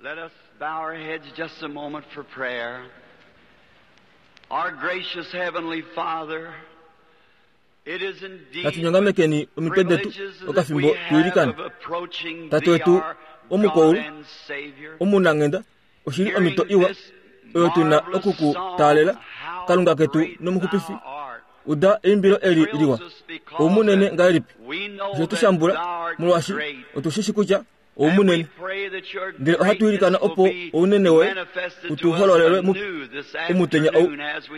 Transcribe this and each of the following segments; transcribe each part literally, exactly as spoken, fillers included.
Let us bow our heads just a moment for prayer. Our gracious Heavenly Father, it is indeed Natunyongamekeni omitwe detu privileges that okafimbo we have tuilikane. of approaching Tate thee, wetu our God omukoulu, and Savior. omunanghenda oshili omhito iwa oyo tuna oku ku taalela Kalunga ketu nomuxupifi. Uda eimbilo eli liwa oumunene ngahelipi osho tushambula molwaashi otushishi kutya oumunene ndele ohatu ilikana opo ounene woye utu hololelwe mu- omutenya ou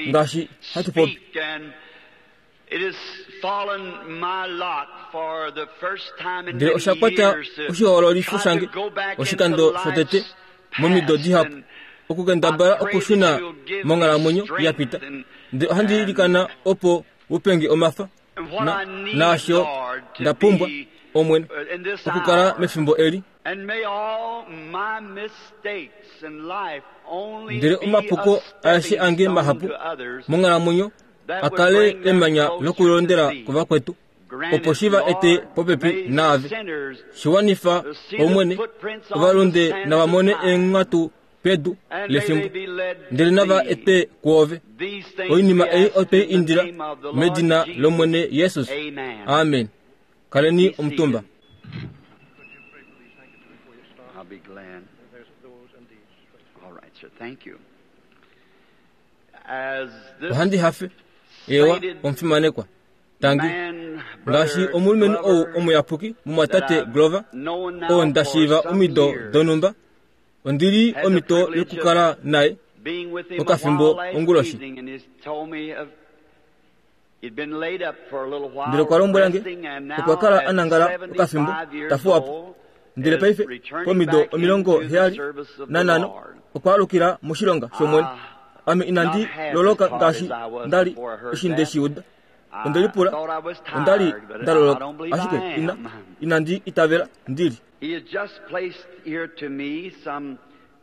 ngaashi hatu popi. Ndele osha kwata oshihoololifo shange oshikando shotete momido dihapu okukendabala okushuna monghalamwenyo ya pita. Ndele ohandi ilikana opo upenge omafa na, naasho nda pumbwa Omwene okukala mefimbo eli. And may all my mistakes in life only Ndele be omapuko a aeshe stepping ange stone mahapu to others monghalamwenyo that a would kale bring them emanya closer lokulondela to thee. kuvakwetu Grant opo it, shi va ete Lord, popepi may naave. sinners Shiwanifa see the Omwene footprints on ovalonde the sands nava mone of time, eenghatu pedu and may they lefimbo be led to ndele nava thee. ete kwoove. These things Oinima we ei ask otwei in the indila name of the Lord medina Jesus. lOmwene Jesus. Amen. Amen. Kaleni Be omutumba. seated. I'll be glad. All right, sir. Thank you. As this Ohandi hafe ewa omufimanekwa. Tangi man, ngaashi brother omulumenhu ou Glover, omuyapuki mumwatate that I've Glover known now oo nda for shiiva some omido years, donhumba ondi li had the omhito privilege yokukala naye being with him a okafimbo while last onguloshi. evening, and he's told me of he'd been laid up for a little while, Ndele okwa lombwela nge resting, and now okwa kala at a nangala okafimbo seventy-five years ta fuwa po. old, Ndele is paife returning pomido back omilongo into the heyali service of the nanhano Lord. okwa alukila moshilonga shOmwene. Ah, Ame inandi not half loloka as hard ngaashi as I was nda li before I heard eshi that. nde shi uda. I Onde lipula thought I was onda li tired, but nda I loloka don't believe ashike I ina am. inandi itavela ndili. He has just placed here to me some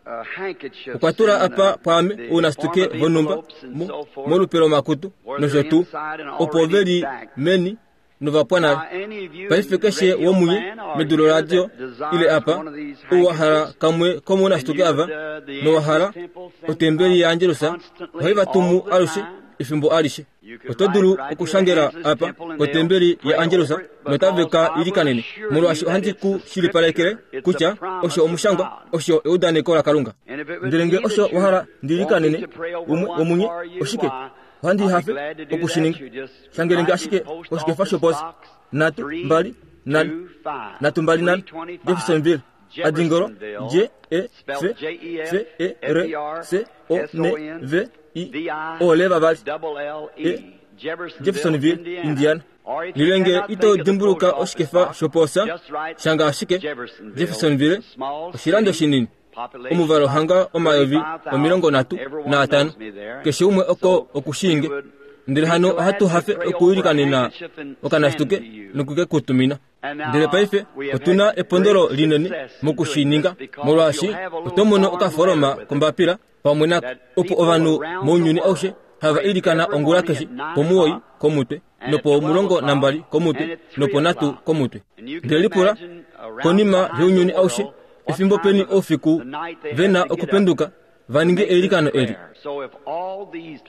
uh, handkerchiefs Okwa tula in, apa uh, pwaame the ounasituke form of vonhumba envelopes and mo- so forth. molupe lomakutu where nosho they're tuu inside and opo already ve li backed. meni novapwa Now, nale. any of you Paife keshe radio womunye fan or medu loradio here that desires ile apa one of these ou wa hala handkerchiefs, kamwe komounasituke and you ava would, uh, the nowa hala Angelus Temple sends otembeli out yaAngelus constantly ohai va tumu all the alushe time. efimbo alishe. You could Oto dulu write right to the okushangela Angelus apa Temple and kotembeli they'll pray yaAngelus over it, notave because ka I will ilikanene assure molwaashi you that ohandi it's ku the shilipalekele scripture. It's the kutya promise osho of omushangwa God. osho eudaneko laKalunga. And if it would Ndele be nge that osho you wa hala ndi want me ilikanene to pray over umwe one womunye for you, oshike why, ohandi I'll be hafe glad to do oku that. shi ninga. You just Shangele nge write me ashike post koshikefa office shoposi box nhatu three mbali nhano two five, nhatu mbali nhano three twenty-five, Jeffersonville adingolo Jeffersonville, J E spelled F J E F F E R F E R C O S N O N V I V I O L vavali double L E E, Jeffersonville, Jeffersonville Indiana. Indiana. Or if you Lilenge cannot ito think of the dimbuluka post office oshikefa box, shoposa just write shanga ashike Jeffersonville, Jeffersonville small oshilando city, shinini population omuvalo about hanga omayovi thirty-five thousand. omilongo nhatu Everyone naatano knows me there. keshe umwe oko So okushinge we would ndele be hano glad ohatu to hafe pray over a okuilikanena handkerchief and okanasituke send to you. nokuke kutumina. And now Ndele paife we have otuna had epondolo great linene success in mokushininga doing this because molwaashi you'll have a little oto mono form okafoloma letter with it kombapila pamwe nako that opo people ovanhu around mounyuni the aushe world hava pray ilikana every ongula morning keshe at nine pomuwoi o'clock komutwe and at nopo twelve mulongo o'clock nambali and komutwe at three nopo nhatu o'clock. komutwe. And you can Ndele lipula imagine around konima behind younyuni the aushe world what efimbo time peni of oufiku the night they ve have na to get up okupenduka va to ninge make this eilikano eli. prayer. So if all these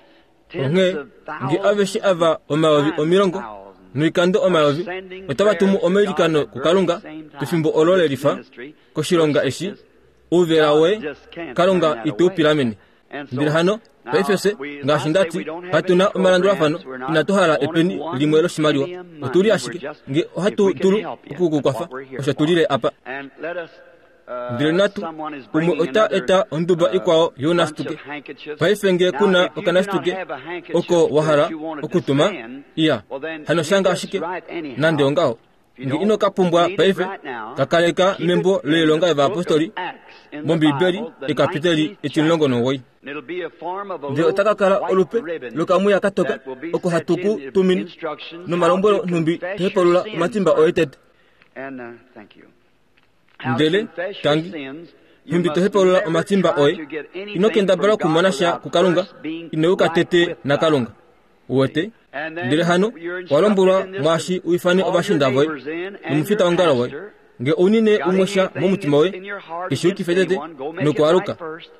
tens Onghee of nge aveshe thousands ava omayovi times omilongo thousands noikando are omayovi sending otava tumu prayers to God omailikano at the very kuKalunga same time pefimbo for olo this lelifa ministry, for koshilonga eshi sickness, ouvela God woye just can't turn Kalunga that ite u away. pilamene. And Ndele so hano paife now fye we, as ngaashi I say, ndati we don't have any katuna omalandulafano programs. We're not inatu hala wanting epeni one limwe loshimaliwa penny of money. otuli We're ashike just, nge if ohatu we can dulu help you, that's okukukwafa what we're here osho for. tulile apa. And let us, uh, Ndele natu someone is umwe bringing ota another eta onduba uh, ikwao bunch of younasituke. handkerchiefs. Paife nge Now, kuna if you do not okanasituke have a handkerchief oko wa that hala you want to okutuma send, iya well then hano you shanga just ashike write anyhow. nande ongaho If you nge don't ino ka pumbwa need it paife right now, kakaleka keep membo it in loilonga the book of yovayapostoli Acts in the mOmbibeli Bible, the ekapiteli nineteenth etimulongo chapter. nomuwoi. And it'll be a form of a Ndele little ota ka kala white olupe ribbon lokamuya katoka that will be oko set hatu ku in with tumine instructions how nomalombwelo to nhumbi confess your tohepalula sins omatimba oye first. tete. And uh, thank you. How to Ndele confess your tangi sins, you nhumbi must tohepalula never omatimba try oye to get ino anything kendabala from God okumona sha without kuKalunga first being ino uka right tete with God. naKalunga. Uwete And ndele then hano you're wa lombwelwa instructed in this mwaashi to u ifane call your ovashiinda voye neighbors in and your nomufitaongalo woye pastor Nge ounine umwe sha momutima woye, keshuukife tete nokwaaluka.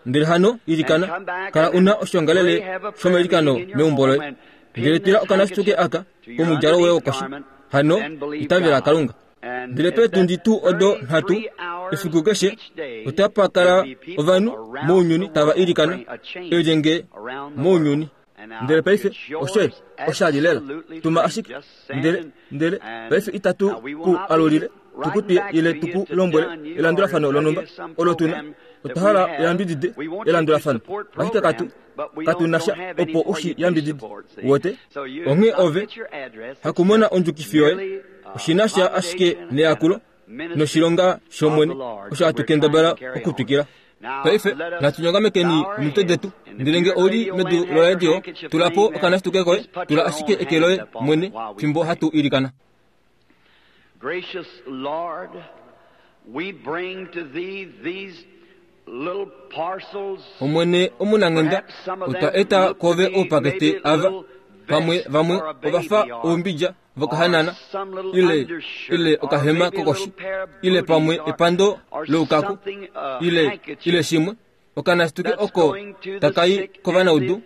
Ndele hano ilikana, kala una oshongalele shomailikano meumbo loye. Ndele tula okanasituke aka komudjalo woye wokoshi. Hano itavela Kalunga. Ndele peetundi tuu odo nhatu efiku keshe otapa kala ovanhu mounyuni tava ilikana elyenge mounyuni. Ndele paife oshoye oshali lela tuma ashike ndele ndele paife itatu ku alulile tukutwiye ile tuku lombwele elandulafano lonumba olo tuna otwa hala yambidide elandulafano ashike katu katuna sha opo ushi yambidide wote onghee ove hakumona ondjukifi yoye oshina sha ashike neyakulo noshilonga shomwene osho hatu kendabala okutwikila. Paife natunyongamekeni omitwe detu. Ndele nge ouli medu loradio, tula po okanasituke koye, tula ashike eke loye mwene fimbo hatu ilikana. Gracious Lord, we bring to thee these little parcels. Omwene omunanghenda, otwa eta kove oupakete ava pamwe vamwe ovafa oumbidja vokahanana ile ile okahema kokoshi ile pamwe epando loukaku ile ile shimwe okanasituke oko takai kovanaudu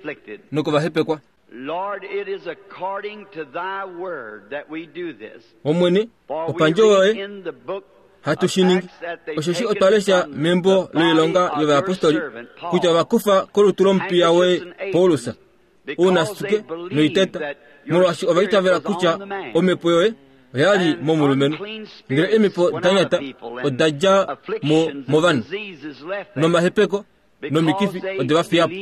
nokovahepekwa. Lord, it is according to thy word that we do this. Omwene opandjo yoye hatu shiningi osheshi otwa lesha membo loilonga yovayapostoli kutya vakufa kolutu lomupiya woye Paulus ounasituke noiteta molwaashi ovaitavela kutya omhepo yoye oyali momulumenhu. Ndele eemhepo da nyata oda dja mo movanhu nomahepeko nomikifi ode va fiya po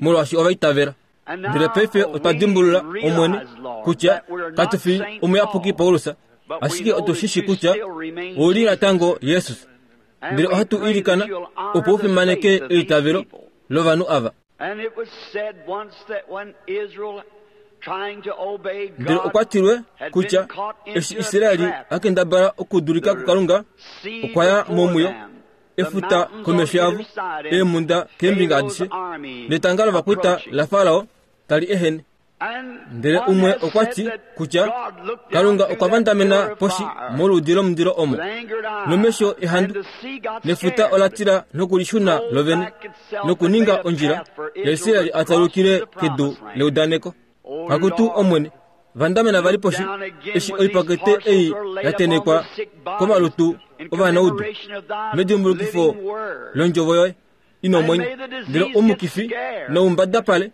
molwaashi ovaitavela. Ndele paife otwa dimbulula Omwene kutya katu fi omuyapuki Paulus, ashike otu shishi kutya ouli natango Jesus. Ndele ohatu ilikana opo u fimaneke eitavelo lovanhu ava. Ndele okwa tilwe kutya eshi Israeli a kendabala okudulika kuKalunga, okwa ya momwiyo, efuta komesho yavo, eemhunda keembinga adishe, netanga lovakwaita laFarao tali ehene. Ndele umwe okwa ti kutya Kalunga okwa vandamena poshi moludi lomundilo omo, nomesho ehandu, nefuta ola tila nokulishuna lovene, nokuninga ondjila yaIsraeli a talukile kedu leudaneko. Kakutu Omwene, vandamena vali poshi eshi oipakete ei yatenekwa komalutu ovanaudu medimbulukifo londjovo yoye ina omwenyo. Ndele omukifi noumbadapale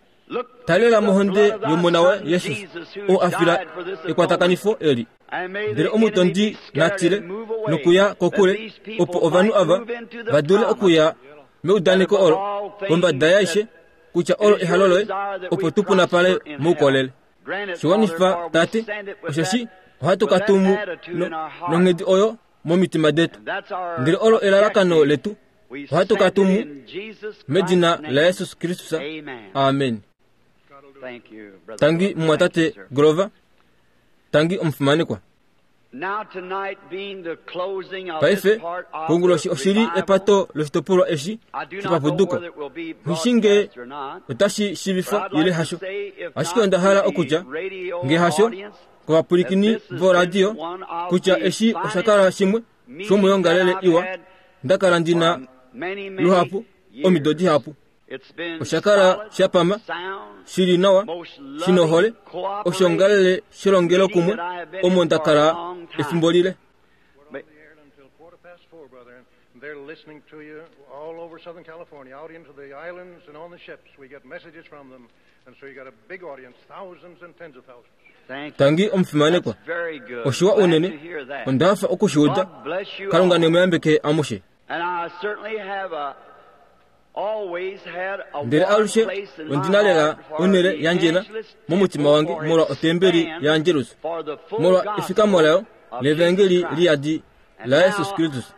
talela mohonde yomona waye Jesus oo a fila ekwatakanifo eli. Ndele omutondi natile nokuya kokule opo ovanhu ava va dule okuya meudaneko olo kombada yaishe kutya olo ehalo loye opo tupunapale moukolele. Shiwanifa Tate, osheshi ohatu katumu nonghedi oyo momitima detu. Ndele olo elalakano letu, ohatu katumu medina la Jesus Kristus. Amen. Tangi mumwatate Grover, tangi omufimanekwa. Paife konguloshi oshili epato loshitopolwa eshi shopapuduko. Nghishinge otashi shivifwa ile hasho, ashike onda hala okutya nge hasho kovapulikini voradio kutya eshi oshakala shimwe shomuyongalele iwa ndakala ndina luhapu omido dihapu. Oshakala shapama shili nawa shinohole oshongalele shelongelo kumwe omo ndakala efimbo lile. They're listening to you all over Southern California, out into the islands and on the ships. We get messages from them. And so you got a big audience, thousands and tens of thousands. Tangi omufimanekwa. Oshiwa unene, ondafa okushuuda. Kalunga nemuyambeke amushe. Ndele alushe ondina lela onele yandjena momutima wange molwa otembeli ya Angelus, molwa efikamo layo levangeli liyadi la Jesus Kristus.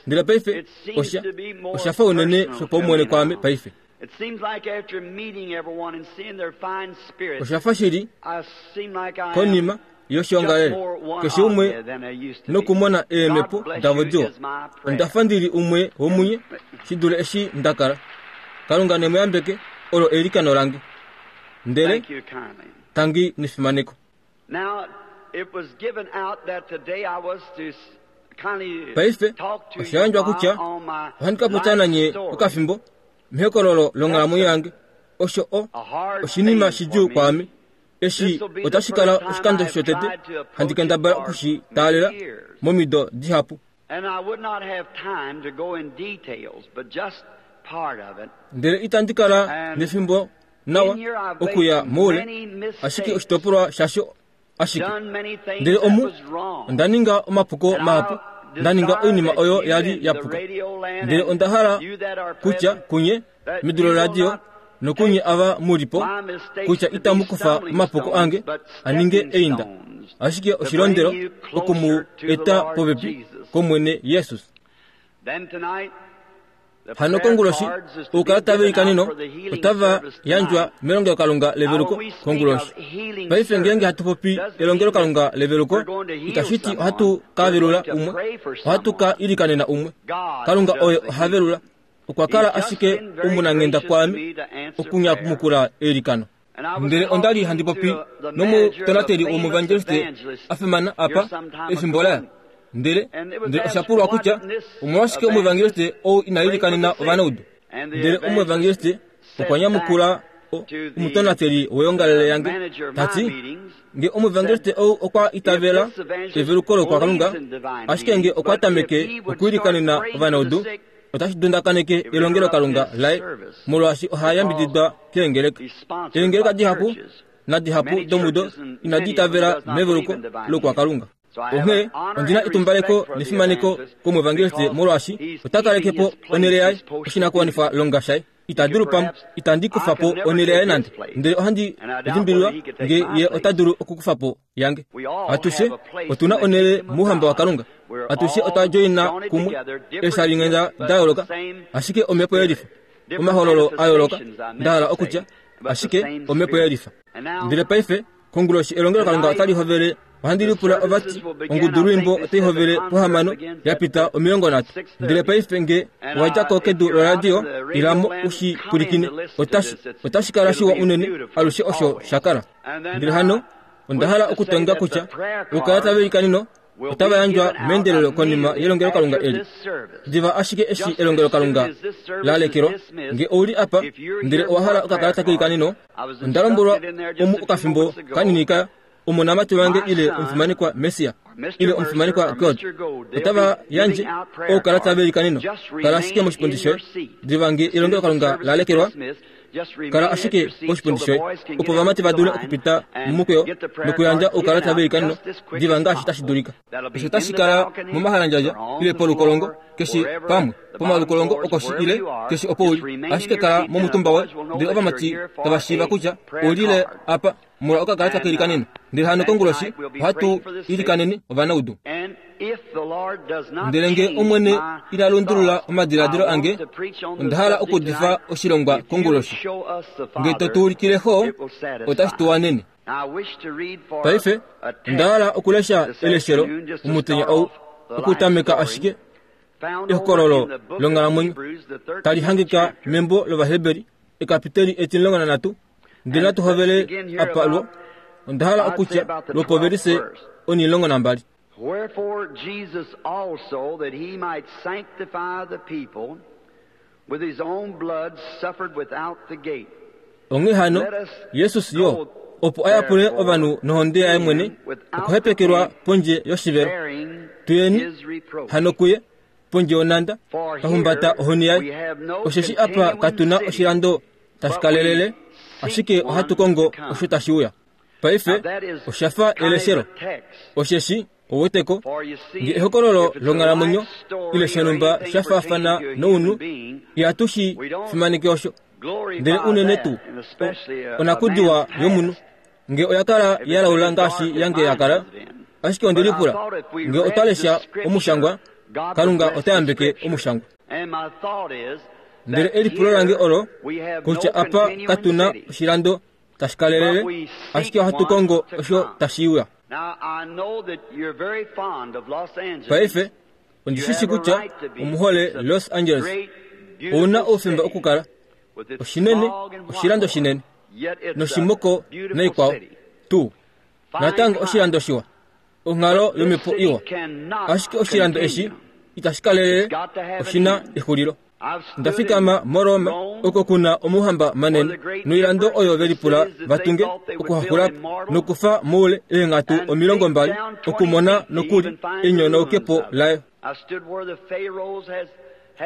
Ndele paife osha oshafa unene shopaumwene kwame paife. Oshafa shili konima yoshiongalele keshe umwe nokumona eemhepo davo diwa. Ondafa ndili umwe womunye shidule eshi ndakala. Kalunga nemuyambeke olo eilikano lange. Ndele tangi nefimaneko. Now it was given out that today I was to Paife osha yandjwa kutya ohandi ka popya nanye okafimbo mehokololo longhalamwenyo yange. Osho o oshinima shidjuu kwaame. Eshi otashi kala oshikando shotete handi kendabala okushi taalela momido dihapu. Ndele itandi kala nefimbo nawa okuya moule, ashike oshitopolwa shasho ashike. Ndele omu onda ninga omapuko mahapu, nda ninga oinima oyo yali ya puka. Ndele onda hala kutya kunye medu loradio nokunye ava mulipo kutya itamu kufa omapuko ange aninge einda, ashike oshilondelo okumu eta popepi komwene Jesus. Hano konguloshi oukalata veikaneno otava yandjwa melongelokalunga leveluko konguloshi. Paife ngeenge hatu popi elongelokalunga leveluko, itashi ti ohatu ka velula umwe, ohatu ka ilikanena umwe. Kalunga oye oha velula. Okwa kala ashike omunanghenda kwaame okunyamukula eilikano. Ndele onda li handi popi nomutonateli womuevangeliste a fimana apa efimbo laya. Ndele ndele osha pulwa kutya omolwashike omuevangeliste ou ina ilikanena ovanaudu. Ndele omuevangeliste okwa nyamukula omutonateli weongalele yange tati, nge omuevangeliste ou okwa itavela eveluko lokwakalunga, ashike nge okwa tameke okuilikanena ovanaudu, otashi dundakaneke elongelokalunga laye, molwaashi oha yambididwa keengeleka. Eengeleka dihapu nadihapu domudo inadi itavela meveluko lokwakalunga. Onghee ondina etumbaleko nefimaneko komuevangeliste molwaashi ota kaleke po onhele yaye oshinakuwanifwa longa shaye. Ita dulu pam itandi kufa po onhele yaye nande, ndele ohandi limbililwa nge ye ota dulu okukufa po yange. Atushe otuna onhele mouhamba waKalunga. Atushe otwa joina kumwe eeshalinghenda da yooloka, ashike omhepo yelifa, omahololo a yooloka, nda hala okutya ashike omhepo yelifa. Ndele paife konguloshi elongelokalunga otali hovele. Ohandi lipula ovati ongudu lwimbo otai hovele pohamano yapita omilongo nhatu. Ndele paife nge owadja ko kedu loradio, ilamo ushi pwilikine. Otashi otashi kala shiwa unene alushe osho sha kala. Ndele hano onda hala okutonga kutya oukalata veikaneno otava yandjwa meendelelo konima yelongelokalunga eli. Diva ashike eshi elongelokalunga la lekelwa, nge ouli apa ndele owa hala okakalata keikaneno, onda lombwelwa omu okafimbo kanini ka omonamati wange ile omufimanekwa Messia ile omufimanekwa God otava yandje oukalata veikaneno. Kala ashike moshipundi shoye diva nge elongelokalunga la lekelwa. Kala ashike poshipundi shoye opo vamati va dule okupita momukweyo nokuyandja oukalata veikaneno diva ngaashi tashi dulika. Osho tashi kala momahalandjadja ile polukolongo keshe pamwe pomalukolongo okoshi ile keshe opo uli, ashike kala momutumba woye ndele ovamati tava shiiva kutya oulile apa molwa okakalata keilikaneno. Ndele hano konguloshi ohatu ilikanene ovanaudu. Ndele nge Omwene ina lundulula omadiladilo ange, onda hala okudifa oshilongwa konguloshi. Nge to tu ulikile xo, otashi tu wanene. Paife onda hala okulesha eleshelo omutenya ou okutameka ashike ehokololo longhalamwenyo tali hangika membo lOvaheberi ekapiteli etimulongo nanhatu. Ndele natu hovele apa lwo. Onda hala okutya lwopovelise onimulongo nambali. Wherefore Jesus also, that he might sanctify the people with his own blood, suffered without the gate. Onghee hano Jesus yo opo ayapule ovanhu nohonde yaye mwene okuhepekelwa pondje yoshivelo. Tuyeni hano kuye pondje yonhanda twa ohoni yaye. Osheshi apa katuna oshilando tashi kalelele, ashike ohatu kongo osho tashi uya. Paife osha fa eleshelo, osheshi oweteko nge ehokololo longhalamwenyo ile shanumba sha faafana nounhu, ihatu shi fimaneke osho. Ndele unene tuu onakudiwa yomunhu nge oya kala ya laula ngaashi yange ya kala. Ashike onde lipula nge otwa lesha omushangwa, Kalunga ota yambeke omushangwa. Ndele elipulo lange olo kutya apa katuna oshilando tashi kalelele, ashike ohatu kongo osho tashi uya. Paife ondishishi kutya omuhole Los Angeles ouna oufemba okukala oshinene, oshilando shinene noshimoko naikwao tuu. Natango oshilando shiwa, onghalo yomhepo iwa. Ashike oshilando eshi itashi kalelele, oshina exulilo. Nda fikama moRoma oko kuna omuhamba manene noilando oyo velipula vatunge okuhaxulapo nokufa moule eenghatu omilongo mbali okumona nokuli enyonaukepo layo.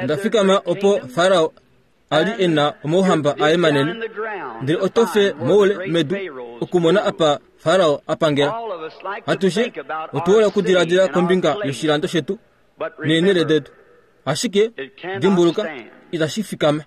Nda fikama opo Farao ali ena omauhamba aye manene, ndele otofe moule medu okumona apa Farao apangela. Atushe otuhola okudiladila kombinga yoshilando shetu neenhele detu, ashike dimbuluka itashi fikama.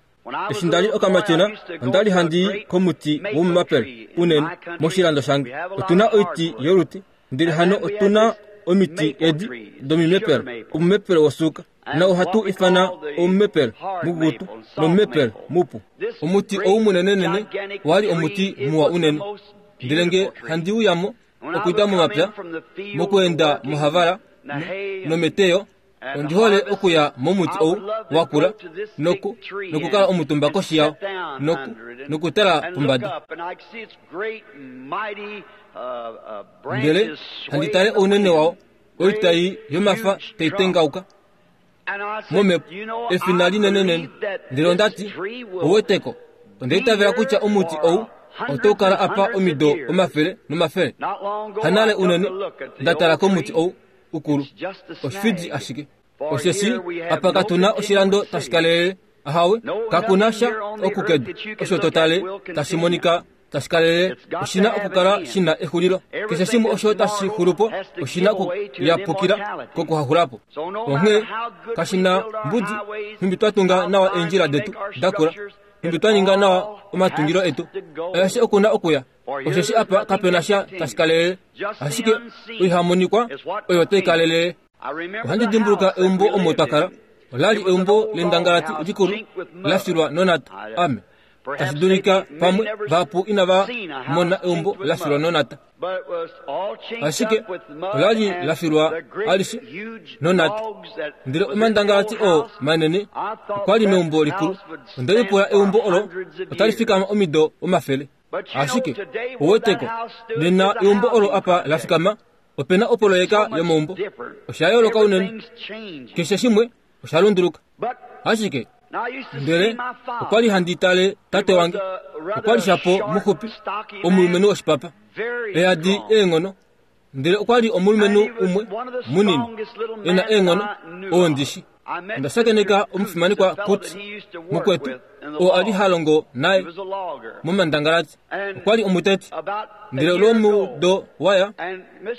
Eshi ndali okamatyona ondali handi komuti womumapele unene moshilando shange. Otuna oiti yoluti, ndele hano otuna omiti edi domimepele, omumepele wosuka na ohatu ifana omumepele mukukutu nomumepele mupu. Omuti ou munenenene wali omuti muwa unene, ndele nge handi uyamo okuita momapya mokuenda mohavala nometeyo, ondi hole okuya momuti ou wakula noku nokukala omutumba koshi yao noku nokutala pombada. Ndele handi tale ounene wao, oitai yomafa taitengauka momhepo, efina linenenene. Ndele ondati, oweteko, ondaitavela kutya omuti ou otau kala apa omido omafele nomafele. Hanale unene ndatala komuti ou ukulu, oshifidi ashike. Osheshi apa katuna oshilando tashi kalelele, ahawe, kakuna sha okukedu osho totale tashi monika tashi kalelele, oshina okukala shina exulilo. Keshe shimwe osho tashi xulupo oshina okuyapukila kokuhaxulapo. Onghee kashina mbudi nhumbi twa tunga nawa eendjila detu dakula, nhumbi twa ninga nawa omatungilo etu, aeshe okuna okuya. Osheshi apa kapena sha tashi kalelele, ashike oihamonikwa oyo tai kalelele. Ohandi dimbuluka eumbo omo twakala, olali eumbo lendangalati likulu lafilwa nonata. Ame tashi dulika pamwe vahapu inava mona eumbo lafilwa nonata, ashike olali lafilwa alishe nonata. Ndele omandangalati oo manene okwali meumbo likulu. Ondelipula eumbo olo otali fikama omido omafele. Ashike oweteko nena eumbo olo apa lafikama opena opoloyeka yomaumbo. Osha yooloka unene, keshe shimwe osha lunduluka. Ashike ndele okwali handi tale tate wange, okwali shapo muxupi, omulumenhu woshipapa, eyadi eenghono. Ndele okwali omulumenhu umwe munini ena eenghono oo ndishi. Onda shakeneka omufimanekwa Kutz mukwetu oo ali ha longo naye momandangalati, okwali omuteti. Ndele lwomudo waya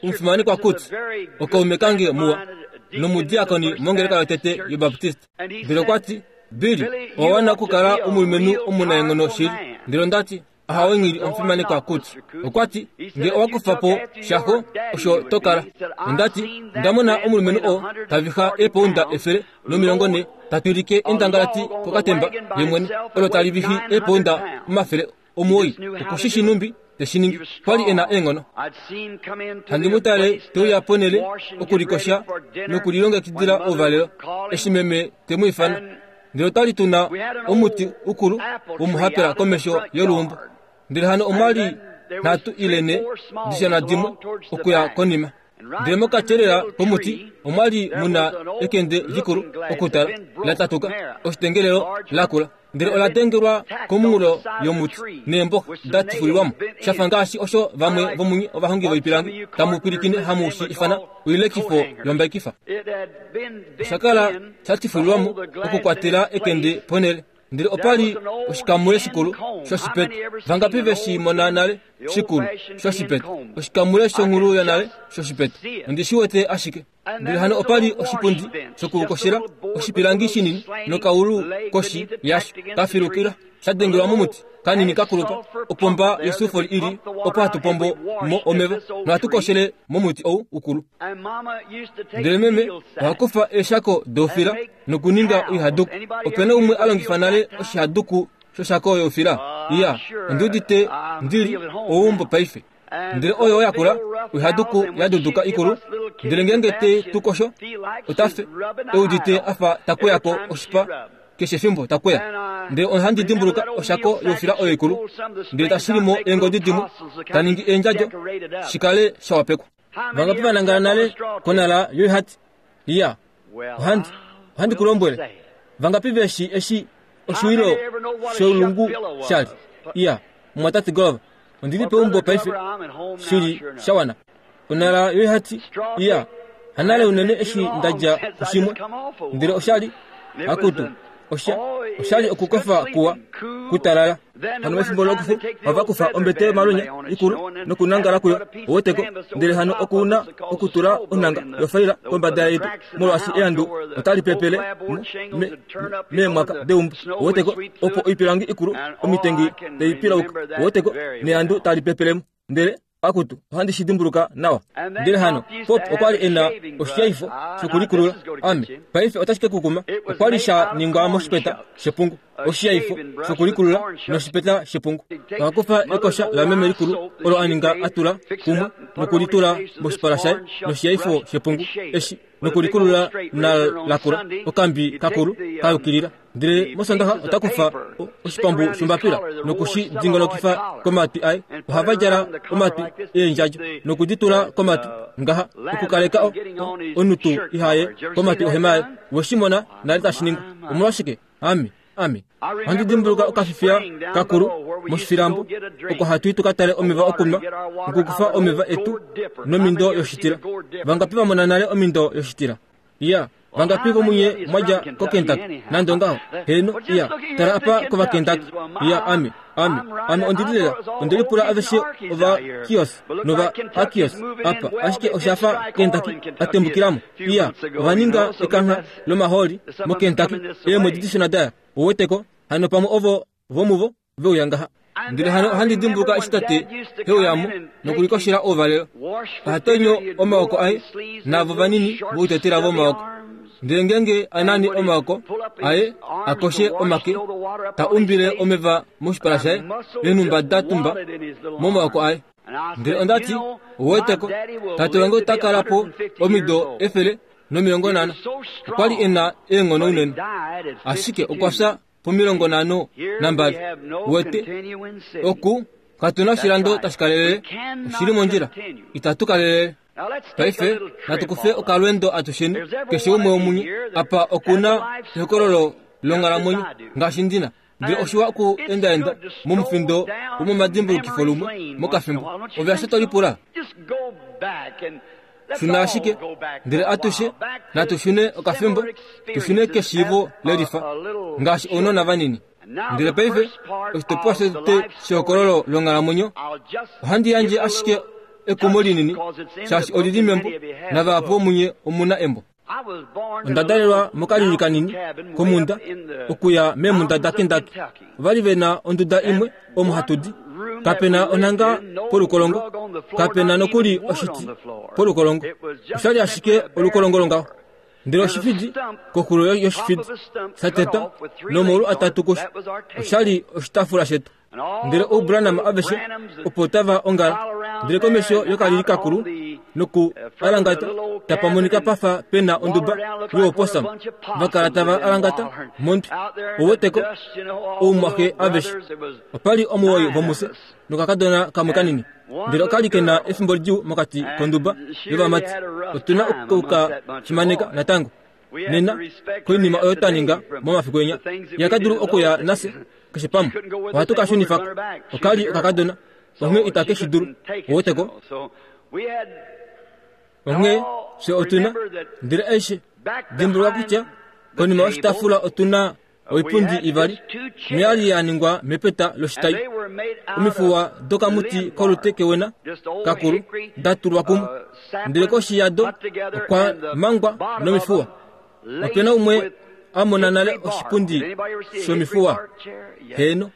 omufimanekwa Kutz okaume kange muwa nomudiakoni mongeleka yotete yobaptiste. Ndele okwati, Billy, owa wana okukala omulumenhu omunaenghono shili. Ndele ondati, ahawe nghili omufimanekwa Kutz. Okwati, nge owa kufa po shaxo osho tokala. Ondati, ndamona omulumenhu oo tavixa eepounda efele nomilongo ne tatwilike endangalati kokatemba yemwene olo tali vixi eepounda omafele omuwoi. Okushishi numbi teshiningi, kwali ena eenghono. Handi mutale teuya ponele okulikosha nokulilongekidila ouvalelo eshi meme temu ifana. Ndele otwali tuna omuti ukulu womuhapela komesho yoluumbo. Ndele hano omwali nhatu ile ne dishana dimwe okuya konima. Ndele mokatyelela komuti omwali muna ekende likulu okutala la tatuka oshitengelelo lakula. Ndele ola dengelwa komunghulo yomuti neemboxa da tifulilwamo, shafa ngaashi osho vamwe vomunye ovahongi voipilangi tamu pwilikine hamu shi ifana oilekifo yombaikifa. Osha kala sha tifulilwamo okukwatela ekende ponele. Ndele opali oshikamule shikulu shoshipeta. Vangapi veshi mona nale shikulu shoshipeta? Oshikamule shonghulu yonale shoshipeta. Ondi shi wete ashike. Ndele hano opali oshipundi shokukoshela oshipilangi shinini nokaulu koshi yasho kafilukila sha dengelwa momuti kanini kakulupa. Opomba yosufoli ili opo hatu pombo mo omeva nohatu koshele momuti ou ukulu. Ndele meme ohakufa eeshako doufila nokuninga oihaduku. Opena umwe a longifa nale oshihaduku shoshako youfila? Iya, ondi udite ndili ouumbo paife. Ndele oyo yakula oihaduku yaduduka ikulu. Ndele ngeenge te tu kosho otafe eudite afa takweyako oshipa keshe efimbo takweya. Ndele ohandi dimbuluka oshako youfila oyo ikulu, ndele tashilimo eengodi dimwe taningi eendjadjo shikale shawapekwa. Vangapi vanangala nale konala yoihati? Iya, ohandi ohandi kulombwele. Vangapi veshi eshi oshiwilo sholungu shali? Iya, mwatate Glover, ondili peumbo paife shili shawana. Onala yoihati? Iya, hanale unene eshi ndaja kushimwe ndele oshali akutu osha oshali okukofa kuwa kutalala. Hano mefimbo lokufu ova kufa ombete malunya ikulu nokunangala kuyo oweteko, ndele hano okuna okutula onanga yofaila kombada yetu molwaashi eandu otali pepele meemwaka deumbo oweteko, opo oipilangi ikulu omitengi teipilauka oweteko, neandu tali pepelemo ndele akutu ohandi shi dimbuluka nawa. Ndele hano Pop okwali ena oshiyaifo shokulikulula. Ame paife otashi kekukuma. Okwali sha ningwa moshipeta shepungu, oshiyaifo shokulikulula noshipeta shepungu. Okakufa ekosha lameme likulu olo aninga atula kumwe nokulitula moshipala shaye noshiyaifo shepungu eshi nokulikulula na lakula okambi kakulu kayukilila. Ndele mosondaha otakufa oshipambu shombapila nokushi dingolokifa komatwi aye. Ohava djala omatwi eendjadjo nokuditula komatwi ngaha okukaleka onutu ihaye komatwi ohema yaye. Weshimona nale tashi ningwa. Omolwashike? Ami ami ohandi dimbuluka okafifiya kakulu moshifilambo oko hatu tukatale omeva okunwa okukufa omeva etu nomindo yoshitila. Vangapi vamona nale omindo yoshitila? Iya, vangapi vomunye mwadja koKentucky nande ongaho? Heno, iya, tala apa kovaKentucky. Iya, ame ame ame ondili lela ondelipula aveshe ova kios nova akios apa, ashike oshafa Kentucky atembukilamo. Iya, ovaninga ekangha lomaholi moKentucky eemwedi dishona daya oweteko. Hano pamwe ovo vomuvo veuya ngaha. Ndele hano ohandi dimbuluka eshi tate heuyamo nokulikoshela ouvalelo. Ohatonyo omaoko aye navo vanini voutetela vomaoko. Ndele ngenge anani omaoko aye akoshe omake, ta umbile omeva moshipala shaye eenhumba da tumba momaoko aye. Ndele ondati oweteko, tate wange ota kala po omido efele nomilongo nhano. Okwali ena eenghono unene, ashike okwa fya pomilongo nhano nambali. Wete oku katuna oshilando tashi kalelele, oshili mondjila, itatu kalelele. Paife natukufe okalwendo atusheni keshe umwe womunye apa okuna ehokololo longhalamwenyo ngaashi ndina. Ndele oshiwa oku endaenda momufindo womomadimbulukifo lumwe mokafimbo. Ove ashe tolipula shuna ashike, ndele atushe natushune okafimbo, tushune keshiivo lelifa ngaashi ounona vanini. Ndele paife oshitopolwa shotete shehokololo longhalamwenyo ohandi yandje ashike ekumo linini shaashi olili membo navahapu vomunye omuna embo. Onda dalelwa mokalili kanini komunda okuya meemunda daKentucky. Ovali vena onduda imwe omo hatudi. Kapena onanga polukolongo, kapena nokuli oshiti polukolongo. Oshali ashike olukolongo longaho. Ndele oshifidi koxulo yoshifidi satetwa nomaulu atatu kusho. Oshali oshitaafula shetu. Ndele oubranam aveshe opo tava ongala. Ndele komesho yokalili kakulu noku alangata tapamonika pafa pena onduba yooposam. Vakala tava alangata mondwi oweteko oumwaxe aveshe. Opali omuwoi vomuse nokakadona kamwe kanini. Ndele okali kena efimbo lidjuu mokati konduba yovamati. Otuna okuka fimaneka natango nena koinima oyo twaninga momafiku enya. Yakadulu okuya nase keshe pamwe. Ohatu ka shunifako. Okali okakadona onghee itake shi dulu oweteko. Onghee fye otuna ndele aishe dimbuluka kutya konima yoshitaafula otuna oipundi ivali noyali ya ningwa mepeta loshitai. Omifuwa dokamuti kolute kewena kakulu datulwa kumwe, ndele koshi yado okwa mangwa nomifuwa. Opena umwe amona nale oshipundi shomifuwa? Heno.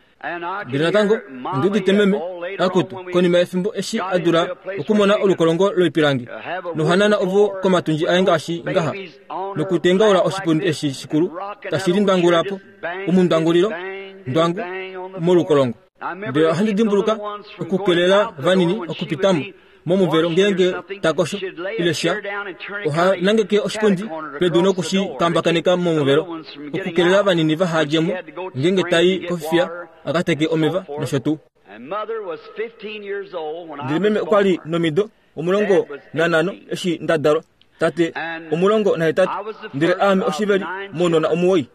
Ndele natango ondiudite meme akutu konima yefimbo eshi adula okumona olukolongo loipilangi nohanana ovo komatundji aye ngaashi ngaha nokutengaula oshipundi eshi shikulu tashi lindwangulapo omundwangulilo ndwangu molukolongo. Ndele ohandi dimbuluka okukelela vanini okupitamo momuvelo ngenge takosho ile sha. Oha nangeke oshipundi pedu nokushi kambakaneka momuvelo okukelela vanini vahadjemo ngenge tai kofifiya akateke omeva nosho tuu. Ndele meme okwali nomido omulongo nanhano eshi nda dalwa, tate omulongo nahetatu, ndele aame oshiveli mounona omuwoi.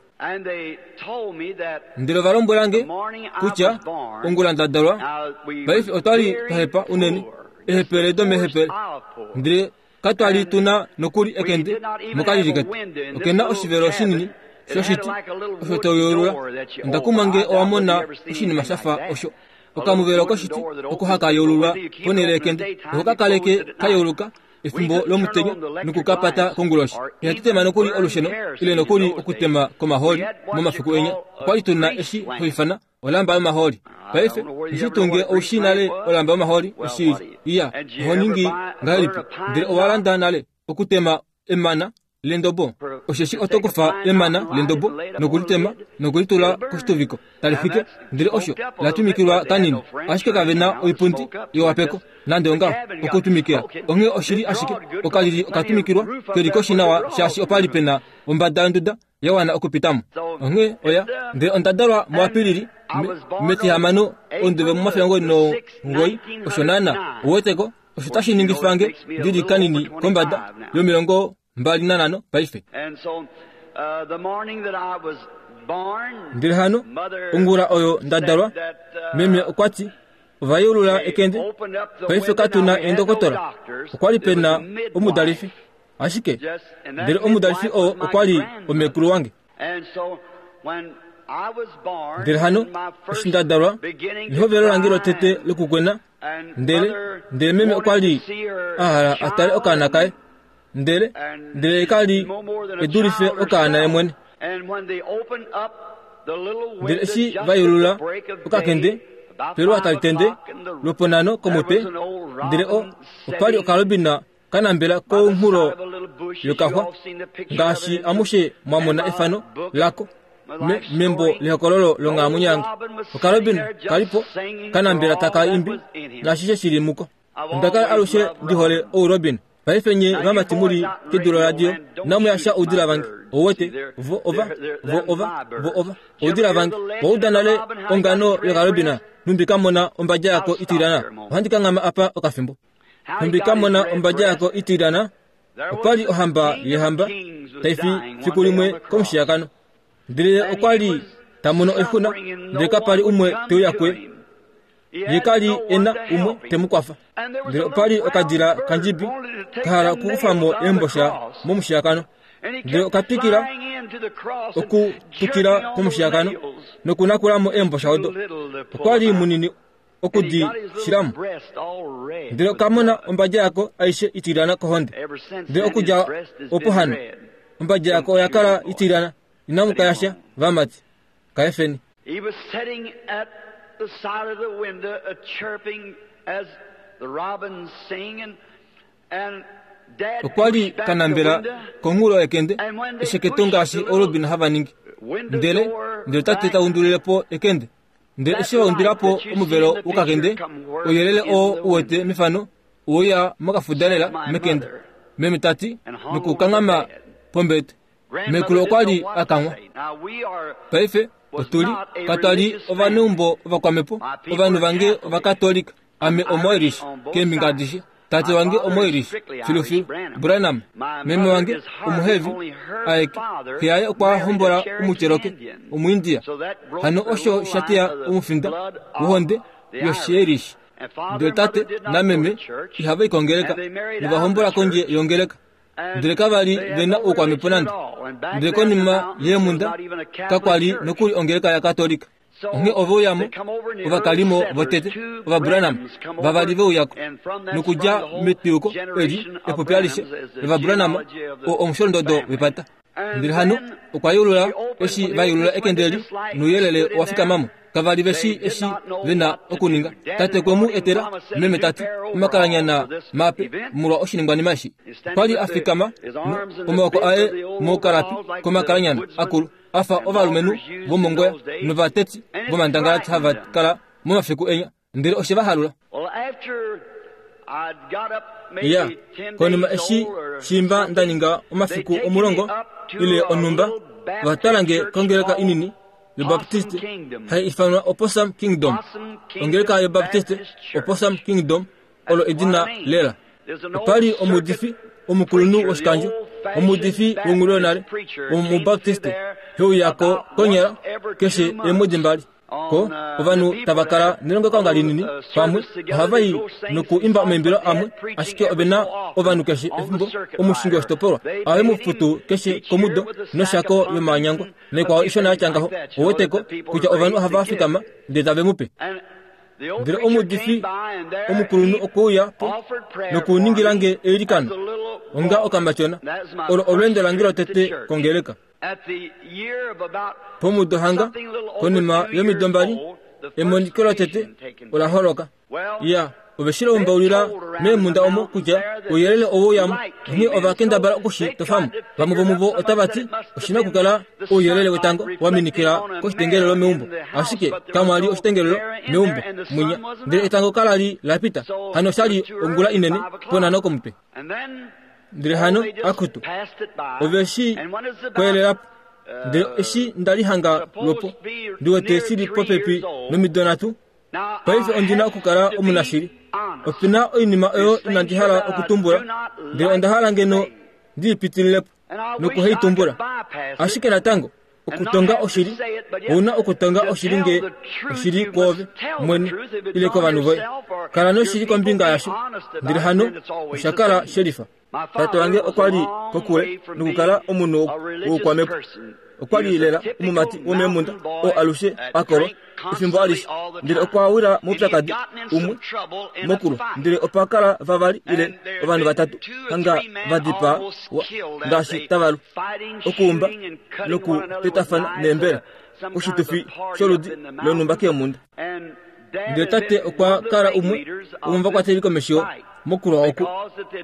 Ndele ova lombwela nge kutya ongula nda dalwa, paife otwa li twa hepa unene, ehepele domehepele, ndele katwa li tuna nokuli ekende mokalili ketu. Okena oshivelo shinini shoshiti osho toyeulula. Onda kumwa nge owa mona oshinima shafa osho. Okamuvelo koshiti oko haka yeululwa ponhele yekende, oho ka kaleke ka yeuluka efimbo lomutenya nokukapata konguloshi. Ihatu tema nokuli olusheno ile nokuli okutema komahooli momafiku enya. Okwali tuna eshi hoifana olamba yomahooli. Paife nishitunge oushi nale olamba yomahooli eshi iya oho ningi ngahelipi, ndele owa landa nale okutema emana lendobo. Osheshi oto kufa emana lendobo nokulitema nokulitula koshituviko tali fike, ndele osho latumikilwa kanini, ashike kave na oipundi yowapeko nande ongaho okutumikila. Onghee oshili ashike okalili okatumikilwa keli koshi nawa, shaashi opali pena ombada yonduda ya wana okupitamo. Onghee oya ndele onda dalwa muApilili metihamano onduve momafyango nongoi osho naana uweteko osho tashi ningifa nge ndili kanini kombada yomilongo mbali nanhano paife. Ndele hano ongula oyo nda dalwa, meme okwa ti ova yeulula ekende. Paife katuna eendokotola, okwa li pena omudalifi ashike, ndele omudalifi oo okwa li omekulu wange. Ndele hano eshi nda dalwa, nehovelo lange lotete lokukwena, ndele ndele meme okwa li a hala a tale okaana kaye, ndele ndele ka li edulife okaana ye mwene. Ndele eshi va yeulula okakende peluwa tali tende lwoponhano komutwe, ndele o opali okalobina kanambela kounghulo yokaxwa, ngaashi amushe mwamona efano lako me, membo lehokololo longhalamwenyo yange. Okalobina kalipo kanambela taka imbi nashishe shili muko. Onda kala alushe ndi hole ourobin. Paife nye vamati muli kedu loradio namuyasha oudila vange. Ouwete vo ova vo ova vo ova oudila vange. Wauda nale ongano yokalobina numbi kamona ombadja yako itilana. Ohandi kanghama apa okafimbo. Numbi kamona ombadja yako itilana. Opali ohamba yehamba taifi fiku limwe komushiyakano. Ndele okwa li tamono oixuna, ndele kapali umwe teuya kuye. Ye kali ena umwe temukwafa. Ndele opali okadila kandjibi kahala okukufamo eembosha momushiyakano. Ndele okatwikila okutukila komushiyakano nokunakulamo eembosha odo. Okwa li munini okudi shilamo. Ndele okamona ombadja yako aishe itilana kohonde. Ndele okudja opo hano ombadja yako oya kala itilana. Inamu kayasha vamati kaefeni. He was sitting at the side of the window, uh, chirping as the robins sing, and, and Dad Okwa li pushed back the kanambela window, konghulo yekende esheketo ngaashi orobin hava ningi. window Ndele door ndele tate back, ta undulilepo ekende. Ndele eshi va undulilapo omuvelo wokakende, ouyelele oo uwete mefano ouya mokafudalela mekende. Meme tati nokukanghama pombete. Mekulu okwa li a kanghwa. Now we are Paife otuli katwa li ovaneumbo ovakwamepo, ovanhu vange ovakatolika. Ame omoirish keembinga adishe. Tate wange omoirish filufilu Branham. Meme wange omuhevi aeke. Xe yaye okwa hombola omucheroke omuindia. Hano osho shateya omufinda wohonde yoshiirish. Ndele tate nameme ihava i kongeleka, novahombola kondje yongeleka. Ndele kava li vena oukwamepo nande. Ndele konima yeemunda kakwa li nokuli ongeleka yakatolika. Onghee ove uyamo ovakalimo votete ovaBranham vavali veuyako nokudja metwiuko eli epopi alishe lOvabranham oo omusholondodo wepata. Ndele hano okwa yeulula eshi va yeulula ekende eli nouyelele owa fikamamo. Kava li veshi eshi vena okuninga. Tate kwe mu etela meme tati omakalanyana mape molwa oshiningwanima eshi. Okwa li a fikama omaoko aye mokalapi komakalanyana akulu afa ovalumenhu vomongoya novateti vomandangalati hava kala momafiku enya. Ndele oshe va halula. Well, after I'd got up maybe Ya ten konima days eshi old or shimba nda ninga omafiku omulongo ile onhumba, va twala nge kongeleka inini yobaptiste hai ifanwa Opossum Kingdom. Ongeleka yobaptiste Opossum Kingdom olo edina lela. Opa li omuudifi omukulunhu woshikandjo, omuudifi wonghulu yonale, womubaptiste, heuya ko konyala keshe eemwedi mbali. Ko ovanhu tava kala nelongelokalunga linini pamwe, ohava i nokuimba omaimbilo amwe, ashike ove na ovanhu keshe efimbo omushingi woshitopolwa ohave mu futu keshe komudo noshako yomanyangwa naikwao ishona yatya ngaho. Ouweteko kutya ovanhu ohava fikama ndele tave mu pe. Ndele omuudifi omukulunhu okwe uya po nokuningila nge eilikano onga okamatyona. Olo olweendo lange lotete kongeleka. Pomudo hanga konima yomido mbali, emoniko lotete ola holoka. Ya, ove shi lombaulila meemhunda omo kutya ouyelele oweuyamo, onghee ova kendabala okushi tofamo. Vamwe vomuvo otava ti oshina okukala ouyelele wetango wa minikila koshitengelelo meumbo, ashike kamwa li oshitengelelo meumbo mwinya, ndele etango kala li la pita. Hano osha li ongula inene ponhano komutwe. Ndele hano akutu ove shi kwelelapo. Ndele eshi nda li hanga lwopo ndi wete shili popepi nomido nhatu. Paife ondi na okukala omunashili. Ope na oinima oyo inandi hala okutumbula, ndele onda hala ngeno ndi ipitililepo nokuheitumbula. Ashike natango okutonga oshili, ouna okutonga oshili nge oshili kwoove mwene ile kovanhu voye. Kala noshili kombinga yasho, ndele hano osha kala shelifa. Tate wange okwa li kokule nokukala omunhu woukwamhepo. Okwa li lela omumati womeemhunda oo alushe a kolwa efimbo alishe, ndele okwa wila moupyakadi umwe mokulwa, ndele opa kala vavali ile ovanhu vatatu hanga va dipaa ngaashi tava lu, okuumba nokutetafana neembele oshitufi sholudi lonhumba keemhunda. Ndele tate okwa kala umwe womovakwateli komesho mokulwa oku,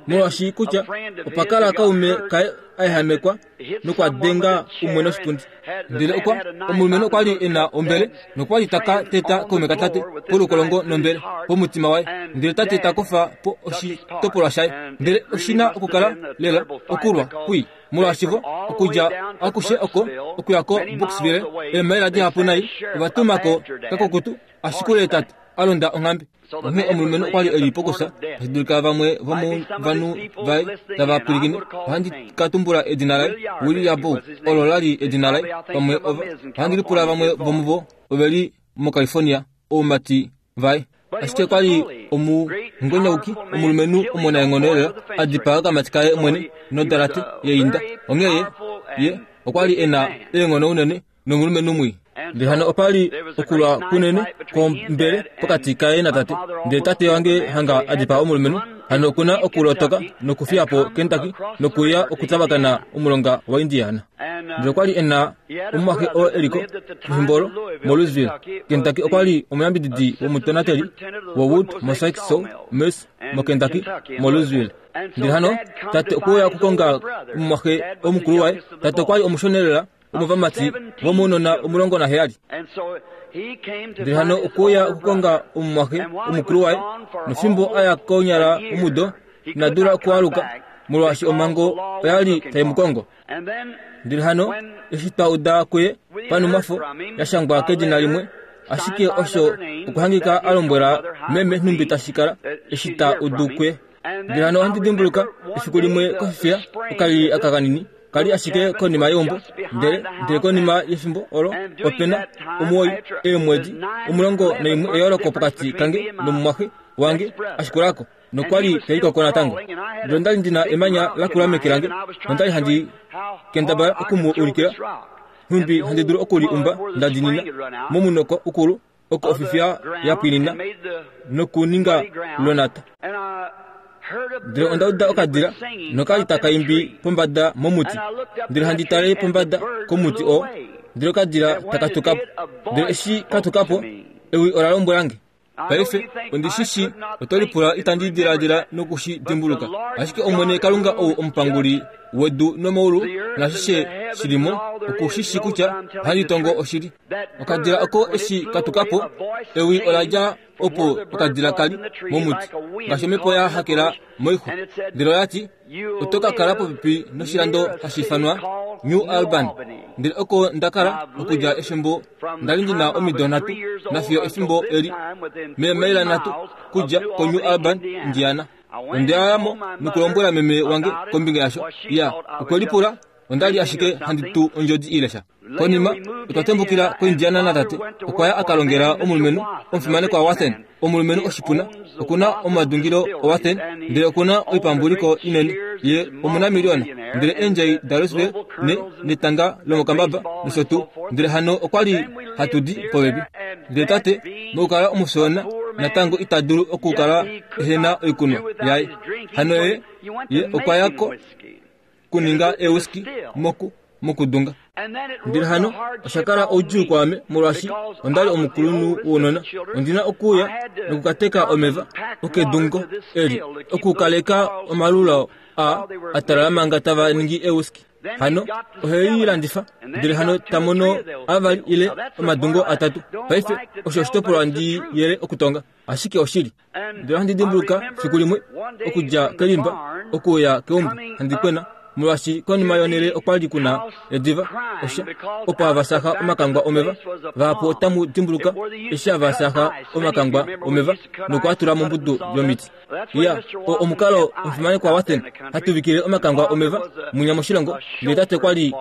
molwaashi kutya opa kala kaume kaye a ehamekwa nokwa denga umwe noshipundi. Ndele okwa omulumenhu okwa li e na ombele nokwa li taka teta kaume katate polukolongo nombele pomutima waye, ndele tate ta kufa po oshitopolwa shaye. Ndele oshina okukala lela okulwa kwii, molwaashi vo okudja akushe oko okuya ko Brooksville eemaila dihapu nai ova tuma ko kakukutu ashikule tate a londa onghambe. Onghee omulumenhu okwa li e li pokusa, tashi dulika vamwe vomovanhu vaye tava pwilikine. Ohandi ka tumbula edina laye, William Bow, olo la li edina laye. Pamwe ova ohandi lipula vamwe vomuvo ove li moCalifornia, oumati vaye. Ashike okwa li omungonyauki, omulumenhu omunaenghono lela, a dipaa okamati kaye mwene nodalate yeinda. Onghee ye okwa li e na eenghono unene nomulumenhu mwii. Ndele hano opa li okulwa kunene kwombele pokati kaye natate. Ndele tate wange hanga a dipaa omulumenhu, hano okuna okulotoka nokufiya po Kentucky nokuya okutavakana omulonga waIndiana. Ndele okwa li e na omumwaxe oo e liko pefimbo olo moLouisville, Kentucky. Okwa li omuyambididi womutonateli woWood Mosaic Saw Mills moKentucky moLouisville. Ndele hano tate okwe uya okukonga omumwaxe omukulu waye. Tate okwa li omushonelela womovamati vomounona omulongo naheyali. Ndele hano okwe uya okukonga omumwaxe omukulu waye, nofimbo a ya konyala omudo ina dula okualuka molwaashi omhango oya li tai mu kongo. Ndele hano eshi twa uda kuye panumwafo ya shangwa kedina limwe, ashike osho okuhangika a lombwela meme nhumbi tashi kala eshi ta udu kuye. Ndele hano ohandi dimbuluka efiku limwe kofifiya okalili aka kanini kali ashike konima yeumbo, ndele ndele konima yefimbo olo ope na omuwoi eemwedi omulongo naimwe eyooloko pokati kange nomumwaxe wange ashikulako, nokwa li taikoko natango. Ndele onda li ndina emanya lakula meke lange, nonda li handi kendabala oku mu ulikila nhumbi handi dulu okuli umba nda dinina momunoko ukulu oko ofifiya ya pwinina nokuninga lonata. Ndele onda uda okadila nokali taka imbi pombada momuti. Ndele handi tale pombada komuti oo, ndele okadila taka tuka po. Ndele eshi ka tuka po, ewi ola lombwela nge. Paife ondi shi shi oto lipula itandi diladila nokushi dimbuluka, ashike Omwene Kalunga ou omupanguli wedu nomaulu naashishe shi li mo, oku shi shi kutya ohandi tongo oshili. Okadila oko eshi ka tuka po, ewi ola dja opo okadila kali momuti, ngaashi omhepo ya hakela moixwa. Ndele oya ti, oto ka kala popepi noshilando hashi ifanwa New Albany. Ndele oko nda kala okudja efimbo nda li ndina omido nhatu nafiyo efimbo eli, meemaila nhatu kudja koNew Albany, Indiana. Onda ya mo nokulombwela meme wange kombinga yasho. Ya, okwe lipula onda li ashike handi tu ondjodi ile sha. Konima otwa tembukila koIndiana natate. Okwa ya a ka longela omulumenhu omufimanekwa Wathen, omulumenhu oshipuna. Okuna omadungilo oWathen, ndele okuna oipambuliko inene. Ye omunamiliona, ndele eendjai daLouisville ne netanga lomokambaba nosho tuu. Ndele hano okwa li hatu di popepi. Ndele tate mokukala omushona natango ita dulu okukala ehena oikunwa yaye. Hano ye ye okwa ya ko kuninga ewhiskey moku mokudunga. Ndele hano osha kala oudjuu kwaame molwaashi onda li omukulunhu wounona. Ondina okuuya nokukateka omeva okedungo eli okukaleka omalula a atalala manga tava ningi ewhiskey. Hano ohei landifa, ndele hano tamono avali ile omadungo atatu. Paife osho oshitopolwa ndi yele okutonga, ashike oshili. Ndele handi dimbuluka fiku limwe okudja kelimba okuya keumbo handi kwena, molwaashi konima yonhele okwa li kuna ediva osha opo hava saha omakangwa omeva. Vahapu otamu dimbuluka eshi hava saha omakangwa omeva nokuatula mombudu yomiti. Ya, omukalo omufimanekwa Wathen hatuvikile omakangwa omeva munya moshilongo. Ndele tate kwa li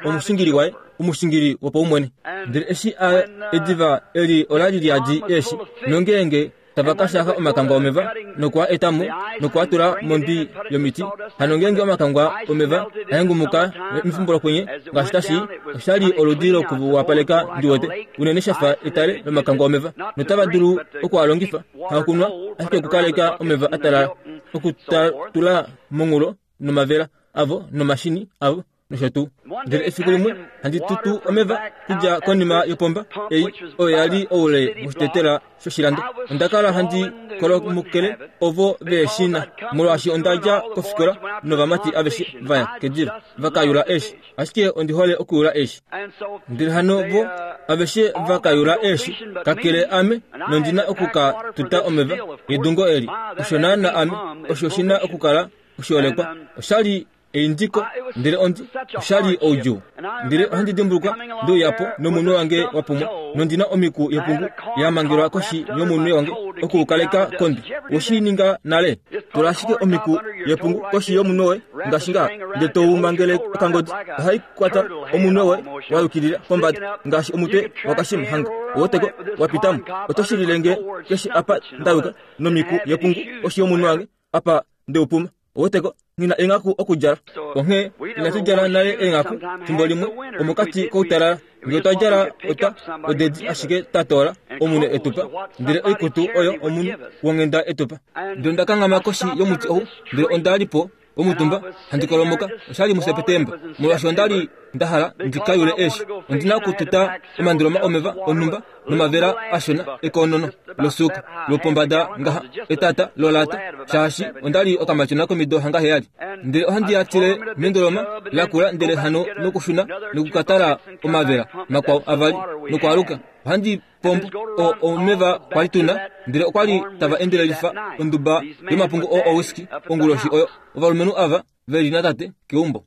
omushingili waye, omushingili wopaumwene. Ndele eshi a ediva eli ola li liadi eeshi, nongeenge tava ka shaha omakangwa omeva nokwa etamo nokwa tula mondwi yomiti. Hano ngeenge omakangwa omeva ahengumuka mefimbo lokwenye ngaashi tashi, oshali oludi lokuwapaleka ndiwete unene shafa etale lomakangwa omeva, notava dulu okualongifa hakunwa ashike okukaleka omeva atalala, okutatula mongulo nomavela avo nomashini avo nosho tuu. Ndele efiku limwe handi tutu omeva kudja konima yopomba ei oyo ya li oule moshitetela shoshilando. Onda kala handi kolomukele ovo veeshina molwaashi onda dja kofikola novamati aveshe vaya kediva vakayula eeshi, ashike ondi hole okuyula eeshi. Ndele hano vo aveshe vakayula eeshi kakele ame, nondina okuka tuta omeva yedungo eli. Osho naana ame osho shina okukala oshiolekwa. Oshali eindiko, ndele ondi oshali oudjuu. Ndele ohandi dimbuluka ndeuyapo nomunwe wange wapumwa, nondina omiku yepungu ya mangelwa koshi yomunwe wange okuukaleka kondi. Woshininga nale, tula ashike omiku yepungu koshi yomunwe woye ngaashi nga, ndele tou mangele okangodi. Ohai kwata omunwe woye wa yukilila pombada ngaashi omutwe wakashima hanga owoteko wapitamo. Oto shililenge keshe apa ndayuka nomiku yepungu koshi yomunwe wange apa ndeupuma. Owoteko ngina enghaku okudjala. Onghee inatu djala nale enghaku fimbo limwe omokati koutalala. Ngee otwa djala ota odedi ashike tatoola omunhu etupa, ndele oikutu oyo omunhu wonghenda etupa. Ndele onda kanghama koshi yomuti ou, ndele onda li po omutumba handi kolomoka. Oshali muSepetemba, molwaashi onda li nda hala ndi ka yule eeshi. Ondina okututa omandoloma omeva onhumba nomavela ashona ekonono losuuka lopombada ngaha etata lolata, shaashi onda li okamatyona komido hanga heyali. Ndele ohandi ya tile mendoloma lakula, ndele hano nokushuna nokukatala omavela makwao avali nokwaaluka. Ohandi pombo o omeva kwali tuna, ndele okwali tava endelelifa onduba yomapungu o owhiskey onguloshi oyo. Ovalumenhu ava veli natate keumbo.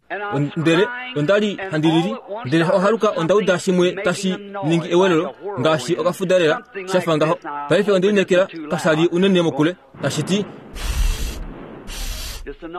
Ndele onda li handi lili, ndele ohaluka onda uda shimwe tashi ningi ewelelo ngaashi okafudalela shafa ngaho. Paife onde lineekela kashali unene mokule, tashi ti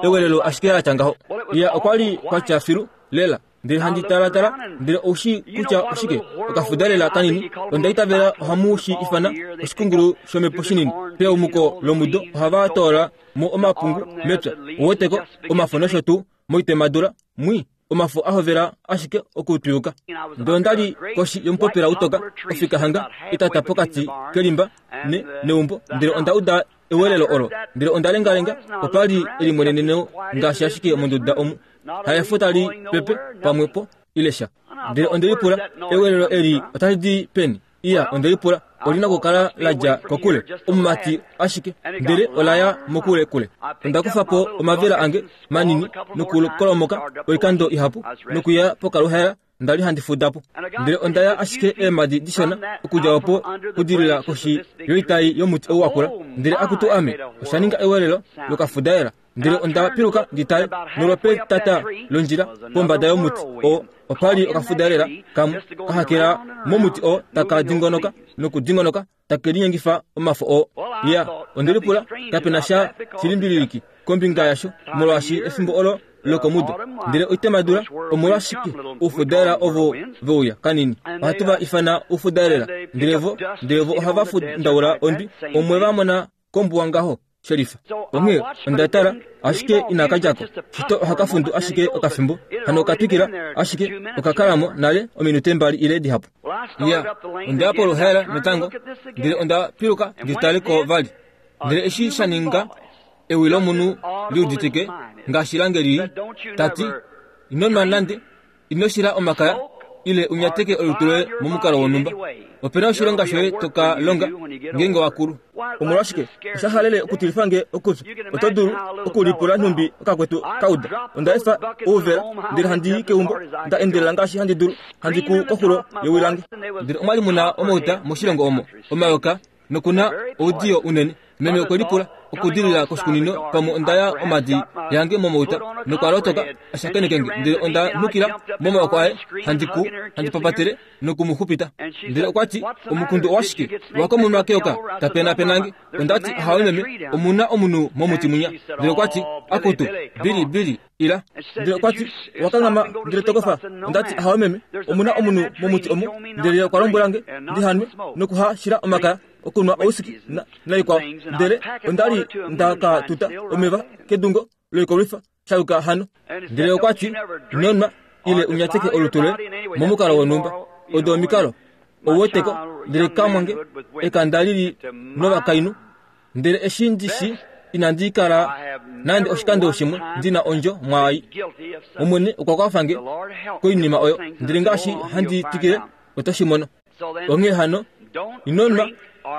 ewelelo ashike latya ngaho. Ya, okwa li kwatya filu lela. Ndele handi talatala, ndele oushi kutya oshike okafudalela kanini. Onda itavela ohamu shi ifana oshikungulu shomhepo shinini. Peumuko lomudo ohava toola mo omapungu mepya, oweteko omafo nosho tuu moitemadula mwi omafo ahovela ashike okutwiyuka. Ndele onda li koshi yomupopila utoka ofika hanga etata pokati kelimba ne neumbo, ndele onda uda ewelelo olo. Ndele onda lengalenga, opali elimweneneno ngaashi ashike monduda omu haefo tali pepe pamwepo ile sha. Ndele onde lipula, ewelelo eli otali di peni? Iya, onde lipula, olina okukala ladja kokule omumati ashike, ndele olaya mokule kule. Onda kufa po omavela ange manini nokukolomoka oikando ihapu nokuya pokaluhaela onda li handi fuda po. Ndele onda ya ashike eemadi dishona okudja opo kudilila koshi yoitai yomuti ou wakula. Ndele akutu ame, osha ninga ewelelo lokafudaela. Ndele onda piluka ndi tale nolopetata londjila pombada yomuti oo opali okafudaelela kamwe kahakela momuti oo taka dingonoka nokudingonoka take linyengifa omafo oo. Ya, onde lipula kapena sha shilimbililiki kombinga yasho molwaashi efimbo olo lokomudo. Ndele oitemadula omolwashike oufudaela ovo veuya kanini ohatu va ifana oufudaelela. Ndele vo ndele vo ohava fundaula ondwi omwe va mona kombuwa ngaho sherifa. Onghee onda tala ashike inakadjako shito ohakafundu ashike okafimbo hano okatwikila ashike okakalamo nale ominute mbali ile dihapu. Ya, onda ya poluhaela natango ndele onda piluka ndi tale ko vali. Ndele eshi sha ninga ewi lomunhu liuditike ngaashi lange lili tati ino nwa nande, ino shila omakaya ile unyateke olutu loye momukalo wonhumba. Opena oshilonga shoye toka longa ngeenge wakulu. Omolwashike osha halele okutilifa nge okupya. Oto dulu okulipula nhumbi okakwetu kauda. Onda efa ouvela ndele handi i keumbo nda endelela ngaashi handi dulu handi ku koxulo yewi lange. Ndele omwali muna omauta moshilongo omo omayoka nokuna oudiyo unene. Meme okwe lipula okudilila koshikunino pamwe onda ya omadi yange momauta nokwa lotoka ashakenekenge. Ndele onda nukila momaoko aye handi ku handi papatele nokumuxupita. Ndele okwati omukundu owashike wakomunwa keyoka tapenapenange. Ondati ahawe meme omuna omunhu momuti munya. Ndele okwati akutu bili bili ila. Ndele okwati wakangama ndele tokofa. Ondati ahawe meme omuna omunhu momuti omu. Ndele okwa lombwelange ndihanwe nokuhashila omakaya okunwa ousiki naikwao. Ndele ondali ndakatuta omeva kedungo loikolwifa shayuka hano. Ndele okwati ino nwa ile unyateke olutu loye momukalo wonhumba. Odo omikalo ouweteko. Ndele kamwange ekanda lili novakainhu. Ndele eshi ndishi inandi kala nande oshikando shimwe ndina ondjo mwaai. Omwene okwa kwafange koinima oyo. Ndele ngaashi handi twikile oto shi mono. Onghee hano ino nwa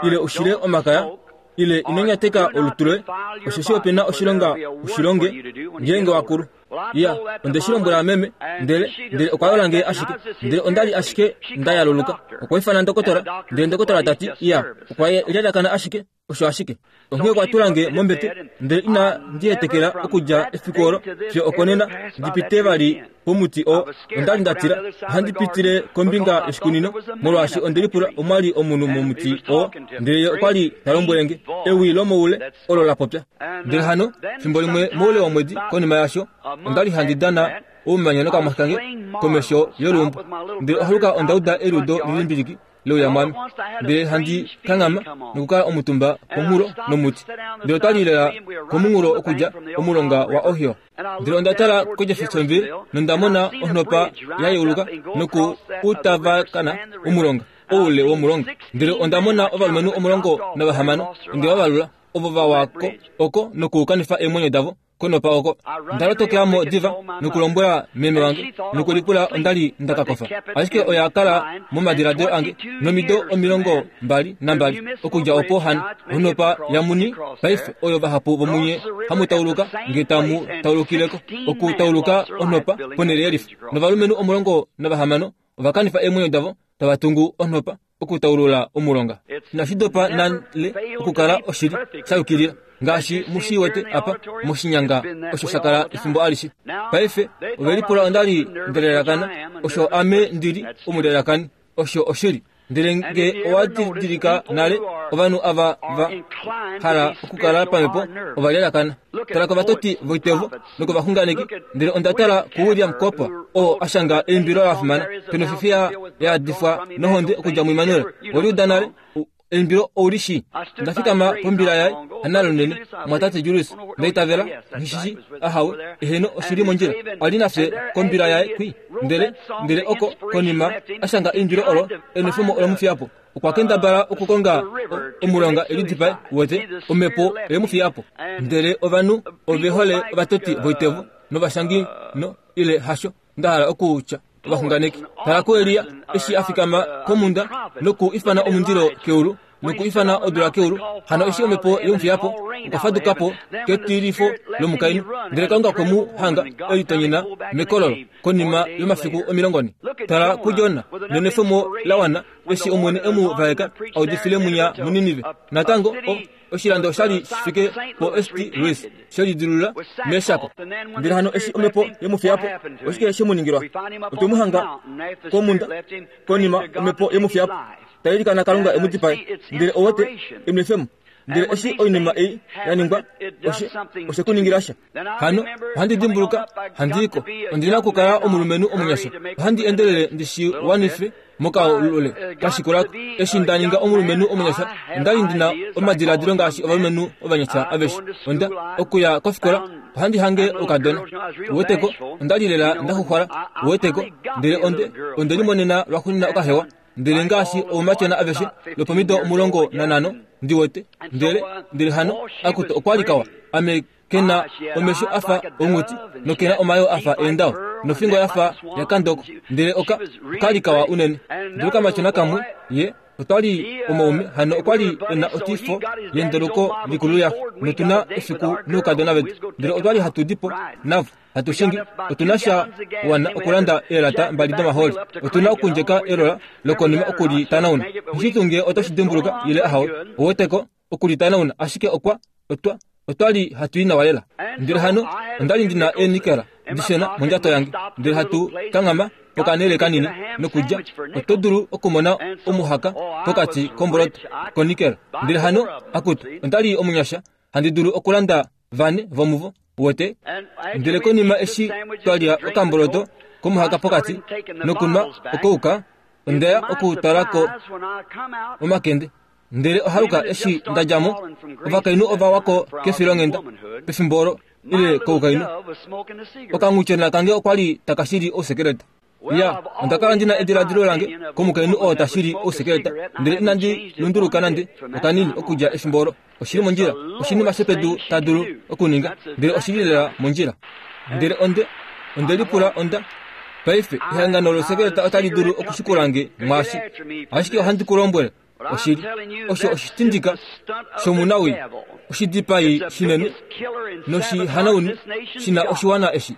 ile ushile omakaya ile ino nyateka olutu loye, osheshi opena oshilonga ushilonge ngeenge wakulu. Ya, onde shi lombwela meme ndele ndele okwa yola nge ashike. Ndele ondali ashike nda yaluluka. Okwa ifana ndokotola ndele ndokotola tati ya okwa lyalakana ashike osho ashike. Onghee okwa tula nge mombete ndele ina ndiyetekela okudja efiku olo fiyo okonena ndipite vali pomuti oo. Ondali ndatila ohandi pitile kombinga yoshikunino molwaashi onde lipula omwali omunhu momuti oo. Ndele ye okwali ta lombwele nge ewi lomoule olo la popya. Ndele hano fimbo limwe moule womwedi konima yasho ondali handi dana oumanya nokamwa kange komesho yoluumbo. Ndele ohaluka onda uda eludo lilimbiliki leuya mwami. Ndele handi kanghama nokukala omutumba pomunghulo nomuti. Ndele otwali lela komunghulo okudja omulonga wa Ohio. Ndele onda tala koJeffersonville nonda mona onhopa ya yeuluka noku utavakana omulonga oule womulonga. Ndele onda mona ovalumenhu omulongo navahamano onde vavalula ovo vawako oko nokukanifa eemwenyo davo konopa oko. Ndalotokela diva nokulombwela meme wange nokulipula ondali ndakakofa. Ashike oya kala momadiladilo ange nomido omilongo mbali nambali okudja opo hano onopa yamuni paife oyo vahapu vomunye hamutauluka nge tamu taulukileko okutauluka onopa ponele yelifa. Novalumenhu omulongo navahamano ovakanifa eemwenyo davo tava tungu onopa okutaulula omulonga. Inashidopa nale okukala oshili shayukilila ngaashi mushiwete apa moshinyanga osho shakala efimbo alishe. Paife ovelipula ondali ndelelakana osho ame ndili omulelakani osho oshili. Ndele nge owadidilika nale ovanhu ava va hala okukala pamhepo ovalelakana. Tala kovatoti voitevo nokovaxunganeki. Ndele onda tala kuWilliam Cooper oo ashanga eimbilo la fimana penofifiya yaadifwa nohonde okudja muImmanuel. Weliuda nale eimbilo oulishi. Ndafikama pombila yaye analonene mwatate Julius ndaitavela ngishishi ahawe eheno oshili mondjila ali nafye kombila yaye kwi. Ndele ndele oko konima ashanga eimbilo olo enefemo olomufiyapo. Okwa kendabala okukonga omulonga elidipae wete omhepo emufiyapo. Ndele ovanhu ove hole ovatoti voitevo novashangi no ile hasho ndahala okutya ovaxunganeki. Tala kuElia eshi afikama komunda noku ifana omundilo keulu nokuifana odula keulu. Hano eshi omhepo yemufiyapo, okwa fadukapo ketilifo lomukainhu, ndele Kalunga okwe mu hanga elitonyena mekololo konima yomafiku omilongone. Tala kuJona nenwefemo la wana eshi Omwene emu vaeka audifile munya muNinive. Natango o oshilando oshali shifike po St Louis shelidilula meshako. Ndele hano eshi omhepo yemufiyapo, oshike shemuningilwa? Otwe mu hanga komunda konima omhepo yemufiyapo tailikana Kalunga emudipae. Ndele owete enwefemo. Ndele eshi oinima ei yaningwa, oshe oshekuningila sha. Hano ohandi dimbuluka handiiko ondina okukala omulumenhu omunyasha. Ohandi endelele ndishiwanife mokaulule kashikulako. Eshi nda ninga omulumenhu omunyasha, ondali ndina omadiladilo ngaashi ovalumenhu ovanyasha aveshe. Onda okuya kofikola ohandi hange okadona. Uweteko, ondali lela ndaxuxwala. Uweteko, ndele onde onde limonena lwaxuuninwa okahewa. Ndele ngaashi oumatyona aveshe lopomido omulongo nanhano ndiwete. Ndele ndele hano akuto okwali kawa. Ame kena omesho afa onghuti nokena omayo afa eendao nofingo yafa yakandoko. Ndele oka okali kawa unene. Ndele okamatyona kamwe ye otwali omaume hano okwali ena otifo yendoloko likulu yaxe notuna efiku noukadona vetu. Ndele otwali hatu dipo navo hatu shingi. Otuna sha wana okulanda eelata mbali domaholi. Otuna okundjeka elola lokonima okulitanauna. Oshitunge otoshi dimbuluka ile ahawe. Oweteko okulitanauna ashike okwa otwa otwali hatu i nawa lela. Ndele hano ondali ndina eenikela dishena mondjato yange. Ndele hatu kanghama pokanele kanini nokudja. Oto dulu okumona omuhaka pokati komboloto konikela. Ndele hano akutu ondali omunyasha handi dulu okulanda vane vomuvo. Uwete? Ndele konima eshi twalya okamboloto komuhaka pokati nokunwa okouka, ondeya okutalako omakende. Ndele ohaluka eshi ndadjamo, ovakainhu ova wako kefilonghenda pefimbo olo ile koukainhu. Okanghutyona kange okwali takashili ousekeleta. Ya, onda kala ndina ediladilo lange komukainhu oo tashili ousekeleta, ndele inandi lunduluka nande okanini okudja efimbo olo. Oshili mondjila, oshinima shepedu ta dulu okuninga, ndele oshili lela mondjila. Ndele onde onde lipula onda paife ehangano lousekeleta otali dulu okushikulange mwaashi, ashike ohandi ku lombwele oshili, osho oshitindika shomunawii, oshidipai shinene noshihanauni shina oshiwana eshi.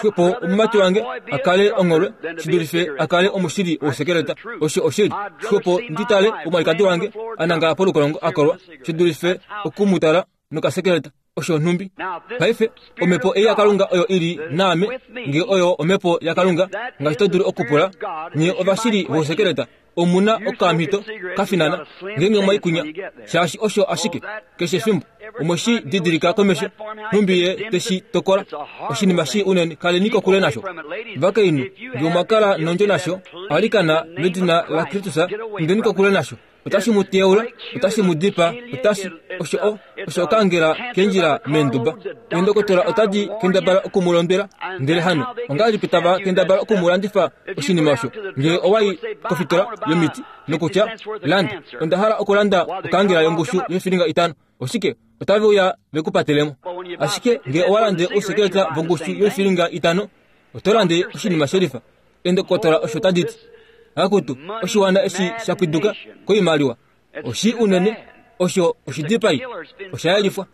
Xwepo omumati wange akale ongolwe shidulife akale omushili wousekeleta. Osho oshili. Xwepo nditale omwalikadi wange anangala polukolongo akolwa shidulife okumutala nokasekeleta. Osho nhumbi. Paife omhepo ei yaKalunga oyo ili naame, nge oyo omhepo yaKalunga ngaashi to dulu okupula nye ovashili vousekeleta, omuna okamhito kafinana ngeenge mwaikunya, shaashi osho ashike keshe efimbo omweshi didilika komesho nhumbi ye teshi tokola. Oshinima shi unene, kaleni kokule nasho. Vakainhu, nge omwakala nondjo nasho, alikana medina laKristus, indeni kokule nasho. Otashi mu teula, otashi mu dipa, otashi osho o osho okangela kendjila meenduba. Eendokotola otadi kendabala okumulondwela, ndele hano ongahelipi tava kendabala okumulandifa oshinima osho? Ngee owai kofitola yomiti nokutya landa, onda hala okulanda okangela yongushu yoifilinga itano, oshike otave uya vekupatelemo. Ashike ngee owalande ousekeleta vongushu yoifilinga itano, oto lande oshinima shelifa. Eendokotola osho tadi ti. Akutu oshiwana eshi shapwiduka koimaliwa oshi unene, osho oshidipai oshayelifwa.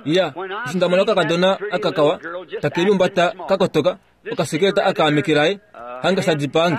Ya, eshi ndamona okakadona akakawa takeliumbata kakotoka okasekeleta akaamekelaye hanga shadipaange,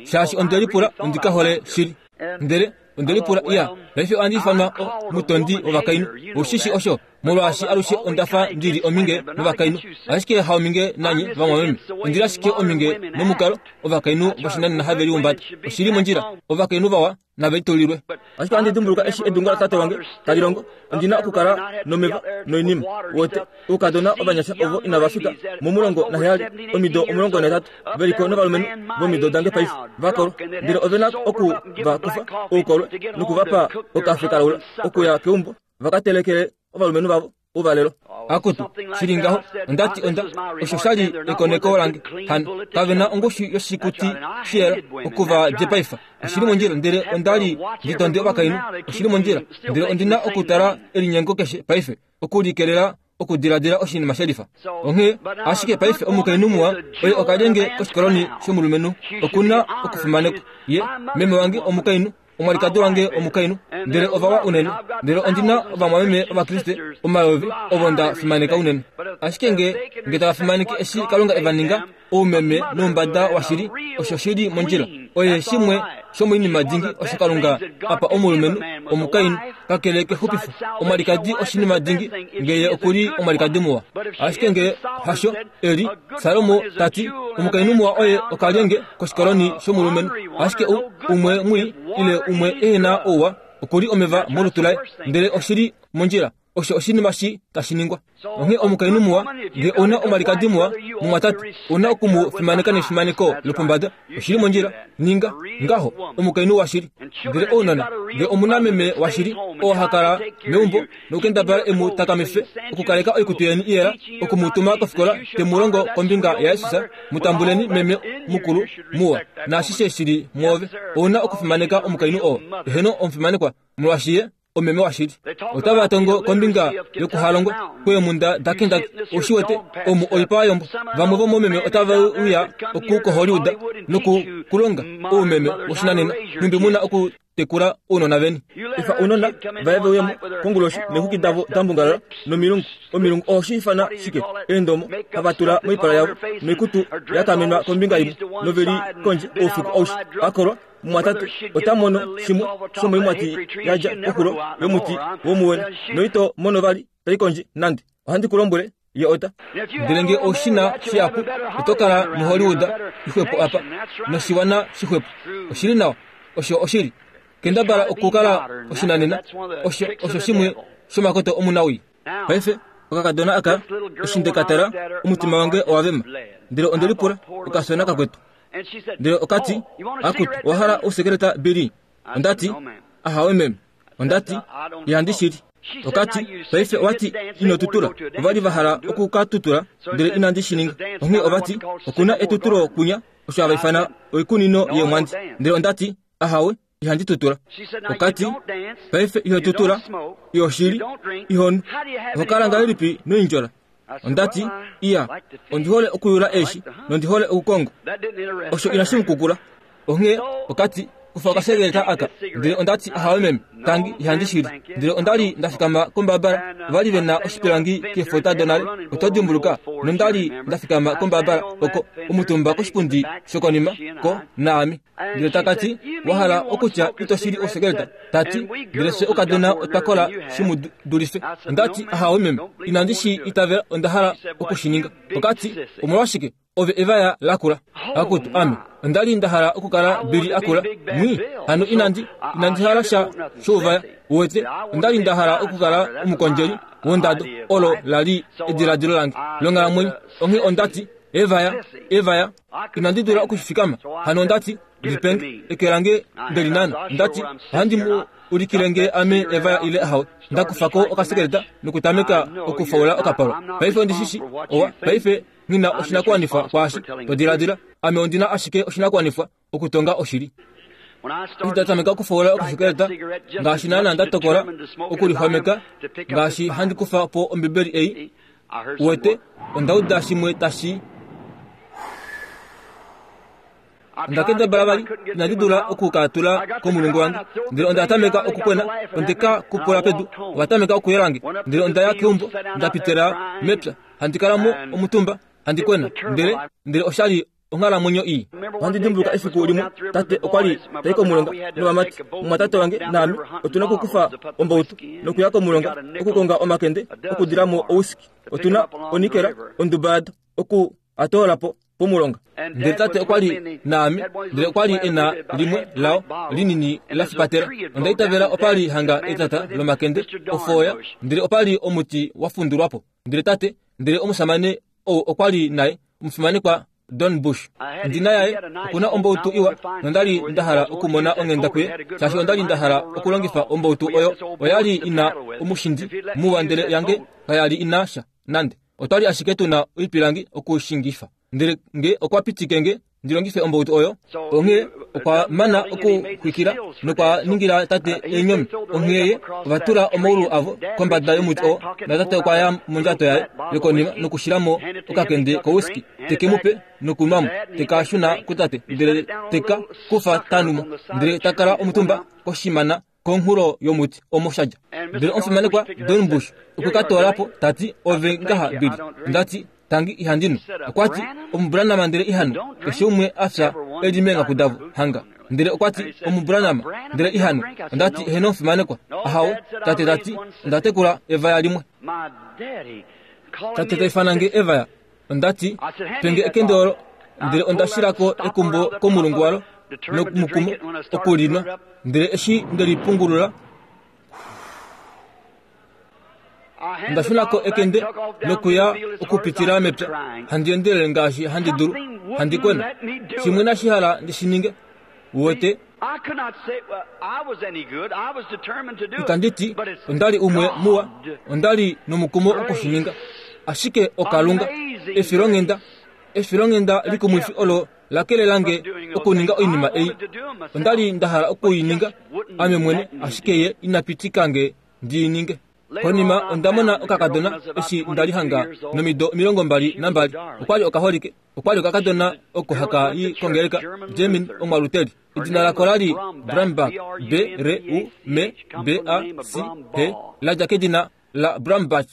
shaashi onde lipula ondikahole shili. Ndele onde lipula iya, paife ohandi ifanwa omutondi wovakainhu. Ushishi osho, molwaashi alushe ondafa ndili ominge novakainhu, ashike haominge nanye vamwameme. Ondili ashike ominge nomukalo ovakainhu voshinanena have liumbata. Oshili mondjila, ovakainhu vawa nave litulilwe. Ashike ohandi dimbuluka eshi edunga latate wange tali longo, ondina okukala nomeva noinima. Wote oukadona ovanyasha ovo inava fika momulongo naheyali, omido omulongo nahetatu, veliko novalumenhu vomido dange paife vakolwa, ndele ovena oku va kufa oukolwe nokuvapa okafe kalaula okuya keumbo vakatelekele ovalumenhu vavo ouvalelo. Akutu shili ngaho, ondati onda osho shali ekoneko lange. Hano kavena ongushu yoshikuti shiyela okuva dipaifa. Oshili mondjila, ndele ondali nditonde ovakainhu. Oshili mondjila, ndele ondina okutala elinyengo keshe paife okulikelela okudiladila oshinima shelifa. Onghee ashike paife omukainhu muwa oye okalyenge koshikoloni shomulumenhu okuna okufimanekwa. Ye meme wange omukainhu omwalikadi wange omukainhu, ndele ovawa unene, ndele ondina ovamwameme ovakriste omayovi ovo nda fimaneka unene. Ashike nge nge tava fimaneke eshi Kalunga eva ninga oumeme noumbada washili, osho shili mondjila. Oye shimwe shomoinima dingi osho Kalunga apa omulumenhu omukainhu kakele kexupifo. Omwalikadi oshinima dingi ngeye okuli omwalikadi muwa, ashike nge hasho eli Salomo tati omukainhu muwa oye okalyenge koshikoloni shomulumenhu, ashike u umwe mwi ile umwe ehena ouwa okuli omeva molutu laye, ndele oshili mondjila. Osho oshinima shi tashi ningwa. Onghee omukainhu muwa nge ouna omwalikadi muwa mumwatate, ouna okumu fimaneka nefimaneko lopombada, oshili mondjila. Ninga ngaho omukainhu washili. Ndele ounona nge omuna meme washili oo ha kala meumbo nokukendabala emu takamife okukaleka oikutu yeni iyela, okumutuma kofikola te mu longo kombinga yaJesus, mutambuleni meme mukulu muwa naashishe shili mwoove. Ouna okufimaneka omukainhu oo, eheno omufimanekwa, molwaashi ye omeme washili. Otava tongo kombinga yokuhalongwa kweemunda daKentucky, oshiwete omu oipa yombo. Vamwe vomomeme otava uya oku koHollywood nokukulonga oumeme woshinanena, nhumbi muna okutekula ounona veni. Efa ounona vaye veuyemo konguloshi neexwiki davo dambungalala nomilungu. Omilungu ohoshi ifana shike? Eendomo hava tula moipala yavo noikutu ya kamenwa kombinga imwe, noveli kondje oufiku aushe akolwa. Mumwatate ota mono shimwe shomoimwati yadja koxulo yomuti womuwene, noito mono vali tai kondje nande. Ohandi ku lombwele, ye ota. Ndele nge oshina shihapu, oto kala muHollywood ixwepo apa noshiwana shixwepo. Oshili nawa, osho oshili. Kendabala okukala oshinanena, osho osho shimwe shomakoto omunawii. Paife okakadona aka eshi ndekatala, omutima wange owa vema, ndele onde lipula okafyona kakwetu. Ndele okati, akutu, owa hala ousekeleta Billy? Ondati, ahawe meme. Ondati, ihandi shili. Okati, paife owati ino tutula. Ovali va hala okukatutula, ndele inandi shi ninga. Onghee ovati, okuna etutulo kunya, osho hava ifana oikunino yeemwandi. Ndele ondati, ahawe, ihandi tutula. Okati, paife iho tutula, iho shili, ihonu. Oho kala ngahelipi noindjola? Ondati, iya, ondi hole okuyula eeshi, nondi hole okukongo. Osho inashi mukukula. Onghee okati, kufa okasegeleta aka. Ndele ondati, ahawe meme, tangi, ihandi shili. Ndele ondali ndafikama kombabala, ovali vena oshipilangi keefota donale, oto dimbuluka, nondali ndafikama kombabala oko omutumba koshipundi shokonima ko naami. Ndele takati, wa hala okutya ito shili ousekeleta? Tati, ndele fye okadona otwa kola shi dulife. Ondati, ahawe meme, inandi shi itavela, onda hala okushininga. Okati, omolwashike ove evaya lakula? Akutu, ame ondali nda hala okukala Billy akula mwi, hano inandi inandi hala sha shouvaya. Uwete, ondali nda hala okukala omukondjeli wondado, olo lali ediladilo lange longhalamwenyo. Onghee ondati, evaya evaya, inandi dula okushifikama. Hano ondati, lipenge eke lange ndelinana. Ondati, ohandi mu ulikile nge ame evaya ile ahawe. Ndakufako okasekeleta nokutameka okufaula okapalwa. Paife ondishishi owa, paife ngina oshinakuwanifwa kwaashi to diladila. Ame ondina ashike oshinakuwanifwa okutonga oshili. Ndatameka okufaula okasekeleta ngaashi naana ndatokola okulixwameka, ngaashi handi kufa po Ombibeli ei. Uwete, onda uda shimwe tashi Ondakendabala vali, inandi dula okukatula komulungu wange. Ndele onda tameka okukwena, ondeka kupula pedu, ovatameka okuyelange. Ndele onda ya keumbo, ndapitela mepya, handi kala mo omutumba, handi kwena. Ndele ndele oshali onghalamwenyo ii. Ohandi dimbuluka efiku limwe, tate okwa li tai komulonga novamati, mumwatate wange naame otuna okukufa ombautu nokuya komulonga okukonga omakende okudila mo ouski. Otuna onikela onduba yado oku atoola po pomulonga. Ndele tate okwa li naame, ndele okwa li ena limwe lao linini la fipatela. Onda itavela opa li hanga etata lomakende ofooya, ndele opa li omuti wa fundulwapo. Ndele tate, ndele omusamane ou okwa li naye, omufimanekwa Don Bush. Ndina yaye okuna ombautu iwa, nondali nda hala okumona onghenda kuye, shaashi ondali nda hala okulongifa ombautu oyo. Oyali ina omushindi muwa, ndele yange kayali ina sha nande. Otwali ashike tuna oipilangi okushingifa. Ndele nge okwa pitike nge ndi longife ombautu oyo. Onghee okwa mana okuxwikila nokwa ningila tate eenyomi. Onghee ye ova tula omaulu avo kombada yomuti oo, natate okwa ya mondjato yaye yokonima nokushilamo okakende kowhiskey, teke mu pe nokunwamo, teka shuna kutate, ndele teka kufa tanumo, ndele takala omutumba koshimana komunghulo yomuti omo shadja. Ndele omufimanekwa Dornbush okwe ka toolapo tati, ove ngaha Billy. Ndati, tangi ihandinu. Okwati, omubranama ndele ihanu, keshe umwe afya eli meengaku davo hanga. Ndele okwati, omubranama ndele ihanu. Ondati, heno omufimanekwa. Ahawe, tate tati, ondatekula evaya limwe. Tate taifana nge evaya. Ondati, penge ekende olo, ndele ondashilako ekumbo komulungu walo nomukumo okulinwa. Ndele eshi ndelipungulula, ndashunako ekende nokuya okupitila mepya, handi endelele ngaashi handi dulu, handi kwena. Shimwe nashihala ndishininge. Uwete, itanditi ondali umwe muwa, ondali nomukumo okushininga, ashike okalunga efilonghenda, efilonghenda likumwifi olo lakelelange okuninga oinima ei. Ondali ndahala okuininga ame mwene, ashike ye inapitikange ndiininge. Konima ondamona okakadona eshi ndali hanga nomido omilongo mbali nambali. Okwali okaholike, okwali okakadona oko haka i kongeleka Jemin omwaluteli. Edina lako lali Brambach, B R U M B A C H, ladja kedina la Brambach.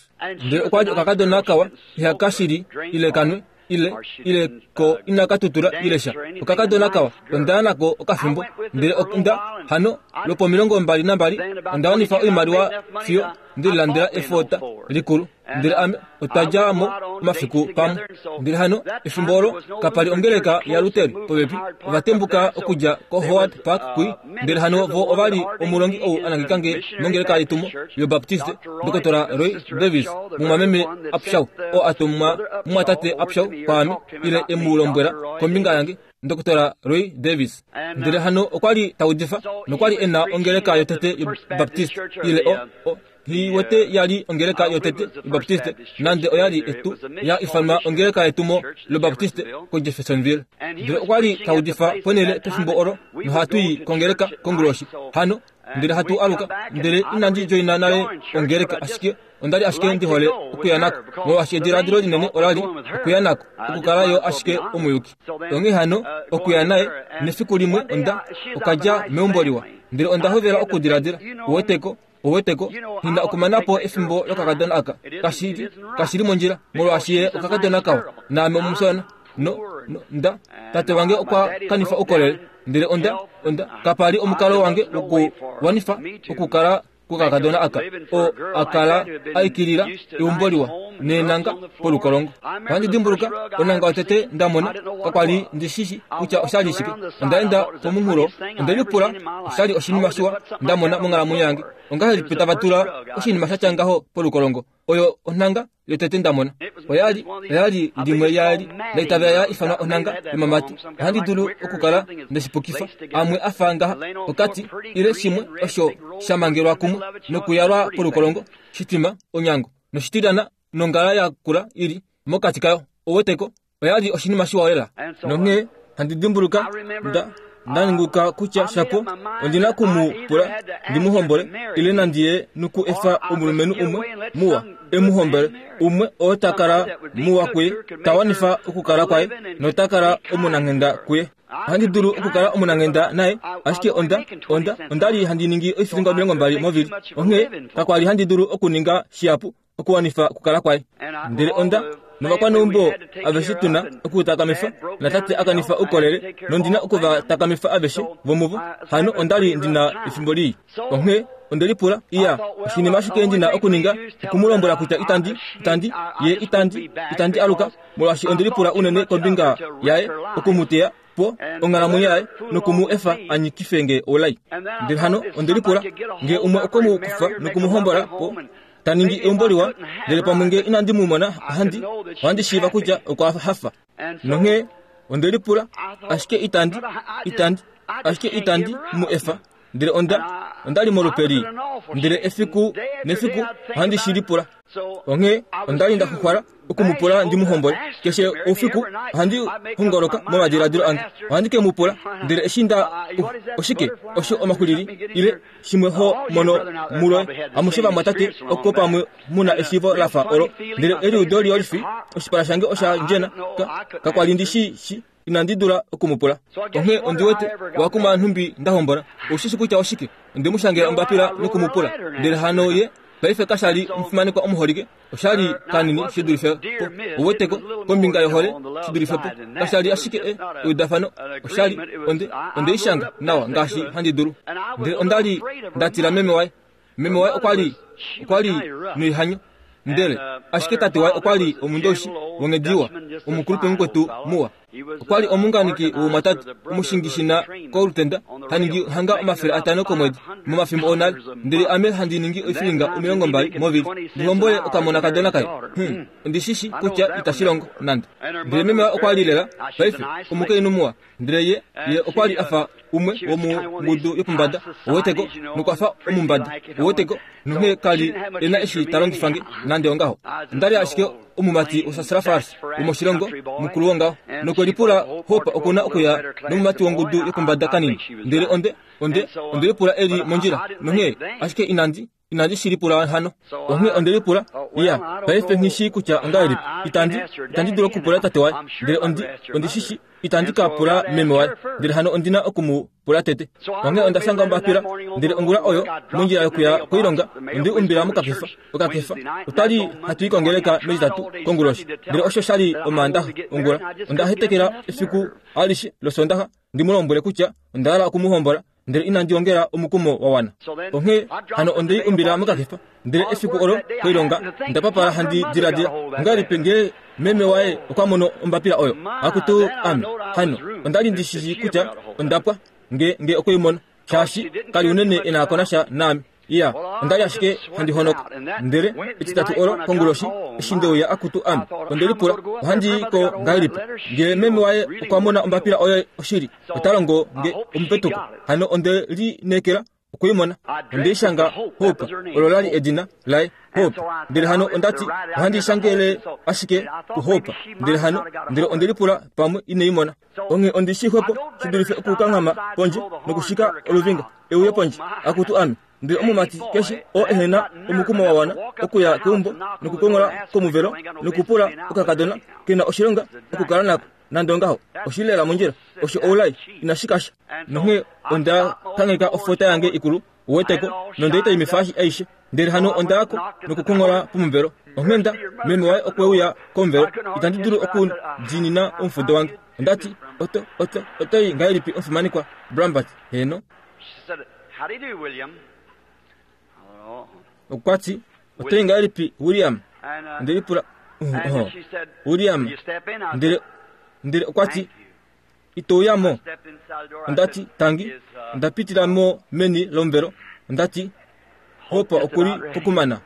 Ndele okwali okakadona kawa, ihakashili ile kanwe ile ile ko inakatutula ile sha. Okakadona kawa, ondaya nako okafimbo. Ndele onda hano lopo omilongo mbali nambali onda wanifa oimaliwa fiyo ndililandela efota likulu. Ndele ame otadja mo omafiku pamwe. Ndele hano efimbo olo kapali ongeleka ya Luteri popepi, ovatembuka okudja ko Howard Park kui. Ndele hano vo ovali omulongi ou anangikange mongeleka yetumo yobaptiste, Dr Roy Davis, mumwameme Upshaw, o atumwa mumwatate Upshaw kwaame, ile emulombwela kombinga yange, Dr Roy Davis. Ndele hano okwali taudifa nokwali ena ongeleka yotete yobaptiste, ile o, o hiwete yali ongeleka yotete yobaptiste, nande oyali etu ya ifanwa ongeleka yetumo lobaptiste ko Jeffersonville. Ndele okwali taudifa ponele pefimbo olo nohatui kongeleka konguloshi hano. Ndele hatu aluka, ndele inandi joina nale ongeleka, ashike ondali ashike ndihole okuya nako, molwaashi ediladilo linene olali okuya nako, okukala yo ashike omuyuki. Onghee hano okuya naye nefiku limwe onda okadja meumbo liwa. Ndele onda hovela okudiladila, uweteko, uweteko, hina okumanapo efimbo lokakadona aka, kashili, kashili mondjila, molwaashi ye okakadona kawa, naame omusona. No, no, nda tate wange okwa kanifa ukolele. Ndele onda, onda kapali omukalo wange wokuwanifa okukala kukakadona aka, o akala aikilila eumbo liwa neenanga polukolongo. Ohandi dimbuluka onanga otete ndamona, kakwali ndishishi kutya oshali shike. Ondaenda pomunghulo, ondelipula oshali oshinima shiwa ndamona monghalamwenyo yange. Ongahelipi tava tula oshinima shatya ngaho polukolongo? Oyo onanga yotete ndamona. Oyali, oyali limwe yali ndaitavela ya ifanwa onanga yomamati. Ohandi dulu okukala ndeshipukifa amwe afa ngaha okati ile shimwe osho shamangelwa kumwe nokuyalwa polukolongo, shitima onyango noshitilana nongala yakula ili mokati kayo. Oweteko, oyali oshinima shiwa lela. Nonghee handi dimbuluka nda ndaninguka kutya shapo ondina kumupula ndimuhombole, ile nandiye nuku efa omulumenhu umwe muwa emuhombole, umwe oo takala muwa kuye, tawanifa okukala kwaye notakala omunanghenda kuye. Ohandi dulu okukala omunanghenda naye, ashike onda onda ondali handi ningi oifilinga omilongo mbali movili. Onghee kakwali handi dulu okuninga shihapu okuwanifa okukala kwaye. Ndele onda novakwaneumbo aveshe tuna okutakamifa, natate akanifa ukolele, nondina okuvatakamifa aveshe vomuvo. Hano ondali ndina efimbo lii. Onghee ondelipula, iya, oshinima ashike ndina okuninga okumulombwela kutya itandi, itandi, ye itandi, itandi aluka, molwaashi ondelipula unene kombinga yaye okumuteya po onghalamwenyo yaye nokumu efa anyikifenge olai. Ndele hano ondelipula nge umwe okomukufa nokumuhombola po taningi eumbo liwa, ndele pamwe nge inandi mumona ohandi, ohandi shiiva kutya okwa hafa. Nonghee ondelipula, ashike itandi, itandi, ashike itandi mu efa. Ndele onda onda li molupe. Ndele efiku nefiku ohandi shi lipula. Onghee onda li nda xuxwala okumupula ndi mu hombole. Keshe oufiku ohandi hongoloka momadiladilo ange. Ohandi ke mu pula, ndele eshi nda oshike osho omaxulili ile shimwe ho mono mulo amushe vamwatate oko pamwe muna eshiivo lafa olo. Ndele eliudo liolifi oshipala shange osha ndjena kakwali ndi shi shi inandi dula okumupula. Onghee ondi wete wakuma nhumbi ndahombola. Oshishi kutya oshike onde mu shangela ombapila nokumupula. Ndele hano ye paife kashali omufimanekwa omuholike oshali kanini shi dulife po. Oweteko kombinga yohole shi dulife po. Kashali ashike eudafano oshali onde onde ishanga nawa ngaashi handi dulu. Ndele ondali ndatila meme waye. Meme waye okwali okwali noihanyo. Ndele ashike tate waye okwali omundoshi wongediwa omukulupe mukwetu muwa. Okwali omunganiki womwatatu omushingishina kolutenda haningi hanga omafele atano komwedi momafimbo onale. Ndele ame handi ningi oifilinga omilongo mbali movili ndihombole okamona kadona kaye. Hmm, ondishishi kutya itashilongo nande. Ndele meme waye okwali lela paife omukainhu muwa. Ndele ye ye okwali afa umwe womungudu yopombada oweteko nokwafa omumbada oweteko nonghee kali ena eshi talongifange nande ongaho. Ndali ashike omumati osasrafars womoshilongo mukulu wongaho nokwelipula Hope okuna okuya nomumati wongudu yopombada kanini. Ndele onde onde onde lipula eli mondjila nonghee ashike inandi inandi shilipula hano. Onghee onde lipula iya paife nghishi kutya ongahelipi itandi itandi dulu okupula tate waye. Ndele ondi ondi shishi itandi ka pula meme waye. Ndele hano ondina okumupula tete. Onghee onda shanga ombapila. Ndele ongula oyo mondjila yokuya koilonga ondi umbila mokakefa okakefa otali hatu ikongeleka metitatu konguloshi. Ndele osho shali omaandaxa ongula onda hetekela efiku alishe losondaxa ndi mu lombwele kutya onda hala okumuhombola. Ndele inandi ongela omukumo wa wana. Onghee hano onde umbila mokakefa. Ndele efiku olo koilonga ndapapala handi diladila ongahelipi ngee meme waye okwa mono ombapila oyo. Akutu ame hano ondali ndishishi kutya ondapwa nge nge okwimona shaashi kali unene enakonasha naame. Iya ondali ashike handi honoka. Ndele etitatu olo konguloshi eshi ndeuya akutu ame onde lipula ohandi ko ngahelipi nge meme waye okwa mona ombapila oyo oshili otalongo nge omupetuko. Hano onde linekela okuimona. Onde ishanga Hope olo lali edina laye Hope. Ndele hano ondati ohandi ishangele ashike kuHope. Ndele hano ndele onde lipula pamwe ineimona. Onghee ondi shixwepo shi dulife okukanghama pondje nokushika oluvinga euye pondje akutu ame. Ndele omumati keshe oo ehena omukumo wa wana okuya keumbo nokukongola komuvelo nokupula okakadona kena oshilonga okukala nako nande ongaho oshilela mondjila osho oulai inashikasha. Nonghee onda kangheka ofota yange ikulu uweteko nondeita imifashi aishe. Ndele hano ondayako nokukongola pomuvelo. Onghee nda meme waye okweuya komuvelo itandi dulu okudinina omufudo wange. Ondati oto oto otoi ngahelipi omufimanekwa Brambert heno. Okwati otoi ngahelipi William. Ndelipula William. Ndele ndele okwati itouyamo. Ondati tangi ndapitila mo meni lomvelo. Ondati Hope okuli pokumana.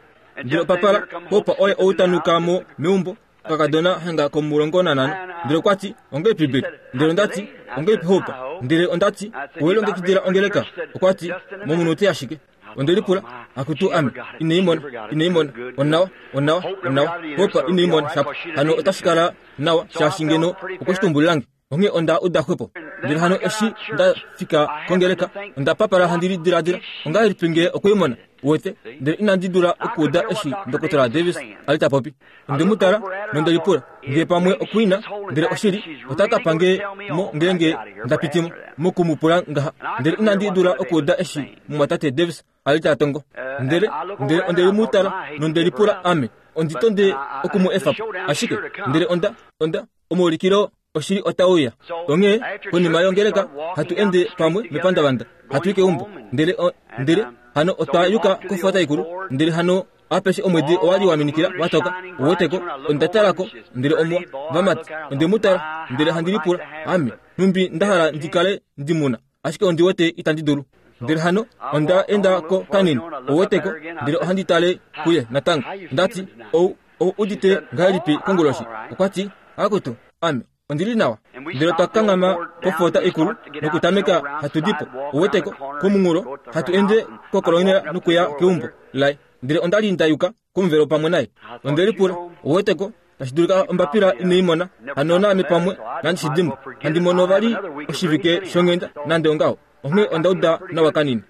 Ndele papala Hope oye outanuka mo meumbo kakadona hanga komulongo nanano. Ndele okwati ongelipi Bill. Ndele ondati ongelipi Hope. Ndele ondati owelongekidila ongeleka. Okwati momunute ashike. Ondelipula akutu ame ineimona ineimona onawa onawa onawa Hope ineimona shapo hano otashikala nawa shaashi ngeno okweshitumbulilange. Onghee onda uda xwepo. Ndele hano eshi ndafika kongeleka onda papala handi lidiladila ongahelipi ngee okuimona uwete. Ndele inandi dula okuuda eshi Ndokotola Davis ali ta popi. Onde mu tala nondelipula ngee pamwe okuina. Ndele oshili otaka pange mo ngeenge ndapitimo mokumupula ngaha. Ndele inandi dula okuuda eshi mumwatate Davis ali ta tongo. Ndele ndele ondeli mu tala nondelipula ame onditonde okumu efapo ashike. Ndele onda onda omuulikilo oshili otauya. Onghee konima yongeleka hatu ende pamwe mepandavanda hatu i keumbo. Ndele ndele hano otwayuka kofota ikulu. Ndele hano apeshe omwedi owali waminikila watoka uweteko ondatalako. Ndele omwa vamati onde mutala. Ndele handi lipula ame numbi ndahala ndikale ndimuna ashike ondiwete itandi dulu. Ndele hano onda enda ko kanini uweteko. Ndele ohandi tale kuye natango. Ndati ou ou udite ngahelipi konguloshi. Okwati akutu ame Ondili nawa. Ndele otwa kanghama pofota ikulu nokutameka hatu dipo. Uweteko komunghulo hatu ende kokolonela nokuya keumbo laye. Ndele onda li ndayuka komuvelo pamwe naye. Onde lipula, uweteko tashi dulika ombapila ino imona hano naame pamwe nandi shidimbo handi mono vali oshivike shonghenda nande ongaho. Onghee onda uda nawa kanini.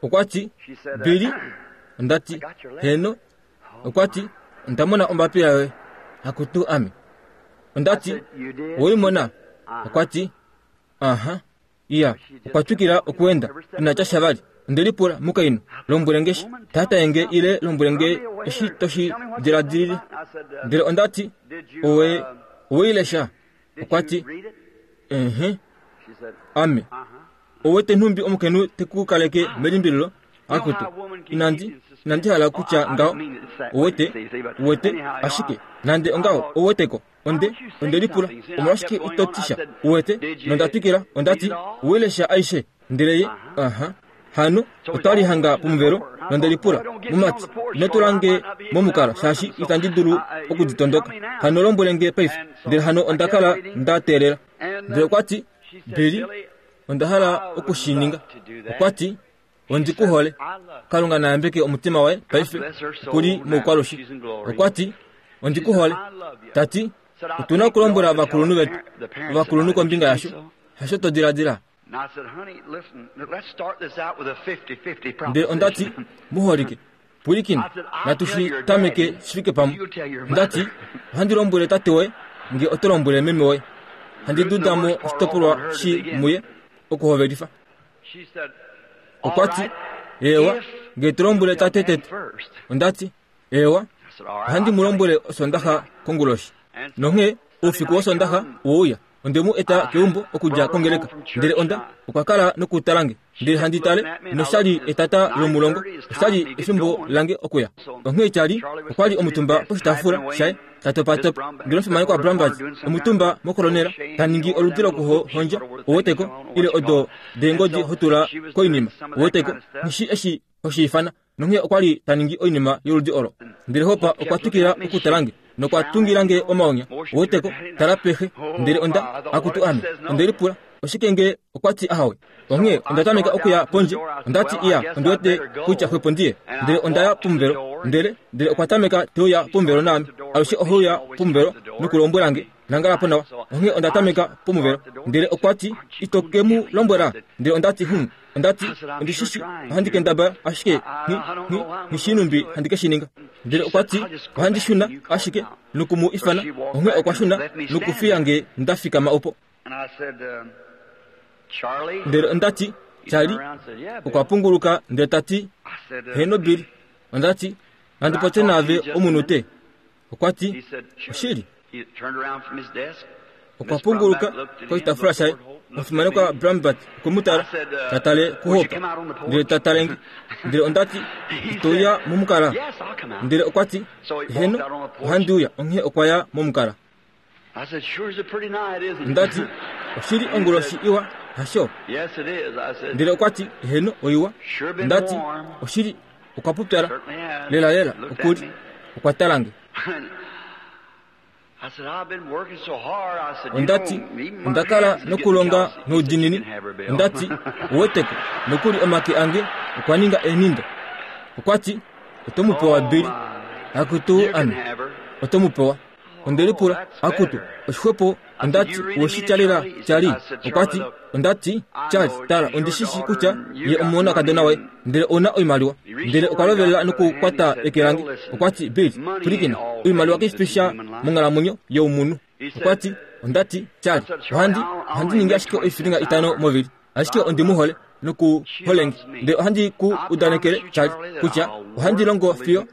Okwa ti, Billy, onda ti, heno. Okwa ti, onda mona ombapila yoye. Akutu ame. Onda ti, oweimona? Okwa ti, aha. Iya, okwa twikila okuenda. Inatya sha vali. Onde lipula, mukainhu, lombwele nge shi tata enge ile lombwele nge eshi toshi diladilile. Ndele onda ti, owe oweilesha? Okwa ti, ehe. Ame. Owete nhumbi omukainhu tekukaleke melimbililo? Akutu, inandi inandi hala kutya ngaho. Owete, owete, ashike nande ongaho oweteko. Onde onde lipula, omolwashike ito tisha? Owete, nonda twikila, onda ti, oweilesha aishe? Ndele ye, aha. Hano otwali hanga pomuvelo nonde lipula, mumati, ino tula nge momukala shaashi itandi dulu okuditondoka. Hano lombwele nge paife. Ndele hano onda kala nda teelela. Ndele okwa ti, Billy, onda hala okushininga. Okwa ti, ondi ku hole. Kalunga na yambeke omutima waye paife okuli moukwalushi. Okwa ti, ondi ku hole. Tati, otuna okulombwela ovakulunhu vetu, ovakulunhu kombinga yasho. Hasho to diladila. Ndele onda ti, muholike, pwilikina, natu shi tameke shi fike pamwe. Onda ti, ohandi lombwele tate woye, nge oto lombwele meme woye. Handi duda mo oshitopolwa shi muye okuhovelifa. Okwa ti, ewa, nge to lombwele tate tete. Onda ti, ewa, ohandi mu lombwele osondaxa konguloshi. Nonghee oufiku wosondaxa oweuya. Onde mu eta keumbo okudja kongeleka. Ndele onda okwa kala nokutala nge. Ndele handi tale noshali etata lomulongo. Oshali efimbo lange okuya. Onghee Charlie okwa li omutumba poshitaafula shaye ta topatopa. Ndele omufimanekwa Brambats omutumba mokolonela ta ningi oludi lokuhondja oweteko ile odo deengodi hotula koinima oweteko nishi eshi hoshiifana. Nonghee okwa li ta ningi oinima yoludi olo. Ndele Hopa okwa twikila okutala nge nokwa tungila nge omaonya oweteko tala pehe. Ndele onda akutu ame. Onde lipula, oshike nge okwa ti ahawe? Onghee onda tameka okuya pondje. Onda ti, iya, ondi wete kutya xwepo ndiye. Ndele onda ya pomuvelo. Ndele ndele okwa tameka teuya pomuvelo naame. Alushe oheuya pomuvelo nokulombwela nge, nangala po nawa. Onghee onda tameka pomuvelo. Ndele okwa ti, ito ke mu lombwela? Ndele onda ti, hm. Onda ti, ondi shishi, ohandi kendabala ashike nghi nghishinumbi handi ke shi ninga. Ndele okwa ti, ohandi shuna ashike nokumu ifana. Onghee okwa shuna nokufiya nge nda fikama opo. Ndele onda ti, Charlie, okwa punguluka ndele ta ti, heno Billy. Onda ti, nandi popye naave omunute. Okwa ti, oshili. Okwa punguluka koshitaafula shaye. Omufimanekwa Brambert okwe mu tala, ta tale kuHopa. Ndele ta tale nge. Ndele onda ti, ito uya momukala? Ndele okwa ti, heno, ohandi uya. Onghee okwa ya momukala. Onda ti, oshili onguloshi iwa, hasho? Ndele okwa ti, heno, oiwa. Onda ti, oshili okwa pupyala. Lela lela, okuli. Okwa tala nge. Onda ti, onda kala nokulonga noudiinini. Onda ti, oweteko, nokuli omake ange okwa ninga enindo. Okwa ti, oto mu pewa Billy. Akutu ame, oto mu pewa. Onde lipula, akutu, oshixwepo. Onda ti, oweshi tyalela Charlie? Okwa ti, onda ti, Charlie, tala, ondi shishi kutya ye omonakadona waye, ndele ouna oimaliwa. Ndele okwa lovelela nokukwata eke lange. Okwa ti, Billy, pwilikina, oimaliwa kai fi sha monghalamwenyo youmunhu. Okwa ti, onda ti, Charlie, ohandi ohandi ningi ashike oifilinga itano movili, ashike ondi mu hole nokuholenge. Ndele ohandi ku udanekele, Charlie, kutya ohandi longo fiyo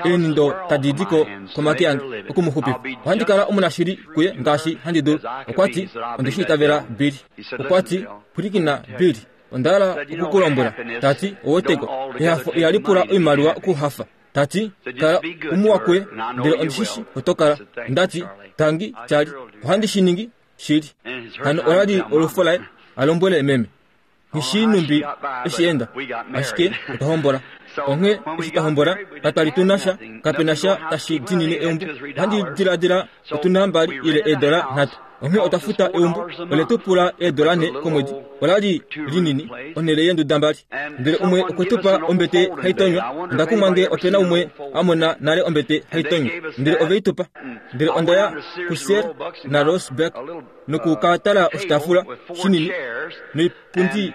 eenindo tadi di ko komake ange okumuxupifa. Ohandi kala omunashili kuye ngaashi handi dulu. Okwa ti, onde shi itavela Billy. Okwa ti, pwilikina Billy, onda hala okukulombwela. Ta ti, oweteko, ehafo ihali pula oimaliwa okuhafa. Ta ti, kala umuwa kuye, ndele ondi shishi oto kala. Onda ti, tangi Charlie, ohandi shi ningi shili. Hano ola li olufo laye a lombwele meme. Nghi numbi eshi enda ashike otwa hombola. Onghee eshi twa hombola katwa tuna sha kapena sha tashi dinine eumbo. Ohandi diladila otuna mbali ile eedola nhatu. Onghee otwa futa eumbo ole tu pula eedola nhe komwedi. Ola li linini onhele yeenduda mbali. Ndele umwe okwe tu pa ombete haitonywa. Onda kumwa ngee opena umwe a mona nale ombete haitonywa. Ndele ove i tu pa. Ndele onda ya kuSears na Roebuck noku ka tala oshitaafula shinini noipundi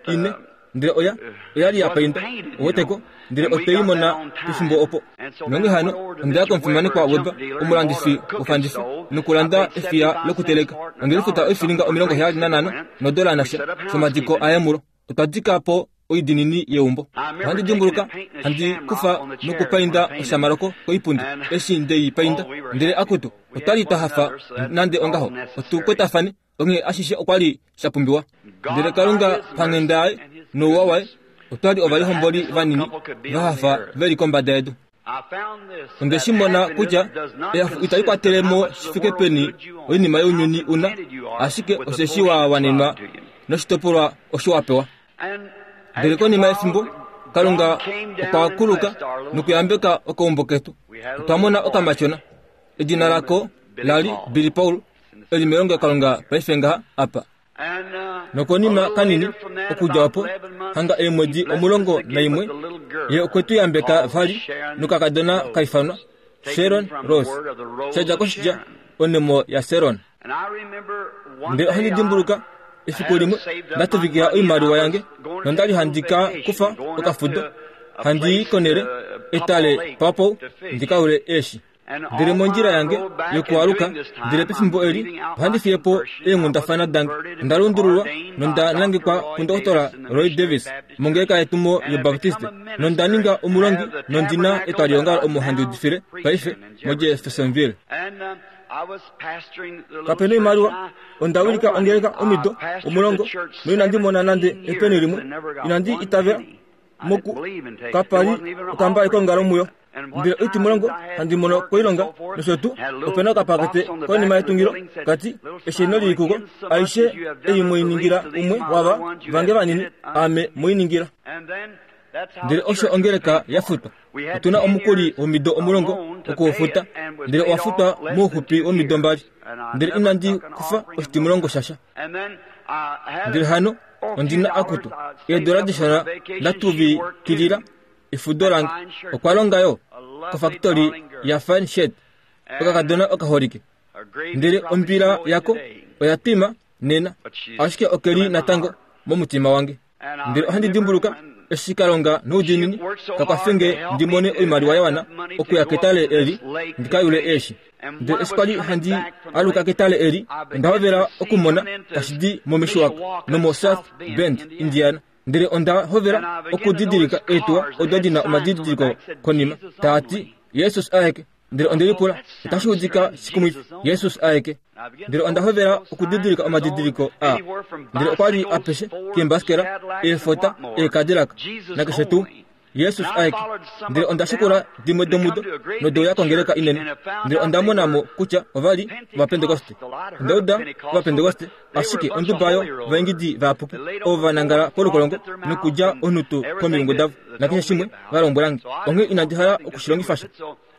ine. Ndele oya oya li ya painda oweteko. Ndele otwe i mona pefimbo opo. Nonghee hano onda ya komufimanekwa Weber, omulandifi wofandifa, nokulanda efiya lokuteleka. Onde lifuta oifilinga omilongo heyali nanhano nodola nasha shomadiko aye mulo. Otwa dika po oidinini yeumbo. Ohandi dimbuluka handi kufa nokupainda oshamaloko koipundi eshi ndei painda. Ndele akutu otwa li twa hafa nande ongaho otukwetafane. Onghee ashishe okwa li sha pumbiwa. Ndele Kalunga panghenda yaye nouwa waye otwa li ovalihomboli vanini va hafa veli kombada yedu. Onde shi mona kutya ehafo itali kwatele mo shi fike peni oinima younyuni una, ashike osheshi wa wanenwa noshitopolwa osho wa pewa. Ndele konima yefimbo Kalunga okwa kuluka nokuyambeka okaumbo ketu. Otwa mona okamatyona. Edina lako lali Billy Paul, eli melongo Kalunga paife ngaha apa. Nokonima kanini okudja opo hanga eemwedi omulongo naimwe ye okwe tu yambeka vali nokakadona kaifanwa Sharon Rose. Shadja koshidja onemo ya Sharon. Ndele ohandi dimbuluka efiku limwe ndatuvikila oimaliwa yange nondali handi ka kufa okafudo handi i konele etale Papo ndikaule eeshi. Ndele mondjila yange yokualuka ndele pefimbo eli ohandi fiye po eenghundafana dange. Onda lundululwa nonda nangekwa kundokotola Roy Davis mongeleka yetumo yObaptiste nonda ninga omulongi nondina etwalihongalo omo handi udifile paife moJeffersonville. Kapena oimaliwa, onda wilika ongeleka omido omulongo noinandi mona nande epeni limwe. Inandi itavela moku kapali okambali kongalo muyo. Ndele oitimulongo handi mono koilonga nosho tuu opena okapakete konima yetungilo kati esheno lili kuko aishe ei moiningila umwe wava vange vanini ame moiningila. Ndele osho ongeleka yafutwa. Otuna omukuli womido omulongo okuufuta, ndele owafutwa mouxupi womido mbali. Ndele inandi kufa oshitimulongo shasha. Ndele hano ondina akutu eedola dishona ndatuvikilila efudo lange. Okwa longa yo kofakitoli ya Fine Shed okakadona okaholike. Ndele ombila yako oya twima nena, ashike okeli natango momutima wange. Ndele ohandi dimbuluka eshi Kalunga noudiinini kakwafenge ndi mone oimaliwa ya wana okuya ketale eli ndikayule eeshi. Ndele eshi kwali handi aluka ketale eli onda hovela okumona tashi di moMishwak nomo South Bend, Indiana. Ndele onda hovela okudidilika eetuwa odo dina omadidiliko konima taati Jesus aeke. Ndele onde lipula otashi udika shikumwifi Jesus aeke. Ndele onda hovela okudidilika omadidiliko a. Ndele okwa li apeshe keembasikela, eefota, eekadilaka nakeshe tuu Jesus aeke. Ndele onda shikula dimwe domudo nodeuya kongeleka inene. Ndele onda mona mo kutya ova li Ovapentekoste. Onda uda Ovapentekoste, ashike onduba yo vaingidi vayapuki ovo va nangala polukolongo nokulya onhutu komilungu davo nakeshe shimwe va lombwelange. Onghee inandi hala okushilongifa sha.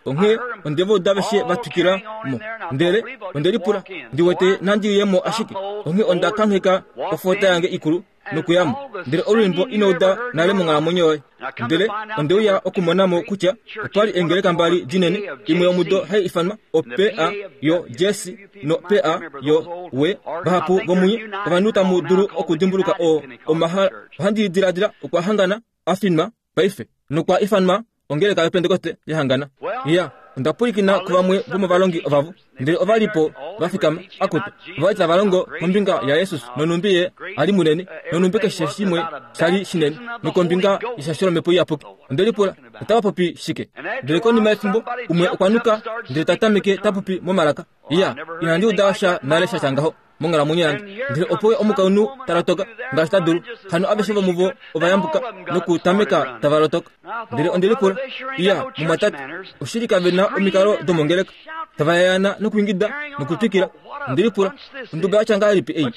Onghee onde va uda aveshe va twikila mo. Ndele onde lipula ndi wete nandi ye mo ashike. Onghee onda kangheka ofota yange ikulu nokuyamo. Ndele olwiimbo inouda nale monghalamwenyo yoye. Ndele onde uya okumona mo kutya otwa li eengeleka mbali dinene, imwe yomudo hai ifanwa o-P A yo J C no-P A yo W. Vahapu vomunye ovanhu tamu dulu okudimbuluka o omahala. Ohandi diladila okwa hangana afinwa paife nokwa ifanwa ongeleka yoPentekoste yahangana. Iya, onda pwilikina kuvamwe vomovalongi ovavo. Ndele ova li po va fikama akutu ova li tava longo kombinga yaJesus nonumbi ye ali munene nonumbi keshe shimwe shali shinene nokombinga yeshasho lomhepo iyapuki. Onde lipula otava popi shike. Ndele konima yefimbo umwe okwa nuka ndele ta tameke ta popi momalaka. Iya, inandi uda sha nale sha tya ngaho monghalamwenyo yange. Ndele opo omukainhu ta lotoka ngaashi ta dulu. Hano aveshe vomuvo ova yambuka nokutameka tava lotoka. Ndele onde lipula, iya, mumwatate, oshili kave na omikalo domongeleka. Tava yayana nokuingida nokutwikila. Ondelipula onduba yatya ngahelipi ei?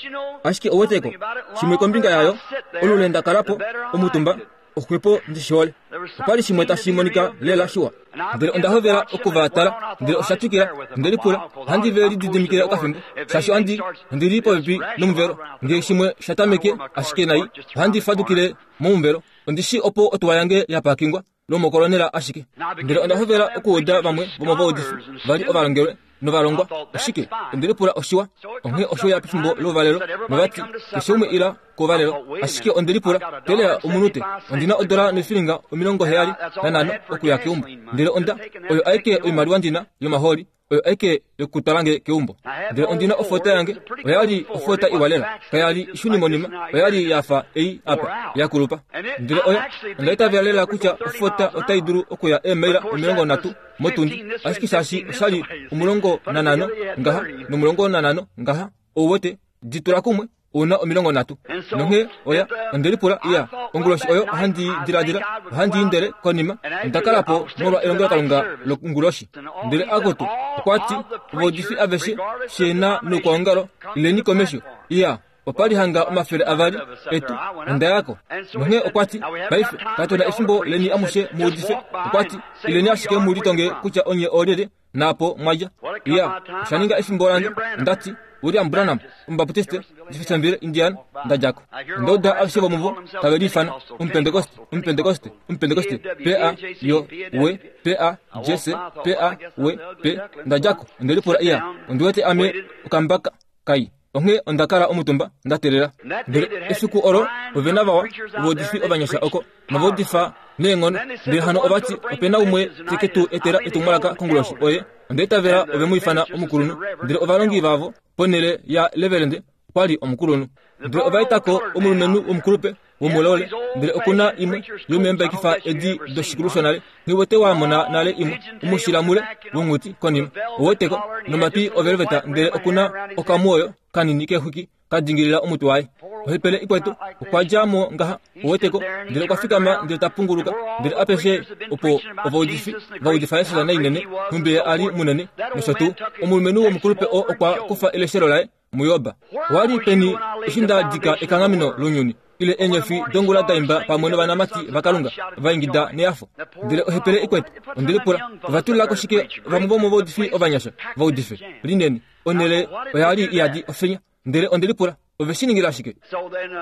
Ashike oweteko shimwe kombinga yayo olule ndakalapo omutumba oxwepo ndishihole. Opali shimwe tashi monika lela shiwa. Ndele onda hovela okuvatala, ndele osha twikila. Ondelipula ohandi ve lididimikile okafimbo, shaashi ohandi ondili popepi nomuvelo. Ngee shimwe sha tameke ashike nai, ohandi fadukile momuvelo. Ondishi opo otuwa yange yapakingwa lomokolonela ashike. Ndele onda hovela okuuda vamwe vomovaudifi vali ovalongelwe novalongwa. Oshike? Ondelipula oshiwa. Onghee osho ya pefimbo louvalelo novati keshe umwe ila kouvalelo. Ashike ondelipula telela omunute, ondina odola noifilinga omilongo heyali nanhano okuya keumbo. Ndele onda oyo aike oimaliwa ndina yomahooli, oyo aike yokutwalange keumbo. Ndele ondina ofota yange, oyali ofota iwa lela, kayali ishunimonima, oyali yafa ei apa yakulupa. Ndele oyo onda itavela lela kutya ofota otai dulu okuya eemaila omilongo nhatu motundi, ashike shaashi oshali omulongo nanhano ngaha nomulongo nanhano ngaha, ouwete ditula kumwe una omilongo nhatu. Nonghee oya ondelipula iya onguloshi oyo ohandi diladila ohandi indele konima ondakalapo molwa elongelokalunga longuloshi. Ndele akutu okwati ovaudifi aveshe shena noukwaongalo ileni komesho. Iya opali hanga omafele avali etu ondayako. Nonghee okwati paife katuna efimbo leni amushe muudife. Okwati ileni ashike mulitonge kutya onye oolyelye naapo mwadja. Iya oshaninga efimbo lange. Ondati William Branham, Omubaptiste, Jeffersonville, Indiana, ndadjako. Ondauda aveshe vomuvo tave liifana Omupentekoste, Omupentekoste, Omupentekoste, P A Y W P A J C P A W P. Ndadjako. Ondelipula iya ondiwete ame okambaka kai. Onghee ondakala omutumba ndatelela. Ndele efiku olo ovena vawa ovaudifi ovanyasha oko novaudifa neenghono. Ndele hano ovati opena umwe teke tu etela etumwalaka konguloshi oye. Ondeitavela ove mu ifana omukulunhu. Ndele ovalongi vavo ponhele ya levelende okwali omukulunhu. Ndele ovaetako omulumenhu womukulupe womulole. Ndele okuna imwe yomeembakifa edi doshikulu shonale. Nghiwete wamona nale imwe omushila mule wonghuti konima oweteko nomatwi ovelveta. Ndele okuna okamwoyo kanini kexwiki kadingilila omutwe waye. Ohepele ikwetu okwa djamo ngaha oweteko. Ndele okwa fikama ndele ta punguluka. Ndele apeshe opo ovaudifi vaudifa Jesus nainene nhumbi ali munene nosho tuu. Omulumenhu womukulupe oo okwa kufa eleshelo laye muyoba. Wali peni eshi nda dika ekanghameno lounyuni ile eenyofi dongula daimba pamwe novanamati vaKalunga vaingida neyafo. Ndele ohepele ikwetu ondelipula ovatulilako shike vamwe vomovaudifi ovanyasha vaudife linene. Onhele oyali iyadi ofenya. Ndele ondelipula ove shi ningila shike?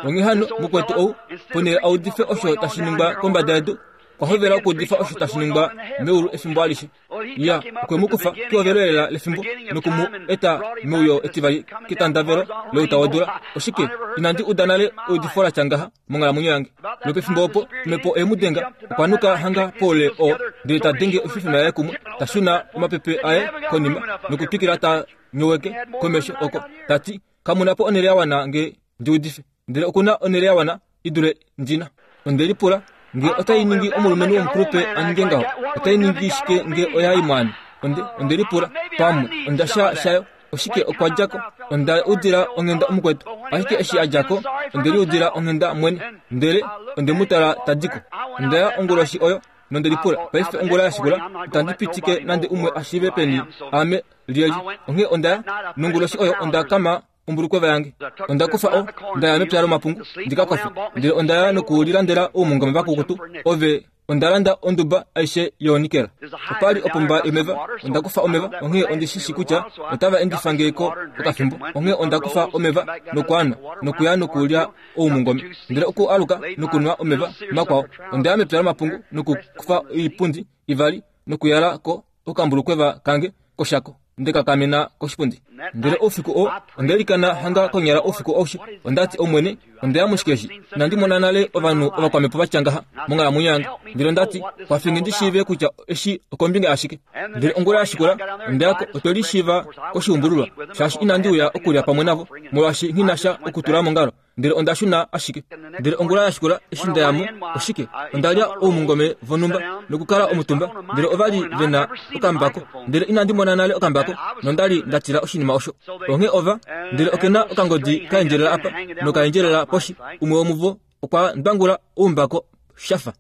Onghee hano mukwetu ou ponhele audife osho tashi ningwa kombada yedu, okwa hovela okuudifa osho tashi ningwa meulu efimbo alishe. Ya okwe mu kufa kehovelo lefimbo nokumu eta meuyo etivali ketandavelo louta wodula. Oshike? Inandi uda nale eudifo latya ngaha monghalamwenyo yange. Lopefimbo opo omhepo eye mu denga, okwa nuka hanga poule oo, ndele ta denge oififima yaye kumwe, ta shuna omapepe aye konima nokutwikila ta nyoweke komesho oko, ta ti kamuna po onhele ya wana nge ndiudife. Ndele okuna onhele ya wana idule ndina. Ondelipula nge otai ningi omulumenhu womukulupe aninge ngaho, otai ningi shike nge oyai mwaane? Onde ondelipula pamwe ondasha shayo. Oshike okwa djako? Onda udila onghenda omukwetu. Ashike eshi a djako ondeliudila onghenda mwene. Ndele ondemutala tadiko. Ondaya onguloshi oyo nondelipula paife ongula yashikula itandi pitike nande umwe ashiive peni ame lyelye. Onghee ondaya nonguloshi oyo ondakama ombulukweva yange. Onda kufa o ndaya mepya lomapungu ndikakofe. Ndele ondaya nokulilandela oumungome vakukutu. Ove ondalanda onduba aishe yoonikela. Opali opomba yomeva. Onda kufa omeva. Onghee ondishishi kutya otava endifa ngeko okafimbo. Onghee onda kufa omeva nokwaanwa nokuya nokulya oumungome. Ndele oku aluka nokunwa omeva makwao. Ondaya mepya lomapungu nokukufa oipundi ivali nokuyala ko okambulukweva kange koshako. Ndekakamena koshipundi. Ndele oufiku oo ondelikana hanga konyala oufiku aushe. Ondati Omwene, ondeya mushikeshi. Inandi mona nale ovanhu ovakwamepo vatya ngaha monghalamwenyo yange. Ndele ondati kwafinge ndi shiive kutya eshi okombinga yashike. Ndele ongula yashikula ondeyako otwe lishiiva koshiumbululwa, shaashi inandi uya okulya pamwe navo molwaashi nghinasha okutula mongalo. Ndele onda shuna ashike. Ndele ongula yashikula eshi ndayamo oshike, ondalya oumungome vonhumba nokukala omutumba. Ndele ovali vena okambako. Ndele inandi mona nale okambako nondali ndatila oshinima osho. Onghee ova ndele okena okangodi kaendjelela apa nokaendjelela poshi. Umwe womuvo okwa ndwangula oumbako shafa.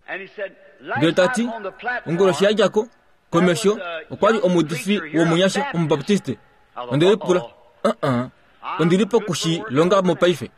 Ndele tati onguloshi yadjako Komesho okwa li omuudifi womunyasha omubaptiste. Onde lipula, uh-uh, ondi li pokushilonga mopaife.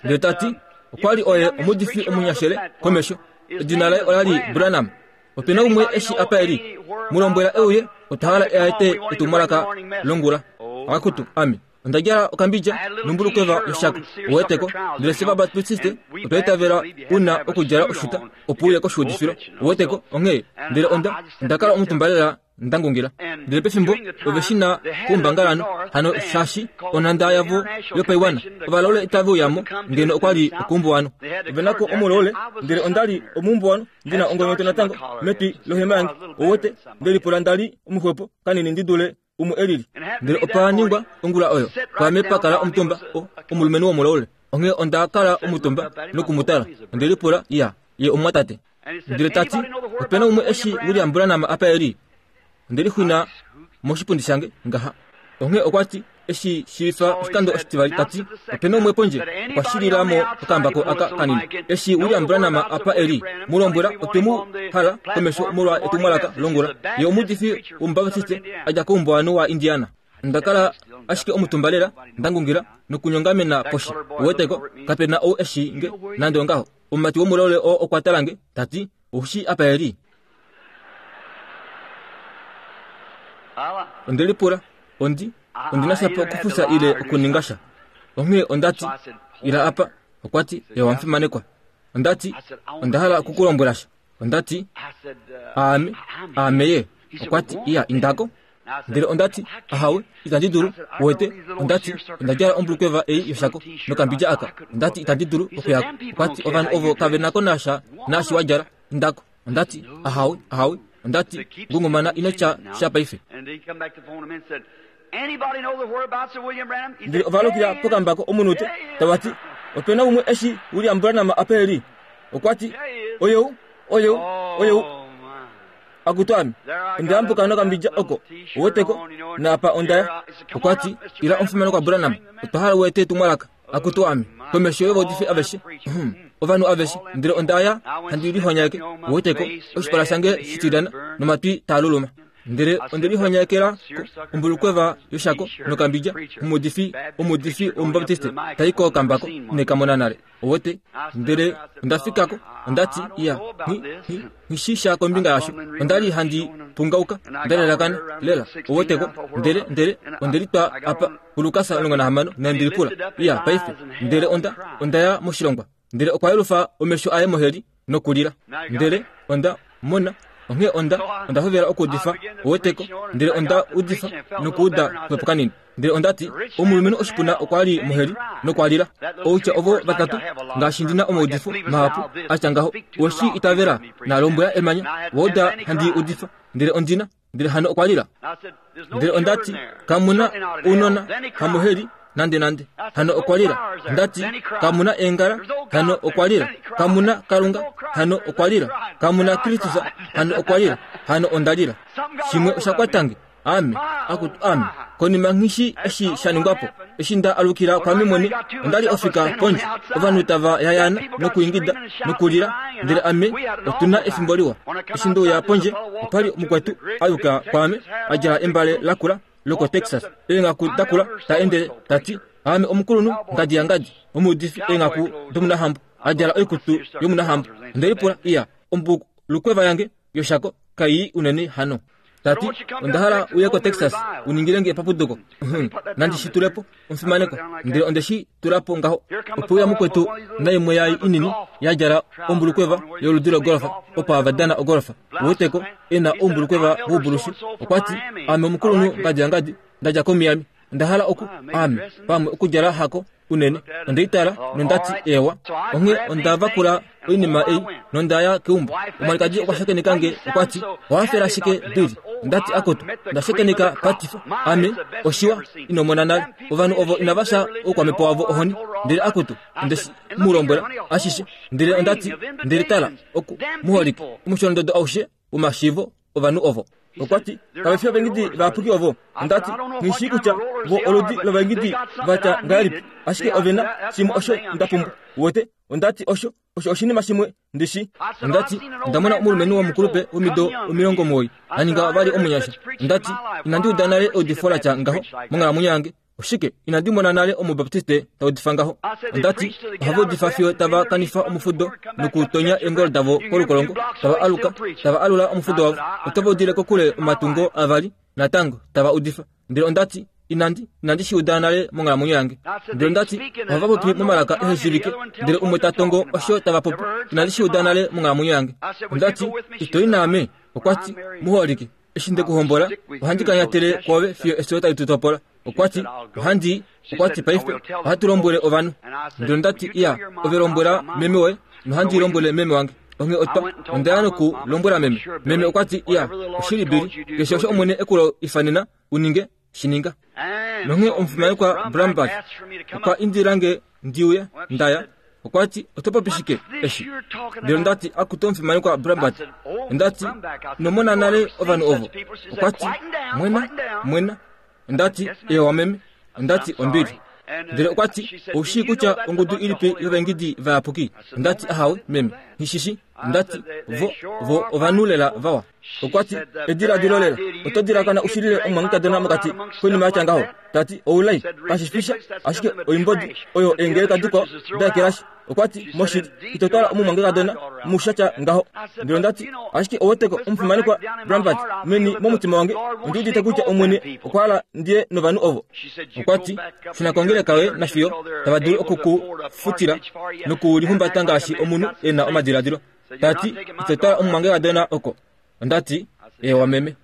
Ndele ta ti, okwa li oye omuudifi omunyashele komesho. Edina laye ola li Branham. Ope na umwe eshi apa e li. Mu lombwela e uye, otwa hala a ete etumwalaka longula. Akutu, ame. Onda djala okambidja nombulukweva yoshako. Uweteko, ndele fye vabaptiste otwa itavela una okudjala oshuta opo uye koshuudifilo. Uweteko, onghee ndele onda onda kala omutumba lela ndangungila. Ndele pefimbo ove shi na koumbangalanhu hano shaashi onhanda yavo yopaiwana ovalaule itave uyamo ngeno okwa li okuumbuwano. Ove nako omulaule, ndele onda li omuumbuwano ndina ongonyoto natango metwi lohema yange. Uwete, ndelipula nda li omuxwepo kanini ndi dule umwe elili. Ndele opa ningwa ongula oyo kwaame pa kala omutumba omulumenhu womulaule. Onghee onda kala omutumba nokumutala. Onde lipula, iya, ye omwatate. Ndele ta ti, ope na umwe eshi William Branham apa e li. Onde lixwina moshipundi shange ngaha. Onghee okwa ti, eshi shiifa oshikando oshitivali ta ti, ope na umwe pondje okwa shilila mo okambako aka kanini. Eshi William Branham apa e li, mu lombwela otwe mu hala komesho molwa etumwalaka longula. Ye omuudifi womubaptiste a dja koumbuwanhu wa Indiana. Onda kala ashike omutumba lela ndangungila nokunyongamena poshi. Uweteko, kape na ou eshi nge nande ongaho. Omumati womulaule oo okwa tala nge ta ti, oushi apa e li. Onde lipula, ondi ondi na shapo okufusa ile okuninga sha. Onghee onda ti, ila apa. Okwa ti, ye wamufimanekwa. Onda ti, onda hala okukulombwela sha. Onda ti, aame, aame ye. Okwa ti, iya, indako. Ndele onda ti, ahawe, itandi dulu. Uwete, onda ti, onda djala ombulukweva ei yoshako nokambidja aka. Onda ti, itandi dulu okuyako. Okwa ti, ovanhu ovo kave nako nasha naashi wa djala. Indako. Onda ti, ahawe, ahawe. Onda ti, ngungumana ino tya sha paife. Ndele ovalukila pokambako omunute tava ti, ope na umwe eshi William Branham apa e li. Okwa ti, oyou, oyou, oyou. Akutu ame, onda yambuka nokambidja oko. Uweteko, naapa onda ya. Okwa ti, ila omufimanekwa Branham, otwa hala u ete etumwalaka. Akutu ame, komesho yovaudifi aveshe, ovanhu aveshe. Ndele onda ya handi lihonyeke. Uweteko, oshipala shange shitilyana nomatwi taa luluma. Ndele onde lihonyekela ombulukweva yoshako nokambidja omuudifi omuudifi womubaptiste tai kokambako inekamona nale. Uwete, ndele onda fikako. Onda ti, iya, nghi sha kombinga yasho. Onda li handi pungauka, nda lalakana lela. Uweteko, ndele ndele onde litwa apa kuLukas omulongo nahamano nandilipula, iya, paife. Ndele onda onda ya moshilongwa. Ndele okwa yelufa omesho aye moheli nokulila. Ndele onda mona. Onghee onda onda hovela okuudifa. Uweteko, ndele onda udifa nokuuda xwepo kanini. Ndele onda ti, omulumenhu oshipuna okwa li moheli nokwa lila. Outya ovo vatatu, ngaashi ndina omaudifo mahapu atya ngaho, weshi itavela nalombwela emanya, wauda handi udifa. Ndele ondina, ndele hano okwa lila. Ndele onda ti, kamuna ounona hamoheli nande nande. Hano okwa lila. Onda ti, kamuna eengala. Hano okwa lila. Kamuna Kalunga. Hano okwa lila. Kamuna Kristus. Hano okwa lila. Hano onda lila. Shimwe osha kwatange. Ame, akutu ame. Konima nghishi eshi sha ningwapo, eshi nda alukila kwame mwene, onda li ofika pondje. Ovanhu tava yayana nokuingida nokulila, ndele ame otuna efimbo liwa. Eshi ndeuya pondje, opa li mukwetu ayuka kwame, a djala embale lakula loko Texas. Eenghaku dakula ta endele ta ti, ame omukulunhu ngadi yangadi, omuudifi eenghaku domunahambo, a djala oikutu yomunahambo. Onde lipula, iya, ombulukweva yange yoshako kai unene hano. Tati, onda hala uye ko Texas uningilenge epapuduko. Nandi shi tulepo omufimaneko. Ndele onde shi tulapo ngaho. Opo uya mukwetu naimwe yai inini ya djala ombulukweva yoludi logolfa, opo avadana ogolfa. Uweteko, ena ombulukweva woubulushi. Okwa ti, ame omukulunhu ngadi yangadi, ndadja koMiami. Onda hala oku, ame, pamwe okudjala hako unene. Onde itala nondati ewa. Onghee onda vakula oinima ei nonda ya keumbo. Omwalikadi okwa shakeneka nge, okwa ti, owafela shike Billy? Ondati akoto, nda shakeneka Patifa. Ame, oshiwa, ino mona nale. Ovanhu ovo inava sha oukwamepo wavo ohoni. Ndele akoto, onde mu lombwela ashishe. Ndele ondati, ndele tala, oku muholike omusholondodo aushe womashiivo ovanhu ovo. Okwa ti, kave fi ovaengidi vayapuki ovo. Ondati, nghi shii kutya vo oludi lovaengidi vatya ngahelipi, ashike ove na shimwe osho nda pumbwa. Uwete, ondati osho Osho oshinima shimwe ndishi. Ondati ndamona omulumenhu womukulupe womido omilongo omuwoi aninga vali omunyasha. Ondati inandi uda nale eudifo latya ngaho monghalamwenyo yange. Oshike inandi mona nale omubaptiste taudifa ngaho. Ondati ohava udifa fiyo tava kanifa omufudo nokutonya eengolo davo kolukolongo, tava aluka, tava alula omufudo wavo, otava udile kokule omatungo avali natango tava udifa. Ndele ondati inandi inandi shi uda nale monghalamwenyo yange. Ndele ondati ohava popi momalaka eheshivike, ndele umwe ta tongo osho tava popi. Inandi shi uda nale monghalamwenyo yange. Ondati itoi naame. Okwati muholike eshi ndekuhombola ohandi kanyatele kwoove fiyo efyo tali tu topola. Okwati ohandi okwati paife ohatu lombwele ovanhu. Ndele ondati iya ove lombwela meme woye nohandi lombwele meme wange. Onge otwa ondaya noku lombwela meme. Meme okwati iya oshili bili keshe osho omwene ekulo ifanena uninge shininga. Nonge omufimanekwa Brambach okwa indilange ndiuye ndaya. Okwati otopopi shike eshi. Ndele ondati akuto omufimanekwa Brambach. Ondati nomona nale ovanhu ovo. Okwati mwena mwena. Ondati ewa meme. Ondati ombili. Ndele okwati oushii kutya ongudu ilipi yovaengidi vayapuki. Ondati ahawe meme nishishi. Ondati vo vo ovanhu lela vawa. Okwati ediladilo lela oto dilakana ushilile omumwangekadona mokati koinima yatya ngaho. Tati oulai kashifisha ashike oimbodi oyo eengeleka dikwao daekelashi. Okwati moshili itotwala omumwangekadona mushatya ngaho. Ndele ondati ashike oweteko omufimanekwa Brambach meni momutima wange ondi udite kutya omwene okwa hala ndiye novanhu ovo. Okwati shuna kongeleka yoye nafiyo tava dulu okukufutila nokulihumbata ngaashi omunhu e na omadiladilo. Tati itotwala omumwangekadona oko. Ondati ewa meme.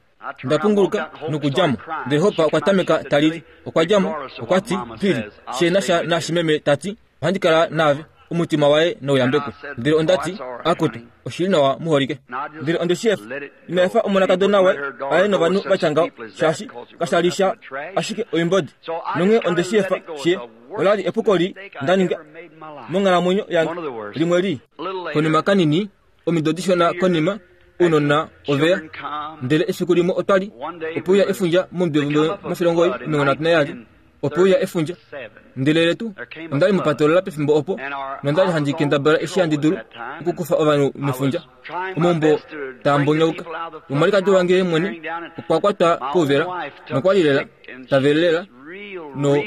Ndapunguluka nokudjamo. Ndele Hopa okwa tameka talili. Okwa djamo okwati pili shena sha nashimeme. Tati ohandi kala naave omutima waye nouyambekwe. Ndele ondati akutu oshili nawa muholike. Ndele ondeshiyefa inaefa omonakadona waye aye novanhu vatya ngaho shaashi kashali sha ashike oimbodi. Nonge ondeshiyefa shiye olali epuko li ndaninga monghalamwenyo yange limwe li. Konima kanini omido dishona konima unona oveya. Ndele efiku limwe otwali opuuya efundja momudo mafilongo omilongo nhatu nayali. Opuuya efundja. Ndele letu ondali mupatolola pefimbo opo nondali handi kendabala eshi handi dulu okukufa ovanhu mefundja. Omaumbo taa mbonyauka. Omwalikadi wange mwene okwa kwatwa kouvela nokwali lela tavelela no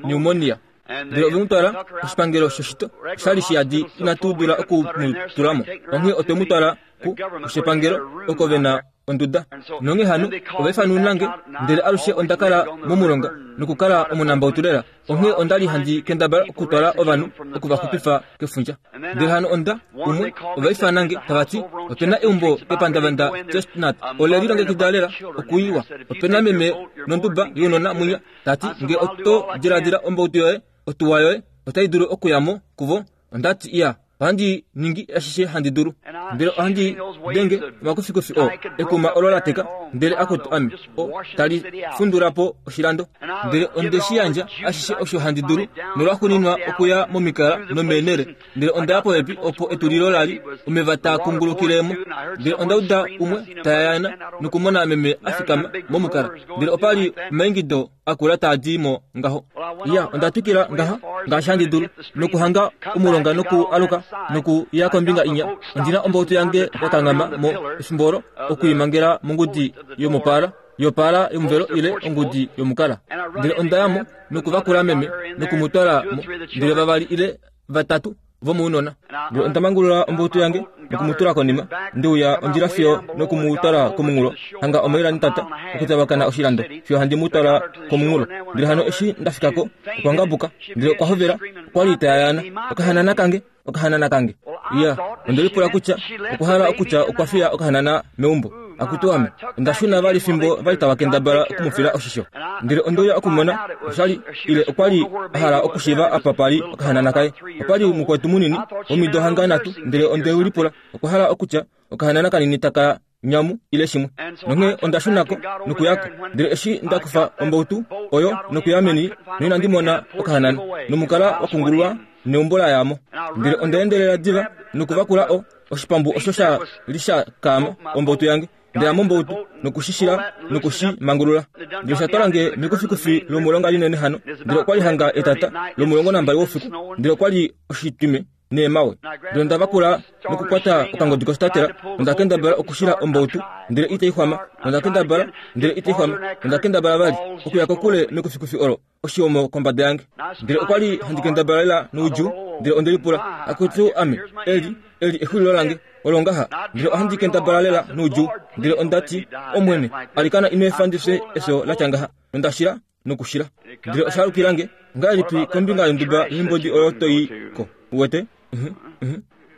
pneumonia. Ndele ove mu twala koshipangelo shoshito oshali shiyadi inatu dula oku mu tulamo. Onghee otwe mu twala ku koshipangelo oko ve na onduda. Nonge hano ovaifanunange ndele alushe onda kala momulonga nokukala omunambautu lela. Onghee ondali handi kendabala okutwala ovanhu okuvaxupifa kefundja. Ndele hano onda umwe ovaifanange tavati otuna eumbo kepandavanda Chestnut ole lilongekida lela okuiwa. Opena meme nonduba younona munya. Tati nge oto diladila ombautu yoye otuwa yoye otai dulu okuyamo kuvo. Ondati iya ohandi ningi ashishe handi dulu. Ndele ohandi denge omakufikufi o ekuma olo la teka. Ndele akutu ame o tali fundulapo oshilando. Ndele ondeshi yandja ashishe osho handi dulu nolwaxuuninwa okuya momikala nomeenele. Ndele ondaya popepi opo etulilo lali omeva taa kungulukilemo. Ndele onda uda umwe tayayana nokumona meme afikama momukala. Ndele opali omaingido akula taa di mo ngaho. Iya onda twikila ngaha ngaashi handi dulu nokuhanga omulonga noku aluka noku ya kombinga inya. Ondina ombautu yange yakanghama mo efimbo olo okuimangela mongudi yomopala yopala yomuvelo ile ongudi yomukala. Ndele ondayamo nokuvakula meme nokumutwala mo. Ndele vavali ile vatatu vomuunona. Ndele ondamangulula ombautu yange nokumutula konima. Ndeuya ondjila fiyo nokumutwala komunghulo hanga omaila nitata okutavakana oshilando fiyo handi mutwala komunghulo. Ndele hano eshi ndafikako okwa ngabuka. Ndele okwa hovela okwali tayayana okahanana kange okahanana kange. Iya ondelipula kutya okuhala okutya okwa fiya okahanana meumbo. Akutu ame ondashuna vali fimbo vali tava kendabala okumufila oshisho. Ndele ondouya okumona oshali ile okwali ahala okushiiva apa pali okahanana kaye. Opali mukwetu munini omido hanga nhatu. Ndele ondeulipula okwahala okutya okahanana kanini taka nyamu ile shimwe. Nonge ondashunako nokuyako. Ndele eshi ndakufa ombautu oyo nokuya meni noinandi mona okahanana nomukala wakungululwa neumbo layamo. Ndele ondaendelela diva nokuvakula o oshipambu osho sha li sha kaama ombautu yange. Ndele mombautu nokushishila nokushimangulula. Ndele sha twalange mekufikufi lomulonga linene hano. Ndele okwali hanga etata lomulongo nambali woufiku. Ndele okwali oshitwime neemawe. Ndele onda vakula nokukwata okangodi koshitatela, onda kendabala okushila ombautu, ndele itai xwama, onda kendabala, ndele itai xwama, onda kendabala vali okuya kokule mekufikufi olo, oshihomo kombada yange. Ndele okwa li handi kendabala lela noudjuu, ndele onde lipula, akutu ame, eli, eli exulilo lange, olo ngaha, ndele ohandi kendabala lela noudjuu, ndele onda ti, Omwene, alikana ino efa ndi fye efyo la tya ngaha, nonda shila nokushila. Ndele osha alukilange, ngahelipi kombinga yonduba yoimbodi oyo to i ko, uwete?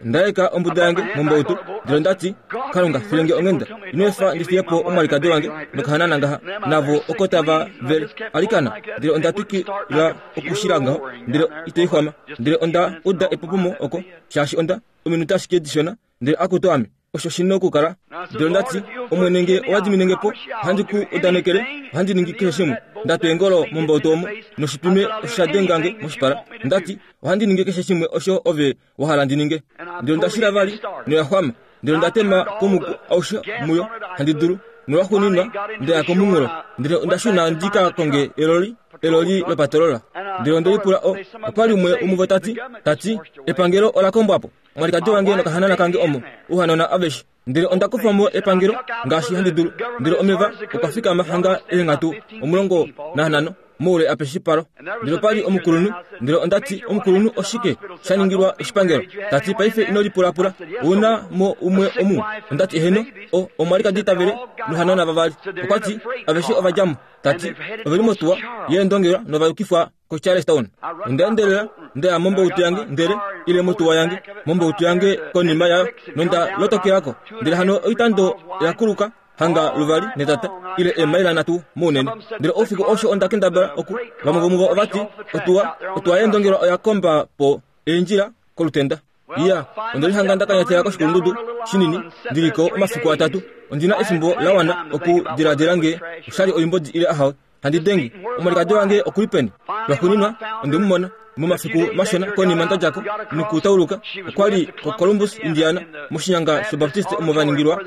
Ndaeka ombuda yange mombautu, ndele onda ti, Kalunga, filenge onghenda, ino efa ndi fiye po omwalikadi wange nokahanana ngaha, navo oko tava vele, alikana. Ndele onda twikila okushila ngaho, ndele itai xwama, ndele onda uda epopomo oko, shaashi onda ominute ashike dishona, ndele akutu ame, osho shina okukala. Ndele onda ti, Omwene, nge owa diminenge po, ohandi ku udanekele, ohandi ningi keshe shimwe. Nda twa eengolo mombautu omo, noshitwime osha dengange moshipala. Onda ti, ohandi ningi keshe shimwe osho ove wa hala ndi ninge. Ndele onda shila vali, noya xwama. Ndele onda tema komuku aushe muyo handi dulu, nolwaxuuninwa nda ya komunghulo. Ndele onda shuna ndi ka konge eloli, eloli lopatolola. Ndele onde lipula o, opa li umwe womuvo ta ti, ta ti, epangelo ola kombwa po, omwalikadi wange nokahanana kange omo, ouhanona aveshe. Ndele onda kufa mo epangelo ngaashi handi dulu, ndele omeva okwa fikama hanga eenghatu omulongo nanhano moule apeshipalo. Ndele opa li omukulunhu, ndele onda ti, omukulunhu, oshike sha ningilwa oshipangelo? Ta ti, paife ino lipulapula, ouna mo umwe omu? Onda ti, eheno, o omwalikadi tavele nohanona vavali. Okwa ti, aveshe ova dja mo. Ta ti, ove li motuwa yeendongelwa nova yukifwa koCharlestown. Onda endelela nda ya mombautu yange, ndele ile motuwa yange, mombautu yange konima yayo, nonda lotokelako. Ndele hano oitando oya kuluka hanga luvali netata ile eemaila nhatu mounene. Ndele oufiku osho onda kendabala oku, vamwe vomuvo ova ti, otuwa, otuwa yeendongelwa oya komba po eendjila kolutenda. Iya, onda lihanga nda kanyatela koshikulundudu shinini, ndili ko omafiku atatu. Ondina efimbo la wana okudiladila nge oshali oimbodi ile ahawe. Handi denge, omwalikadi wange okuli peni? Lwaxuuninwa onde mu mona momafiku mashona konima nda djako nokutauluka, okwa li koColumbus, Indiana, moshinyanga shObaptiste omo va ningilwa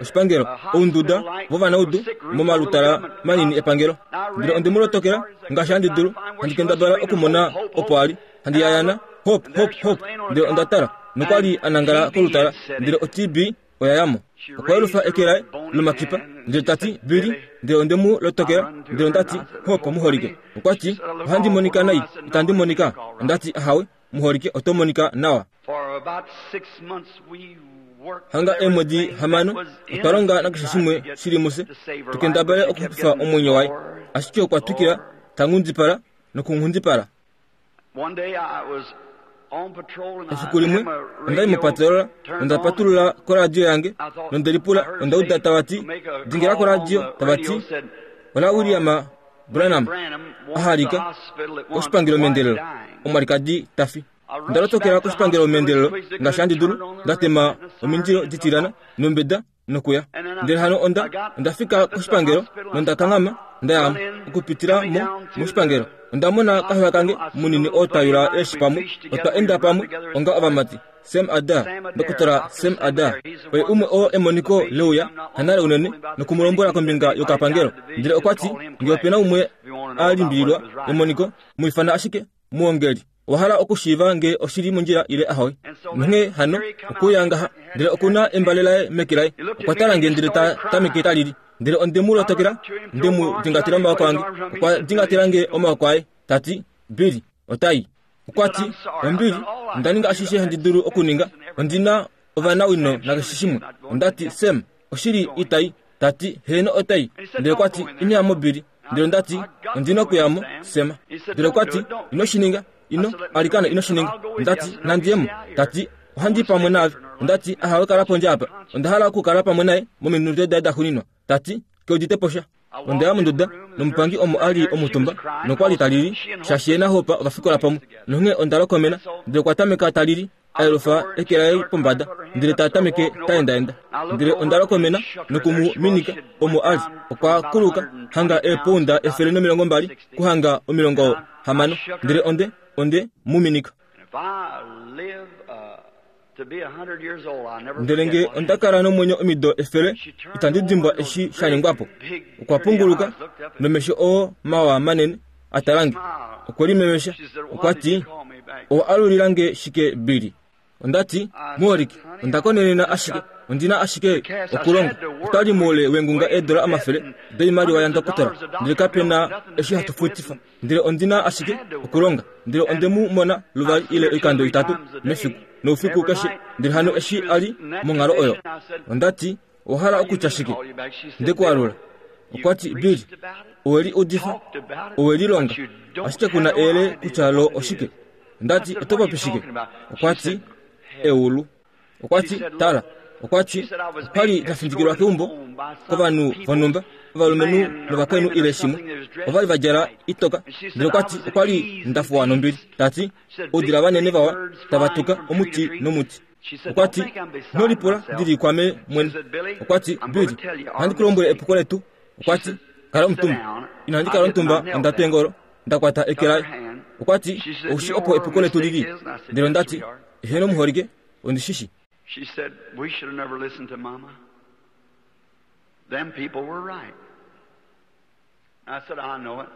oshipangelo, ounduda vovanaudu momalutala manini epangelo. Ndele onde mu lotokela ngaashi handi dulu, handi kendabala okumona opo a li, handi yayana, hop, hop, hop. Ndele onda tala, nokwa li a nangala kolutala, ndele o-T B oya ya mo. Okwa yelufa eke laye lomakipa, ndele ta ti, Billy. Ndele onde mu lotokela, ndele onda ti, Hope, muholike. Okwa ti, ohandi monika nai, itandi monika. Onda ti, ahawe, muholike, oto monika nawa. Hanga eemwedi hamano, otwa longa nakeshe shimwe shili mufye, tu kendabale okuxupifa omwenyo waye. Ashike okwa twikila ta nghundipala nokunghundipala. Efiku limwe onda i mopatolola, nonda patulula koradio yange, nonde lipula, onda uda tava ti, dingela koradio, tava ti, ola William Branham ahalika koshipangelo meendelelo, omwalikadi ta fi. Onda lotokela koshipangelo meendelelo ngaashi handi dulu, nda tema omindilo ditilana nombeda nokuya. Ndele hano onda, onda fika koshipangelo nonda kanghama, nda ya okupitila mo moshipangelo. Onda mona kahewa kange munini oo ta yula eeshi pamwe, otwa enda pamwe onga ovamati. Sam Adair, Dokotela Sam Adair, oye umwe oo emoniko leuya hanale unene nokumulombwela kombinga yokapangelo. Ndele okwa ti, nge opena umwe a limbililwa emoniko, mu ifana ashike muongeli. Owa hala okushiiva nge oshili mondjila ile ahowe. Nonghee hano okuya ngaha, ndele okuna embale laye meke laye. Okwa tala nge ndele ta tameke ta lili. Ndele onde mu lotokela, nde mu dingatela omaoko ange. Okwa dingatela nge omaoko aye, ta ti, Billy, otai. Okwa ti, ombili, onda ninga ashishe handi dulu okuninga. Ondina ovanawino nakeshe shimwe. Onda ti, Sam, oshili itai. Ta ti, heeno otai. Ndele okwa ti, ino ya mo, Billy. Ndele onda ti, ondina okuya mo, Sam. Ndele okwa ti, ino shi ninga. Ino, alikana ino shi ninga. Onda ti, nandi ye mo. Ta ti, ohandi pamwe naave. Onda ti, ahawe kala pondje apa. Onda hala okukala pamwe naye mominute daye daxuuninwa. Ta ti, ke udite po sha. Onda ya monduda, nomupangi omo a li omutumba, nokwa li ta lili, shaashi ye naHope ova fikola pamwe. Nonghee onda lokomena, ndele okwa tameka ta lili, a yelufa eke laye pombada, ndele ta tameke ta endaenda. Ndele onda lokomena noku mu minika omo a li. Okwa kuluka hanga eepounda efele nomilongo mbali kuhanga omilongo hamano, ndele onde, onde mu minika. Ndele nge onda kala nomwenyo omido efele, itandi dimbwa eshi sha ningwa po. Okwa punguluka nomesho oo mawa manene a tala nge. Okwe limemesha, okwa ti, owa alulila nge shike, Billy? Ondati muholike onda konenena ashike ondina ashike okulonga otwali muule wengunga eedola omafele doimaliwa yandokotola ndele kapena eshi hatu futifa ndele ondina ashike okulonga ndele ondemu mona luvali ile oikando itatu mefiku noufiku keshe ndele hano eshi ali monghalo oyo. Ondati owahala okutya shike? Ndekualula. Okwati Bill oweli udifa oweli longa ashike kuna ele kutya lo oshike. Ndati oto popi shike? Okwati eulu. Okwati tala. Okwati okwali tafindikilwa keumbo kovanhu vonhumba ovalumenhu novakainhu ile shimwe ovali vadjala itoka ndele okwati okwali ndafuwa nombili. Tati oudila vanene vawa tava tuka omuti nomuti. Okwati nolipula ndili kwame mwene. Okwati Bill ohandi kulombwele epuko letu. Okwati kala omutumba. Inandi kala omutumba ondatu engolo ndakwata eke laye. Okwati oushi opo epuko letu lili. Ndele ondati eheno muholike ondishishi. She said, we should have never listened to Mama. Them people were right. I said, I know it.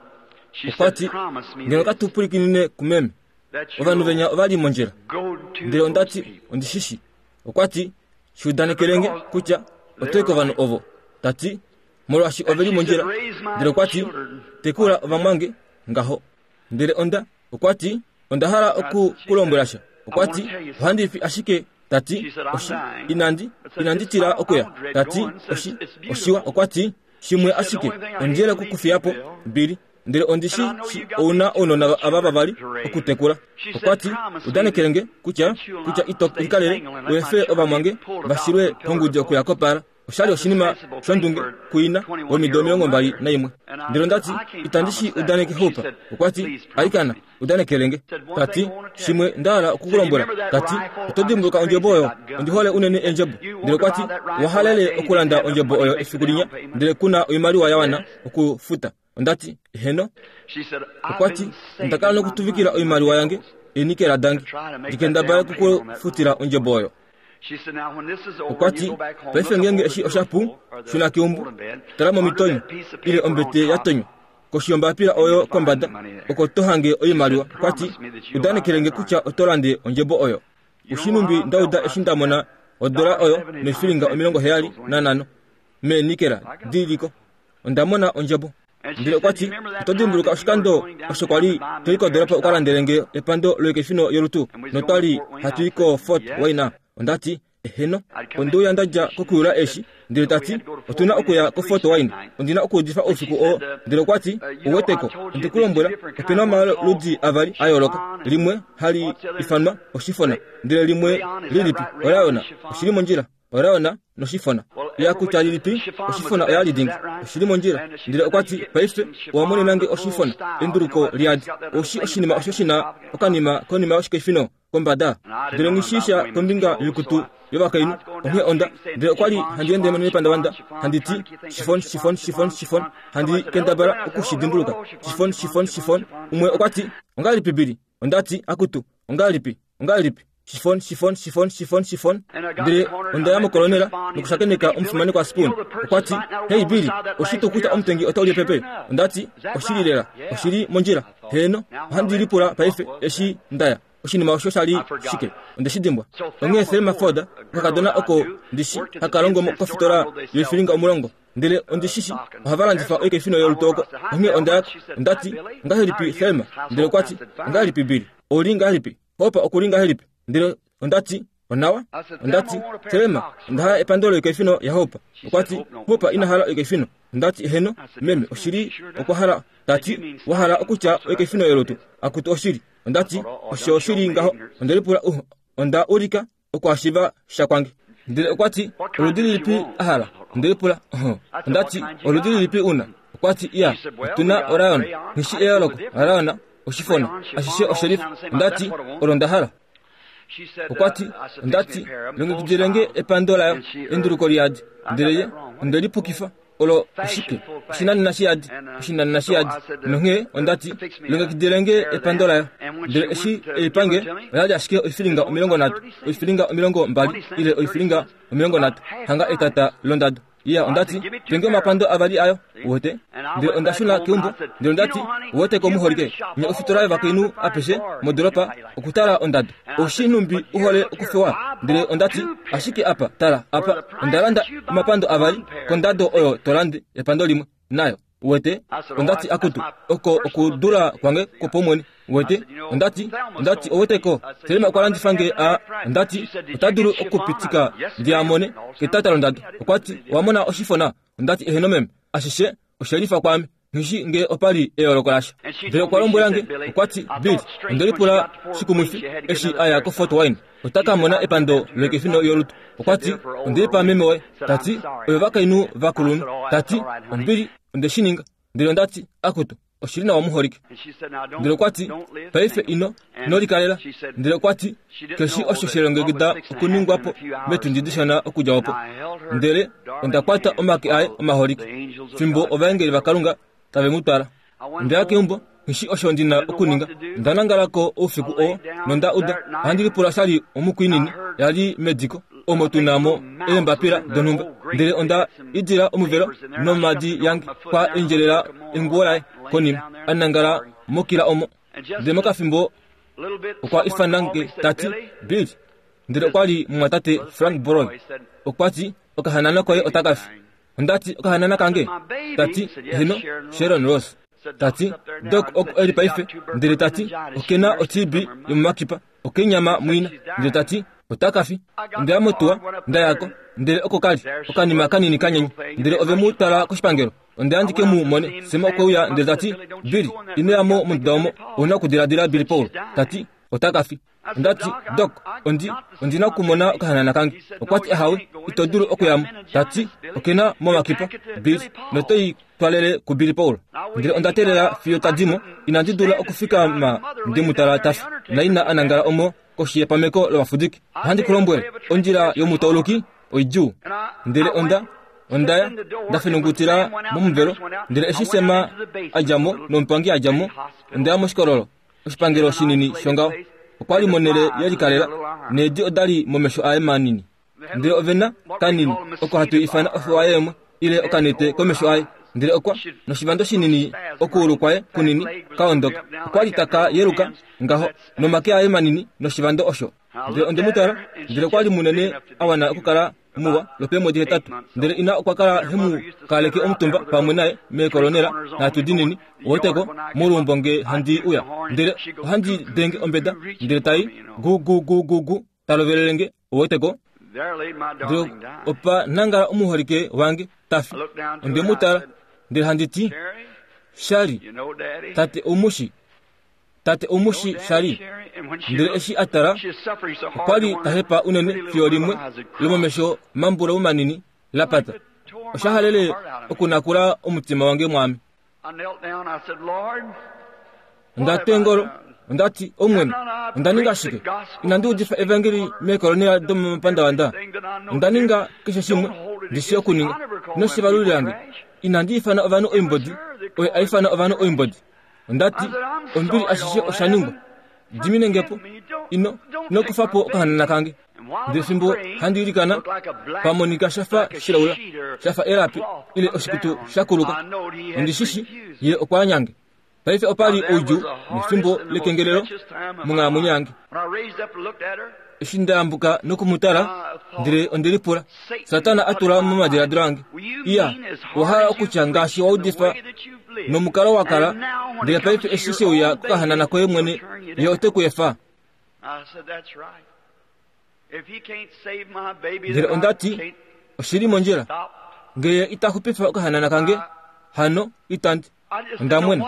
She said, promise me ngeno this, katupulikinine kumeme that ovanhu you'll venya ovali mondjila. go to Ndele those ondati people. ondishishi. Okwati shuudanekelenge kutya otoyi kovanhu ovo. Tati molwaashi oveli mondjila. Ndele okwati tekula ovamwange ngaho. Ndele onda okwati onda hala oku kulombwela sha. Okwati ohandi fi ashike. Tati oshi inandi inandi tila okuya. Tati oshi oshiwa. Okwati shimwe ashike ondjele kukufiyapo mbili. Ndele ondishi shi ouna ounona ava vavali okutekula. Okwati udanekelenge kutya kutya ito ikalele wefe ovamwange vashilwe pongudi okuya kopala. Oshali oshinima shondunge kuina womido omilongo mbali naimwe. Ndele ondati itandi shi udaneke Hope. Okwati alikana udanekelenge. Tati shimwe ndahala okukulombwela. Tati oto dimbuluka ondjebo oyo ondihole unene endjebo. Ndele okwati owahalele okulanda ondjebo oyo efiku linya ndele kuna oimaliwa ya wana okufuta. Ondati heno. She said, I've Okwati been saving ndakala my nokutuvikila money oimaliwa yange enikela dange to try to make that ndikendabala down payment on that kukufutila ondjebo oyo. She said, now when this is over, you Okwati go back home, paife look up ngenge over eshi the oshapu pillow or the shuna keumbo folding bed, tala under momitonyo that piece of ile paper on ombete top, ya tonywa koshi yombapila oyo kombada oko to hange oimaliwa. Okwati udanekelenge kutya oto lande ondjebo oyo. Ushinumbi ndauda eshi ndamona odola oyo noifilinga omilongo heyali nanhano meenikela diliko. Ondamona ondjebo. Ndele okwati oto dimbuluka oshikando osho kwali toli kodoropa ukalandelenge epando loikefino yolutu notwali hatu i ko Fort Wayne. Ondati eheno ondouya ndadja kokuyula eshi. Ndele tati otuna okuya ko Fort Wayne ondina okuudifa oufiku oo. Ndele okwati uweteko ondikulombwela opena omaludi avali a yooloka limwe hali ifanwa oshifona ndele limwe lilipi orayona oshili mondjila orayona noshifona yakutya lilipi oshifona oyali dingi oshili mondjila. Ndele okwati paife owamonenange oshifona enduluko lyadi oshi oshinima osho shina okanima konima yoshikefino kombada. Ndele ngishisha kombinga yoikutu yovakainhu onghee onda ndele okwali handi ende nepandavanda handiti shifon shifon shifon shifon handi kendabala okushidimbuluka shifon shifon shifon. Umwe okwati ongalipi bili? Ondati akutu ongalipi ongalipi shifon shifon shifon shifon shifon. Ndele ondaya mokolonela nokushakeneka omufimanekwa Spoon. Okwati hey Billy oshitu kutya omutengi otaulye pepe. Ondati oshili lela oshili mondjila heno ohandi lipula paife eshi ndaya oshinima osho shali shike ondeshidimbwa. Onghee Thelma Ford okakadona oko ndishi hakalongo kofitola yoifilinga omulongo ndele ondishishi ohava landifa oikefino yolutu oko. Onghee ondayako ondati ongahelipi Thelma? Ndele okwati ongahelipi Billy? Ouli ngahelipi Hope okuli ngahelipi? Ndele ondati onawa. Ondati Thelma ondahala epando loikefino ya Hope. Okwati Hope inahala oikefino. Ondati heno meme oshili okwahala. Tati wahala okutya oikefino yolutu akutu oshili. Ondati osho oshili ngaho. Ondelipula uh, onda ulika okwashiva sha kwange. Ndele okwati oludi lilipi ahala? Ondelipula uh, ondati oludi lilipi una? Okwati iya otuna orayona nishi eyoloko orayona oshifona ashishe osherifu. Ondati olo ndahala. Okwati ondati longekidilenge epando layo enduluko lyadi. Ndele ye ondelipukifa olo oshike oshinanena shiyadi oshinanena shiyadi. Nonghee ondati longekidilenge epando layo. Ndele eshi eipange oyali ashike oifilinga omilongo nhatu oifilinga omilongo mbali ile oifilinga omilongo nhatu hanga etata londado. Iya, ondati penge omapando avali ayo uwete. Ndele onda shuna keumbo ndele ondati uwete komuholike nye ofitola yovakainhu apeshe modoropa okutala ondado oshinumbi uhole okufewa. Ndele ondati ashike apa tala apa ondalanda omapando avali kondado oyo tolande epando limwe nayo uwete. Ondati akutu oko okudula kwange kopomwene uwete. Ondati ondati oweteko Selema okwa landifa nge a ondati otadulu okupitika ndiamone ketata londado. Okwati wamona oshifona. Ondati eheno meme ashishe oshelifa kwame ngishi nge opali eyooloko lasha. Ndele okwa lombwela nge okwati Bill ondelipula shikumwifi eshi aya ko Fort Wayne otakamona epando lekefino yolutu. Okwati ondelipa meme woye tati oyo vakainhu vakulunhu tati ombili ondeshininga. Ndele ondati akutu oshili nawa muholike. Ndele okwati paife ino nolikalela. Ndele okwati keshi osho shelongekida okuningwapo metundi dishona okudja opo. Ndele ondakwata omake aye omaholike fimbo ovaengeli vakalunga tave mu twala. Ndaya keumbo ngishi osho ndina okuninga. Ndanangalako oufiku oo nonda uda ohandi lipula shali omukwinini yali mediko omo tunamo eembapila donhumba. Ndele onda idila omuvelo nomadi yange kwa endjelela enguwo laye konima anangala mokila omo. Ndele mokafimbo okwa ifana nge tati Bill. Ndele okwali mumwatate Frank Broy. Okwati okahanana koye otakafi. Ondati okahanana kange tati heno Sharon Ross. Tati dok oko eli paife. Ndele tati okena otibi yomumakipa okenyama mwina. Ndele tati otakafi. Ndaya motuwa ndayako. Ndele oko kali okanima kanini kanyenye. Ndele ove mu tala koshipangelo. Onda andike mu mone sema okweuya. Ndele tati Bill inoyamo monduda omo ouna okudiladila Billy Paul. Tati otakafi. Ondati dok ondi ondina okumona okahanana kange. Okwati ahawe ito dulu okuyamo. Tati okena momakipa Bill notoi twalele ku Billy Paul. Ndele onda teelela fiyo tadimo inandi dula okufikama ndimutala tafi naina anangala omo koshi yepameko lovafudiki. Ohandi kulombwele ondjila yomutauluki oidjuu. Ndele onda ondaya ndafenungutila momuvelo. Ndele eshi Sema adjamo nomupangi adjamo ondaya moshikololo oshipangelo shinini shongaho. Okwali monele yelikalela needi odali momesho aye manini. Ndele ovena kanini oko hatu ifana ofewa yeemwe ile okanete komesho aye. Ndele okwa noshivando shinini okuulu kwaye kunini kaondoka. Okwali taka yeluka ngaho nomake aye manini noshivando osho. Ndele ondemutala. Ndele okwali munene awana okukala muwa lwopeemwedi hetatu. Ndele ina okwa kala hemu kaleke omutumba pamwe naye meekolonela natu dinini oweteko molumbo nge handi uya. Ndele ohandi denge ombeda ndele tai gu gu gu gu gu talovelelenge oweteko. Ndele opa nangala omuholike wange tafi. Ondemutala ndele handi ti Shali tate omushi tate omushi Shali. Ndele eshi atala okwali tahepa unene fiyo limwe lomomesho mambula manini lapata. Oshahalele okunakula omutima wange mwami. Ondati engolo ondati omwene ondaninga shike inandi udifa evangeli meekolonela domomapandavanda. Ondaninga keshe shimwe ndishi okuninga noshivaluli yange. Inandi ifana ovanhu oimbodi oye aifana ovanhu oimbodi. Ondati ombili ashishe oshaningwa diminengepo ino inokufapo okahanana kange. Ndele fimbo handi ilikana pamonika shafa shilaula shafa elapi ile oshikutu shakuluka. Ondishishi ye okwanyange. Paife opali oudjuu nefimbo lekengelelo monghalamwenyo yange. Eshi ndayambuka nokumutala ndele ondelipula Satana atula momadiladilo ange. Iya owahala okutya ngaashi waudifa nomukalo wakala. Ndele paife eshi sheuya kokahanana koye mwene ye ote kuefa. Ndele ondati oshili mondjila ngeye itaxupifa okahanana kange hano itandi ondamwene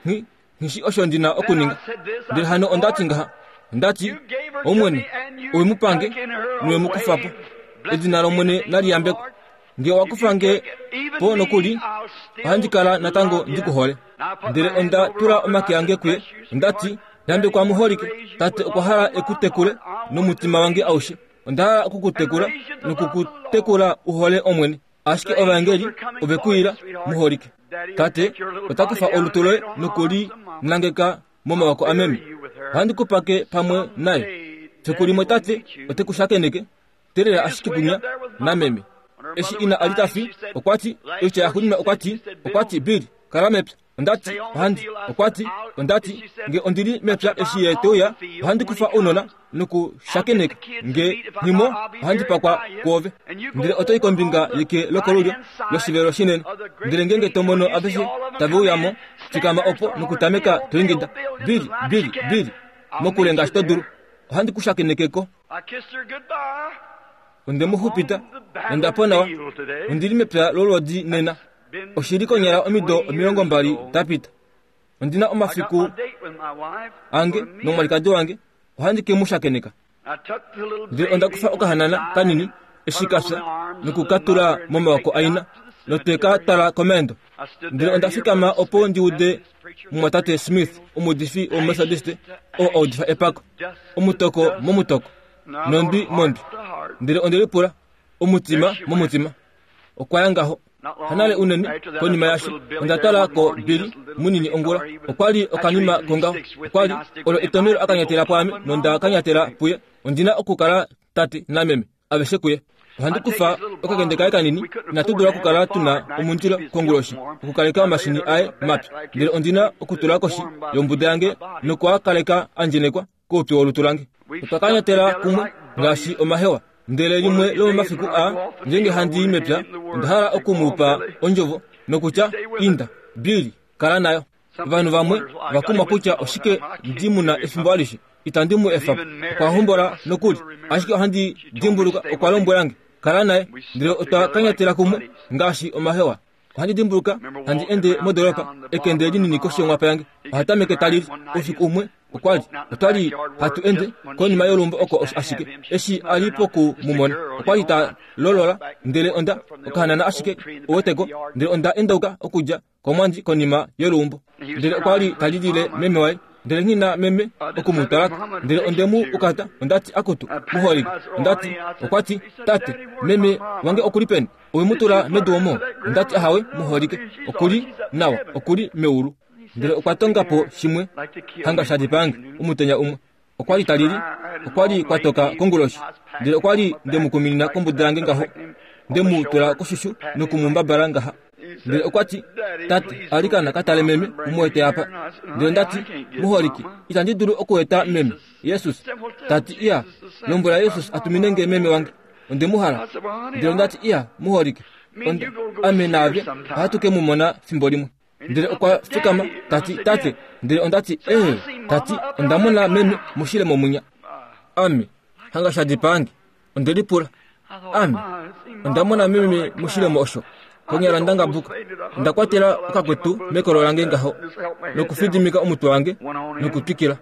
ngi ngishi osho ndina okuninga. Ndele hano ondati ngaha ondati omwene owe mupange niwe mukufapo edina lomwene naliyambeko. Nge owakufa nge po nokuli ohandi kala natango ndikuhole. Ndele onda tula omake ange kuye ondati yambekwa muholike tate okwa hala ekutekule nomutima wange aushe. Onda hala okukutekula nokukutekula uhole omwene. Ashike ovaengeli ovekuila muholike. Tate otakufa olutu loye nokuli nangeka momawako ameme. Ohandi kupake pamwe naye. Fiku limwe tate ote kushakeneke telela ashike kunya nameme. Eshi ina ali ta fi, okwa ti, oitya yaxuuninwa okwa ti, okwa ti, Bill, kala mepya. Ondati, ohandi, okwa ti, ondati, nge ondili mepya eshi ye te uya, ohandi kufa ounona nokushakeneka, nge nghimo, ohandi pakwa kwoove. Ndele oto i kombinga yeke lokolulyo loshivelo shinene. Ndele ngeenge to mono aveshe tave uyamo, fikama opo nokutameka to ingida, Bill, Bill, Bill, mokule ngaashi to dulu. Ohandi ku shakenekeko. Onde mu xupita, nonda po nawa. Ondili mepya lolwodi nena. Oshili konyala omido omilongo mbali dapita. Ondina omafiku ange nomwalikadi wange, ohandi ke mu shakeneka. Ndele onda kufa okahanana kanini eshi ka fya nokukatula momawako aina notwe ka twala komeendo. Ndele onda fikama opo ndi ude mumwatate Smith, omuudifi womumethodiste, oo a udifa epako, omutoko momutoko, nondwi mondwi. Ndele onde lipula, omutima momutima. Okwa ya ngaho. Hanale unene konima yasho, onda twala ko Billy munini ongula. Okwa li okanima kongaho. Okwa li olo etomelo akanyatela pwaame nonda kanyatela puye. Ondina okukala tate nameme aveshe kuye. Ohandi kufa okakende kaye kanini, inatu dula okukala tuna omundilo konguloshi okukaleka omashini aye mapya. Ndele ondina okutula koshi yombuda yange nokuakaleka andjenekwa koupyu wolutu lange. Otwa kanyatela kumwe ngaashi omahewa. Ndele limwe lomomafiku a ngeenge handi i mepya, onda hala okumupa ondjovo nokutya, inda, Billy, kala nayo. Ovanhu vamwe vakumwa kutya oshike ndi muna efimbo alishe, itandi mu efa po. Okwa hombola nokuli, ashike ohandi dimbuluka okwa lombwela nge, kala naye. Ndele otwa kanyatela kumwe ngaashi omahewa. Ohandi dimbuluka handi ende modolopa, ekende linini koshi yonghwapa yange. Ohatameke talili. Oufiku umwe okwa li otwa li hatu ende konima yolumbo oko ashike eshi a li poku mu mona, okwa li ta lolola. Ndele onda okahanana ashike uweteko, ndele onda endauka okudja komwandi konima yolumbo. Ndele okwa li ta lilile meme waye. Ndele nghina meme oku mu twalako. Ndele onde mu ukata, ondati, akutu, muholike. Ondati, okwa ti, tate, meme wange okuli peni? Owe mu tula medu omo? Ondati, ahawe, muholike, okuli nawa, okuli meulu. Ndele okwa tonga po shimwe hanga sha dipange omutenya umwe. Okwa li talili, okwa li kwatoka konguloshi. Ndele okwa li nde mu kuminina kombuda yange ngaho, nde mu tula koshushu nokumumbabala ngaha. Ndele okwa ti, tate, alikana ka tale meme, umuete apa. Ndele ndati, muholike, itandi dulu okueta meme, Jesus. Tati, iya, lombwela Jesus atumine nge meme wange. Onde mu hala. Ndele ndati, iya, muholike, onda ame naave ohatu ke mu mona fimbo limwe. Ndele okwa fikama, tati, tate. Ndele ondati, ee, tati, onda mona meme moshile momunya. Ame, hanga sha dipange. Onde lipula. Ame, onda mona meme moshile mo osho. Konyala ndangabuka. Onda kwatela okakwetu mekolo lange ngaho, nokufidimika omutwe wange nokutwikila.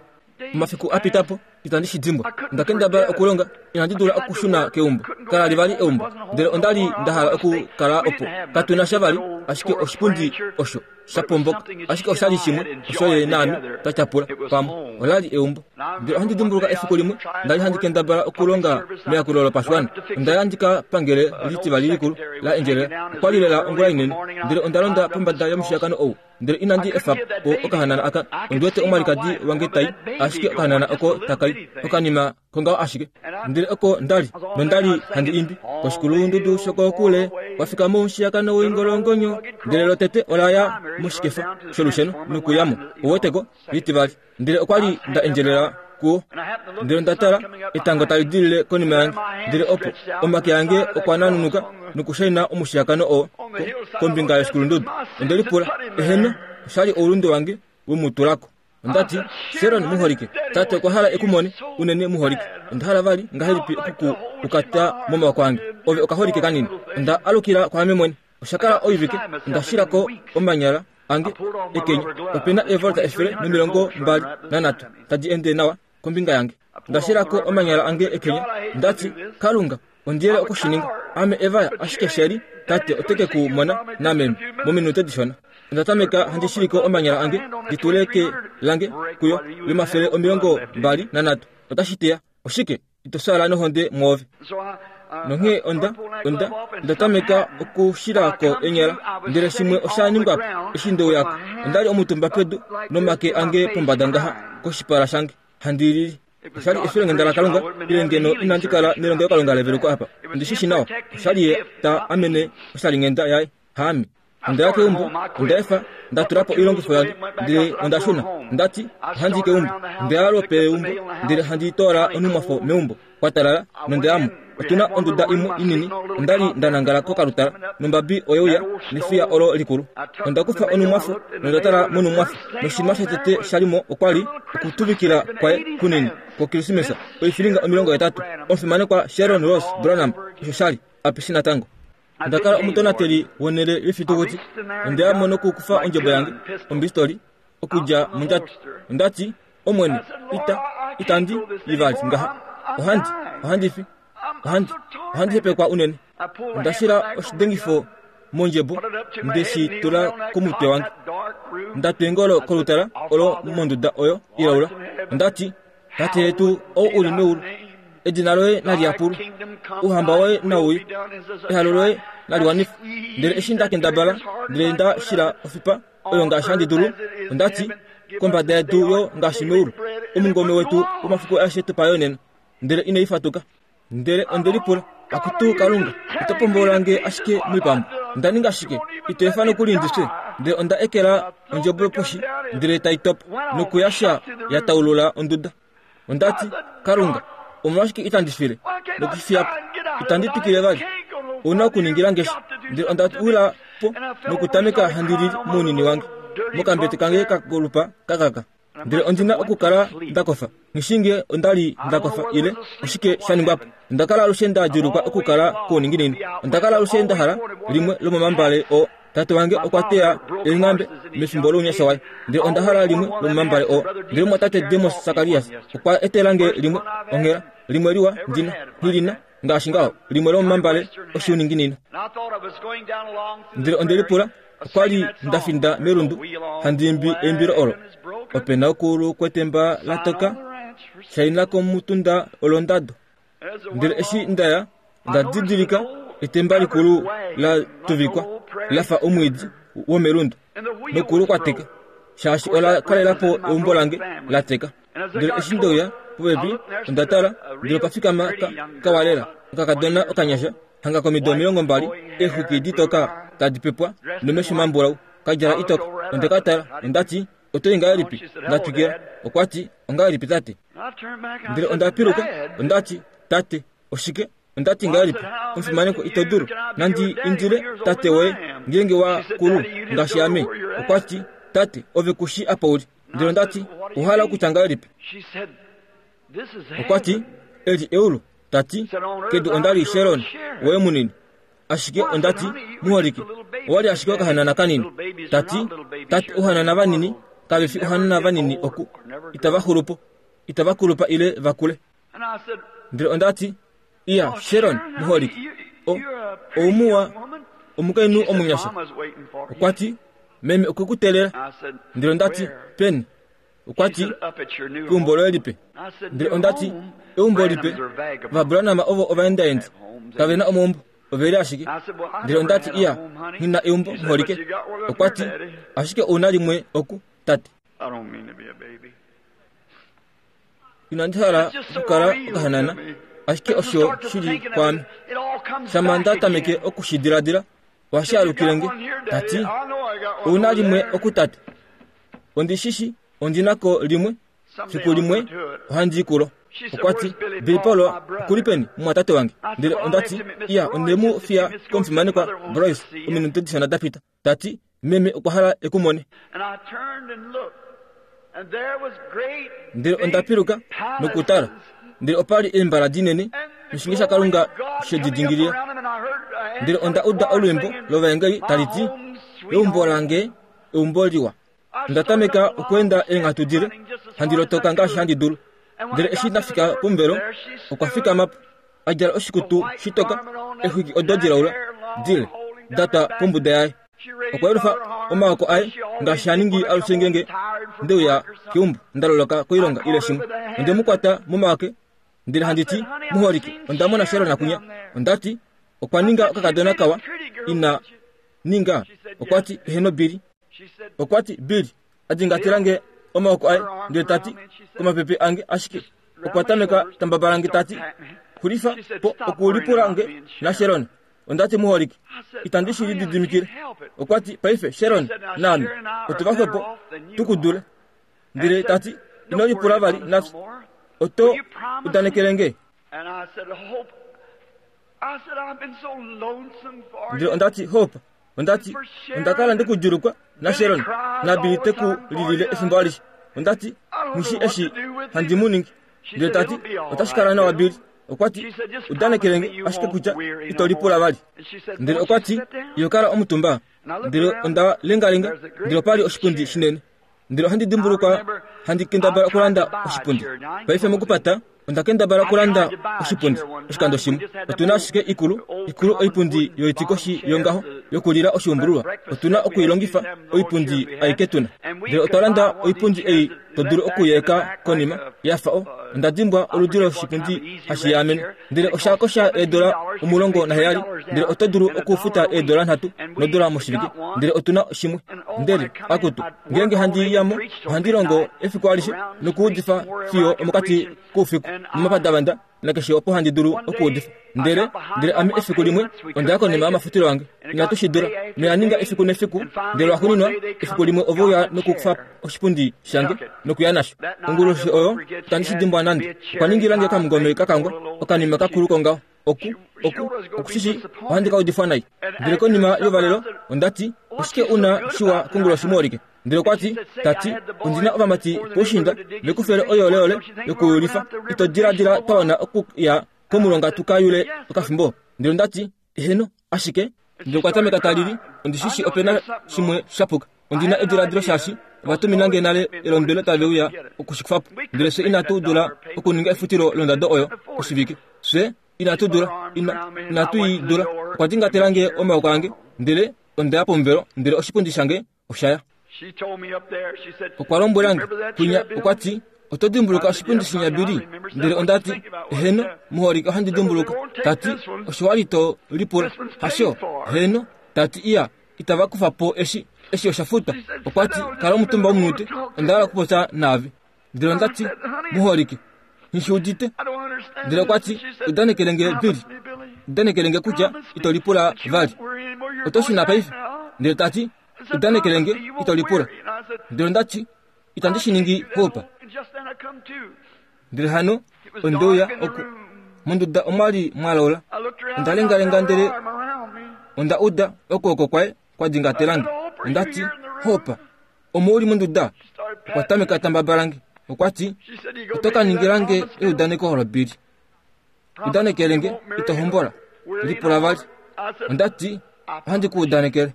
Omafiku apitapo, itandi shi dimbwa. Onda kendabala okulonga, inandi dula okushuna keumbo. Kala li vali eumbo. Ndele onda li nda hala okukala opo. Katuna sha vali, ashike oshipundi osho sha pomboka. Ashike osha li shimwe osho ye naame twa tyapula pamwe. Ola li eumbo. Ndele ohandi dimbuluka efiku limwe nda li handi kendabala okulonga meyakulo lopashiwana. Onda ya ndi ka pangele litivali likulu la endjelela. Okwa li lela ongula inene. Ndele onda londa pombada yomushiyakano ou. Ndele inandi efa po okahanana aka. Ondi wete omwalikadi wange tai, ashike okahanana oko takai okanima kongaho ashike. Ndele oko ndali, nondali handi imbi koshikulundudu shokokule, wafika momushiyakano woingolongonyo. Ndele lotete ola ya moshikefa sholusheno nokuyamo uweteko litivali. Ndele okwa li nda endjelela kuwo. Ndele onda tala etango tali dilile konima yange. Ndele opo omake ange okwa nanunuka nokushaina omushiyakano oo kombinga yoshikulundudu. Onde lipula, eheno, oshali oulunde wange wemutulako. Ondati, Sharon muholike, tate okwa hala ekumone unene muholike. Onda hala vali ngahelipi okuku ukata momawako ange. Ove okaholike kanini. Onda alukila kwaame mwene. Oshakala oivike, onda shilako omanyala ange ekenya. Opena evolta efele nomilongo mbali nanhatu tadi ende nawa kombinga yange. Onda shilako omanyala ange ekenya. Ndati, Kalunga, ondiyele okushininga. Ame evaya ashike sheli, tate oteke ku mona nameme mominute dishona. Onda tameka handi shiliko omanyala ange ndituleke lange kuyo lomafele omilongo mbali nanhatu. Otashi teya oshike ito sala nohonde mwoove. Nonghee onda onda onda tameka okushilako enyala. Ndele shimwe osha ningwapo eshi ndeuyako. Onda li omutumba pedu nomake ange pombada ngaha koshipala shange handi lili. Oshali efilonghenda laKalunga ile ngeno inandi kala nelongelokalunga leveluko apa. Ondi shi shi nawa. Oshali ye ta amene oshalinghenda yaye haame. Onda ya keumbo, onda efa, nda tula po oilongifo yange, ndele onda shuna. Ondati ohandi i keumbo. Onda ya lwopeumbo, ndele handi toola onhumwafo meumbo. Kwa talala nonde yamo. Otuna onduda imwe inini. Onda li nda nangala kokalutala nombabi oye uya nefiya olo likulu. Onda kufa onhumwafo nonda tala monhumwafo. Noshinima shotete shalimo okwa li okutuvikila kwaye kunini kwokilisimesa oifilinga omilongo hetatu. Omufimanekwa Sharon Rose Branham osho shali apeshi natango. Onda kala omutonateli wonhele yefitukuti. Onde ya mo nokukufa ondjebo yange ombistoli okudja mondjato. Ondati Omwene, ita itandi ivali ngaha. Ohandi ohandi fi ohandi ohandi hepekwa unene. Onda shila oshidengifo mondjebo nde shi tula komutwe wange. Nda twa eengolo kolutala olo monduda oyo ilaula. Ondati Tate yetu ou uli meulu, edina loye nali yapulwe, ouhamba woye nauye, ehalo loye nali wanifwe. Ndele eshi nda kendabala ndele nda shila ofipa oyo ngaashi handi dulu, ondati kombada yedu yo ngaashi meulu, omungome wetu womafiku aeshe tupa yo nena. Ndele inai fatuka. Ndele onde lipula, akutu Kalunga, ito pombola nge ashike moipambu. Onda ninga shike? Ito efa nokuli ndi fye. Ndele onda ekela ondjebo poshi, ndele tai topa nokuyasha ya taulula onduda. Ondati Kalunga, omolwashike itandi file nokufiya po? Itandi twikile vali. Ouna okuningila nge sha. Ndele onda wila po nokutameka handi lili mounini wange mokambete kange kakolupa kakaka. Ndele ondina okukala nda kofa. Nghishinge onda li nda kofa ile oshike sha ningwa po. Onda kala alushe nda djuulukwa okukala kouninginino. Onda kala alushe nda hala limwe lomomambale oo. Tate wange okwa teya eenghambe mefimbo lounyasha waye. Ndele onda hala limwe lomomambale oo. Ndele mumwatate Demos Sakarias okwa etela nge limwe onghela limwe liwa ndina nghilina ngaashi ngaho limwe lomomambale oshiuninginino. Ndele onde lipula okwa li nda finda melundu handi imbi eimbilo olo. Ope na okuulu kwetemba la toka shaina komutunda olondado. Ndele eshi nda ya nda didilika etemba likulu la tuvikwa la fa omwiidi womelundu nokulu kwa teka shaashi ola kalela po eumbo lange la teka. Ndele eshi ndeuya popepi onda tala ndele opa fikama ka, kawalela okakadona okanyasha hanga komido omilongo mbali eexwiki ditoka tadi pepwa nomesho mambulau ka djala itoka. Onde ka tala ondati oto i ngahelipi? Nda twikila. Okwa ti ongahelipi tate? Ndele onda piluka ondati tate oshike? Ondati ngahelipi? Omufimaneko ito dulu nandi indile tate woye ngeenge wa kulu ngaashi ame. Okwa ti tate ove kushi apa uli. Ndele ondati ohala okutya ngahelipi? Okwa ti eli eulu. Tati kedu onda li Sharon woye munini. Ashike ondati muholike owali ashike okahanana kanini. Tati tate ouhanana vanini kave fi ouhanana vanini oku itava xulupo itava kulupa ile vakule. Ndele ondati iya Sharon muholike o oumuwa omukainhu omunyasha. Okwa ti meme okwe ku teelela. Ndele ondati peni? Okwa ti keumbo loye lipe. Ndele ondati eumbo lipe. VaBranham ovo ovaendaendi kave na omaumbo oveli ashike. Ndele ondati iya nghina eumbo muholike. Okwa ti ashike ouna limwe oku tate. Inandi hala okukala okahanana ashike osho shili kwaame. Shama nda tameke okushidiladila ohashi alukile nge. Tati ouna limwe oku tate. Ondi shishi ondinako limwe fiku limwe ohandi i kulo. Okwa ti Billy Paul okuli peni mumwatate wange? Ndele ondati iya onde mu fiya komufimanekwa Bryce ominute dishona da pita. Tati meme okwa hala eku mone. Ndele onda piluka nokutala. Ndele opa li eembala dinene noshinge shaKalunga she di dingilila. Ndele onda uda olwiimbo lovaengeli tali ti eumbo lange eumbo liwa. Onda tameka okweenda eenghatu dile handi lotoka ngaashi handi dulu. Ndele eshi ndafika pomuvelo okwa fikama po a djala oshikutu shitoka exwiki odo dilaula dile da twa pombuda yaye. Okwa yelufa omaoko aye ngaashi ha ningi alushe ngeenge ndeuya keumbo nda loloka koilonga ile shimwe. Onde mu kwata momake ndele handi ti muholike onda mona Sharon akunya. Ondati okwa ninga okakadona kawa ina ninga. Okwa ti eheno Billy. Okwa ti Billy adingatela nge omaoko aye ndele tati komapepe ange ashike Okwa tameka tambabalange tati, xulifa po okulipula nge naSharon. Ondati muholike, itandi shi lididimikile. Okwa ti paife Sharon naame otu va xwepo tukudule. Ndele tati ino lipula vali nafye, oto udanekele nge. Ndele ondati Hope, ondati onda kala ndikudjulukwa naSharon naBilly te ku lilile efimbo alishe. Ondati nghishi eshi handi mu ningi. Ndele tati otashi kala nawa Billy. Okwa ti udanekele nge ashike kutya ito lipula vali. Ndele okwa ti iyo kala omutumba. Ndele onda lengalenga, ndele opali oshipundi shinene. Ndele ohandi dimbulukwa handi kendabala okulanda oshipundi. Paife mokupata onda kendabala okulanda oshipundi oshikando shimwe. Otuna ashike ikulu ikulu oipundi yoitikoshi yongaho yokulila oshiumbululwa. Otuna okuilongifa oipundi aike tuna. Ndele otwa landa oipundi ei to dulu okuyeeka konima yafa o. Onda dimbwa oludi loshipundi hashi yaamene. Ndele osha kosha eedola omulongo naheyali. Ndele oto dulu okufuta eedola nhatu nodola moshivike. Ndele otuna shimwe. Ndele akutu ngeenge handi yamo ohandi longo efiku alishe nokuudifa fiyo omokati koufiku momapadavanda nakeshe opo handi dulu okuudifa. Ndele ndele ame efiku limwe onda ya konima yomafutilo ange. Inatu shi dula. Noya ninga efiku nefiku. Ndele lwaxuuninwa efiku limwe ove uya nokukufa oshipundi shange nokuya nasho. Onguloshi oyo itandi shi dimbwa nande. Okwa ningila nge okamungome kakangwa, okanima kakulu kongaho. Oku oku okushishi ohandi ka udifwa nai. Ndele konima yovalelo ondati oshike una shiwa konguloshi muholike. Ndele okwa ti tati ondina ovamati poushinda vekufele oyoleole yokuyulifa. Ito diladila twa wana okuya komulonga tuka yule okafimbo. Ndele ondati eheno ashike. Ndele okwa tameka talili, ondishishi opena shimwe shapuka. Ondina ediladilo shaashi ovatumina nge nale elondwelo tave uya okushikufapo. Ndele fye inatu dula okuninga efutilo londado oyo oshivike. Fye inatu dula, ina, inatu i dula. Okwa dingatela nge omaoko ange, ndele onda ya pomuvelo, ndele oshipundi shange osha ya. Okwa lombwela nge kwinya, okwa ti oto dimbuluka oshipundi shinya Billy? Ndele ondati eheno muholike ohandi dimbuluka. Tati osho wali to lipula hasho? Heno. Tati iya itava kufa po eshi eshi osha futwa. Okwa ti kala omutumba omunute, onda hala okupopya naave. Ndele ondati muholike nghishi udite. Ndele okwa ti udanekele nge Billy, udanekele nge kutya ito lipula vali. Oto shuna paife. Ndele tati udanekele nge ito lipula. Ndele ondati itandi shi ningi Hope. Ndele hano ondeuya oku monduda omwali mwalola. Onda lengalenga ndele onda uda okwooko kwaye kwa dingatelange. Ondati Hope, omo uli monduda? Okwa tameka tambabalange. Okwa ti oto ka ningilange eudaneko olo Billy. Udanekele nge ito hombola. Lipula vali. Ondati ohandi ku udanekele.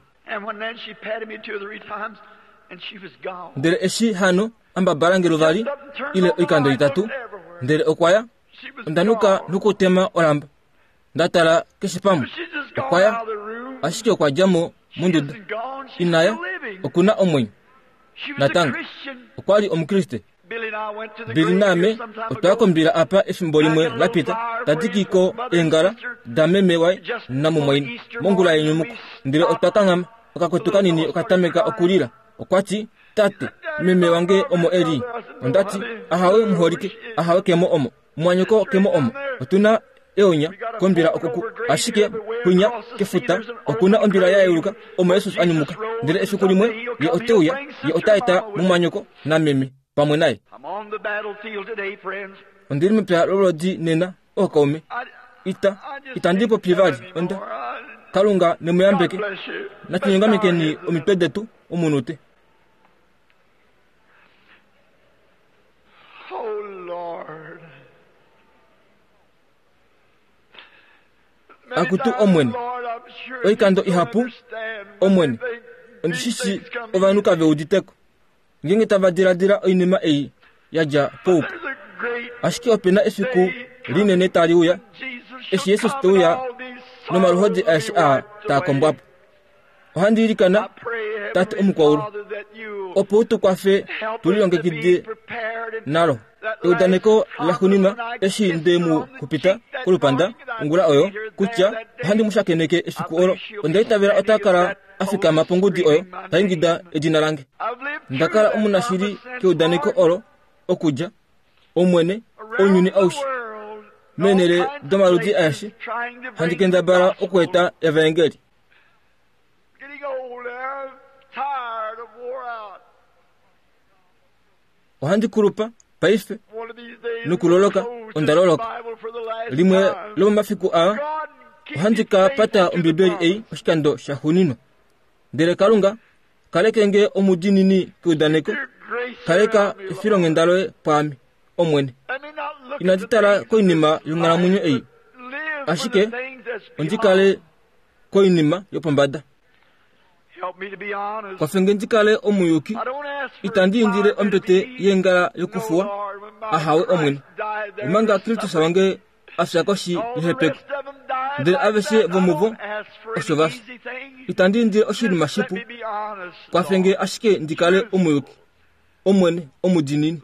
Ndele eshi hano ambabalange luvali ile oikando itatu, ndele okwa ya. Onda nuka nokutema olamba. Nda tala keshe pamwe. Okwa ya, ashike okwa dja mo monduda. Inaya, okuna omwenyo. Natango okwa li omukriste. Billy naame otwa ya kombila apa efimbo limwe lapita, tadikiko eengala dameme waye namumwaina mongula yenyumuko. Ndele otwa kanghama, okakutu kanini okatameka okulila. Okwa ti tate, meme wange omo eli. Ondati ahawe muholike, ahawe kemo omo, mwanyoko kemo omo. Otuna eonya kombila okuku, ashike kwinya kefuta okuna ombila ya yeuluka omo Jesus anyumuka. Ndele efiku limwe ye oteuya, ye otaeta mumwanyoko nameme pamwe naye. Ondili mepya lolodi nena ookaume. Ita itandi popi vali. Onda Kalunga nemuyambeke. Natunyongamekeni omitwe detu omunute. Akutu omwene, oikando ihapu omwene, ondishishi ovanhu kave uditeko ngeenge tava diladila oinima ei yadja poupu. Ashike opena efiku linene tali uya eshi Jesus te uya nomaluhodi aeshe aa taa kombwa po. Ohandi ilikana Tate omukwaulu, opo u tu kwafe tu lilongekide nalo. Eudaneko laxuuninwa eshi nde mu xupita kolupanda ongula oyo kutya ohandi mu shakeneke efiku olo, onda itavela ota kala a fikama pongudi oyo ta ingida edina lange. Nda kala omunashili keudaneko olo okudja Omwene, Ounyuni aushe meenhele domaludi aeshe handi kendabala okueta evaengeli. Ohandi kulupa paife nokuloloka onda loloka. Limwe lomomafiku aa ohandi ka pata Ombibeli ei oshikando shaxuuninwa. Ndele Kalunga kaleke nge omudiinini keudaneko, kaleka efilonghenda loye pwaame, Omwene. Inandi tala koinima yonghalamwenyo ei, ashike ondi kale koinima yopombada. Kwafe nge ndi kale omuyuki, itandi indile ombete yeengala yokufuwa, ahawe Omwene. Omanga Kristus wange a fya koshi yehepeko, ndele aveshe vomuvo osho va fya. Itandi indile oshinima shipu, kwafe nge ashike ndi kale omuyuki, Omwene omudiinini.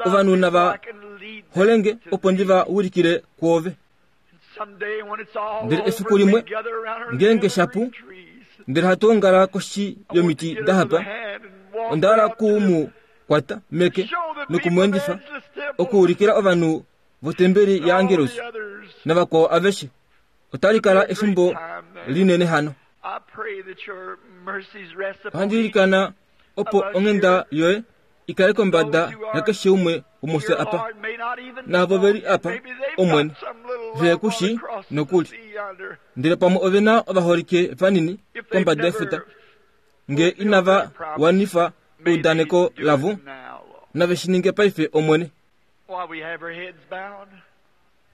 Ovanhu nava holenge opo ndi va ulikile kwoove. Ndele efiku limwe ngeenge shapu, ndele hatu ongala koshi yomiti dahapa, onda hala ku mu kwata meke nokumweendifa okuulikila ovanhu votembeli yaAngelus navakwao aveshe. Otali kala efimbo linene hano. Ohandi ilikana opo onghenda yoye ikale kombada yakeshe umwe womufye apa, naavo veli apa, Omwene, ve ku shii nokuli. Ndele pamwe ove na ovaholike vanini kombada yefuta, nge inava wanifa eudaneko lavo, nave shi ninge paife, Omwene.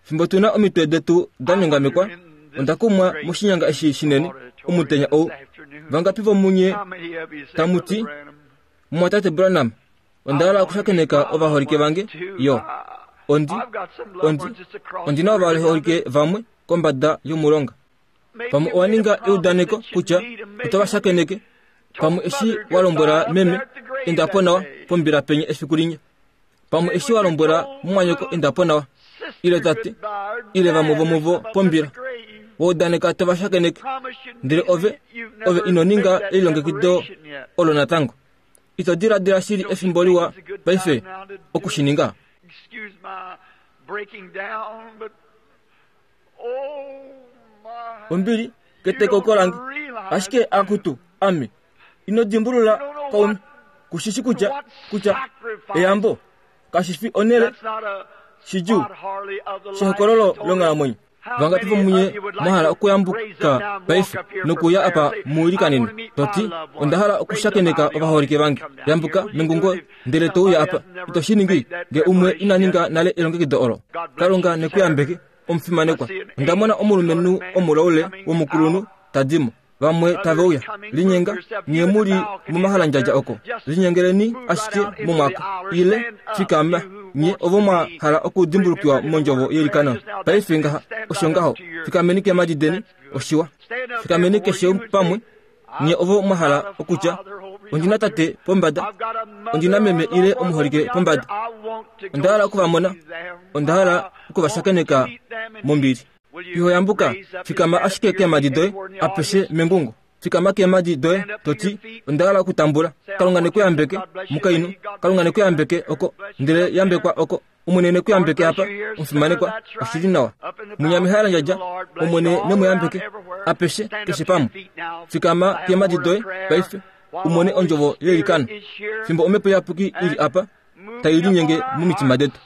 Fimbo tu na omitwe detu da nyongamekwa, onda kumwa moshinyanga eshi shinene omutenya ou. Vangapi vomunye tamu ti, Mumwatate Branham, onda hala okushakeneka ovaholike vange? Yo, ondi, ondi, ondi na ovaholike vamwe kombada yomulonga. Pamwe owa ninga eudaneko kutya oto va shakeneke, pamwe eshi wa lombwela meme enda po nawa pombila penye efiku linya, pamwe eshi wa lombwela mumwanyoko enda po nawa, ile tate, ile vamwe vomuvo pombila, wa udaneka to va shakeneke, ndele ove, ove ino ninga elilongekido olo natango. Ito diladila shili efimbo liwa paife okushininga? Ombili ketekauko lange, ashike akutu ame ino dimbulula kaume, kushishi kutya kutya eyambo kashifi onhele shidjuu shehokololo longhalamwenyo. Vangapi vomunye mwa hala okuyambuka paife nokuya apa muilikanene, to ti, onda hala okushakeneka ovaholike vange? Yambuka mengungo ndele to uya apa. Ito shi ningi nge umwe ina ninga nale elongekido olo. Kalunga nekuyambeke, omufimanekwa. Onda mona omulumenhu omulaule womukulunhu ta di mo. Vamwe tave uya. Linyenga nye mu li momahalandjadja oko. Linyengeleni ashike momwaka, ile fikama nye ovo mwa hala okudimbulukiwa mondjovo yeilikano. Paife ngaha osho ngaho, fikameni keemhadi deni, oshiwa. Fikameni keshe pamwe, nye ovo mwa hala okutya, ondi na tate pombada, ondi na meme ile omuholike pombada, onda hala oku va mona, onda hala oku va shakeneka mombili. Iho yambuka, fikama ashike keemhadi doye apeshe mengungo. Fikama keemhadi doye to ti, onda hala okutambula. Kalunga nekuyambeke, mukainhu. Kalunga nekuyambeke oko, ndele yambekwa oko. Omwene nekuyambeke apa, omufimanekwa, oshili nawa. Munya mehalandjadja, Omwene nemuyambeke apeshe keshe pamwe. Fikama keemhadi doye paife, umone ondjovo yeilikano. Fimbo omhepo iyapuki ili apa, tai linyenge momitima detu.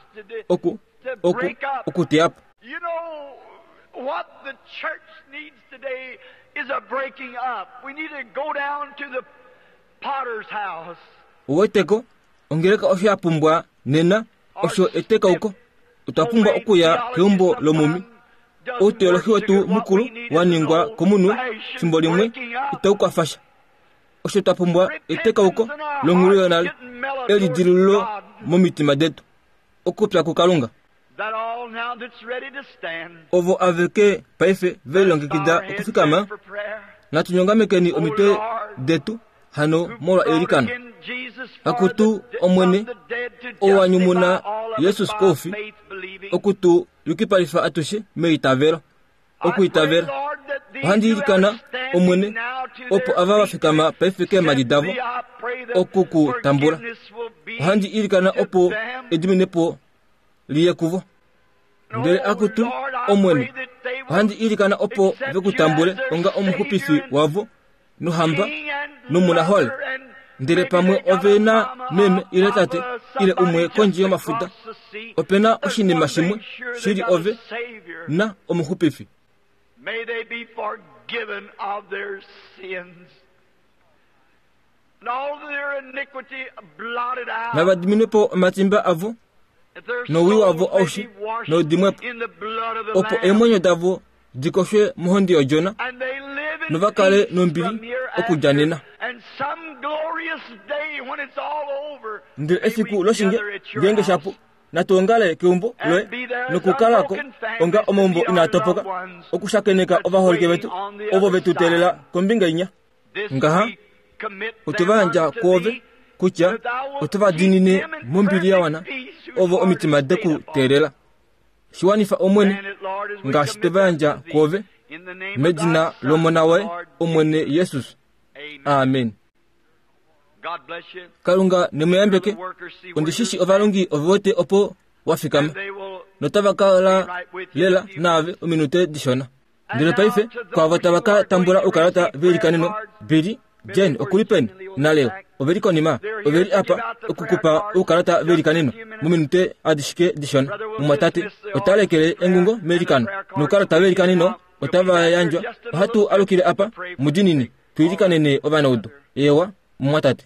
Oku, oku, okuteya po. You know what the church needs today is a breaking up. We need to go down to the potter's house. Uweteko, ongeleka osho ya pumbwa nena, osho etekauko. Otwa pumbwa okuya keumbo lomumi. Outeolohi wetu mukulu wa ningwa komunhu fimbo limwe itau kwafasha. Osho twa pumbwa etekauko longhulu yonale, elidilululo momitima detu, okupya kuKalunga. Ovo aveke paife ve lilongekida okufikama, natu nyongamekeni omitwe detu hano molwa eilikano. Akutu Omwene, ou wa nyumuna Jesus koufi, oku tu yukipalifa atushe meitavelo, okuitavela. Ohandi ilikana, Omwene, opo ava va fikama paife keemhadi davo oku ku tambula. Ohandi ilikana opo ediminepo liye kuvo. Ndele akutu Omwene, ohandi ilikana opo vekutambule onga omuxupifi wavo nohamba nomunahole. Ndele pamwe ove na meme ile tate ile umwe kondje yomafuta, opena oshinima shimwe shili ove na omuxupifi. May they be forgiven of their sins and all their iniquity blotted out. Nava diminwe po omatimba avo nowii wavo aushe noudimwepo, opo eemwenyo davo dikoshwe mohonde yOdjona, nova kale nombili okudja nena. Ndele efiku loshinge ngeenge shapu, natu ongale keumbo loye nokukalako onga omaumbo inaa topoka, okushakeneka ovaholike vetu ovo vetu teelela kombinga inya. Ngaha otwe va yandja kwoove kutya oto va diinine mombili ya wana ovo omitima deku teelela. Shiwanifa Omwene ngaashi twe va yandja kwoove, medina lOmona woye Omwene Jesus. Amen. Kalunga nemuyambeke. Ondishishi ovalongi ove wete opo wa fikama, notava kala lela naave ominute dishona. Ndele paife kwaavo tava ka tambula oukalata veilikaneno, Billy, Jane okuli peni naLeo oveli konima, oveli apa okukupa oukalata veilikaneno mominute adishike dishona. Mumwatate ota lekele engungo meilikano noukalata veilikaneno otava yandjwa. Ohatu alukile apa mudinini tuilikanene ovanaudu. Ewa mumwatate.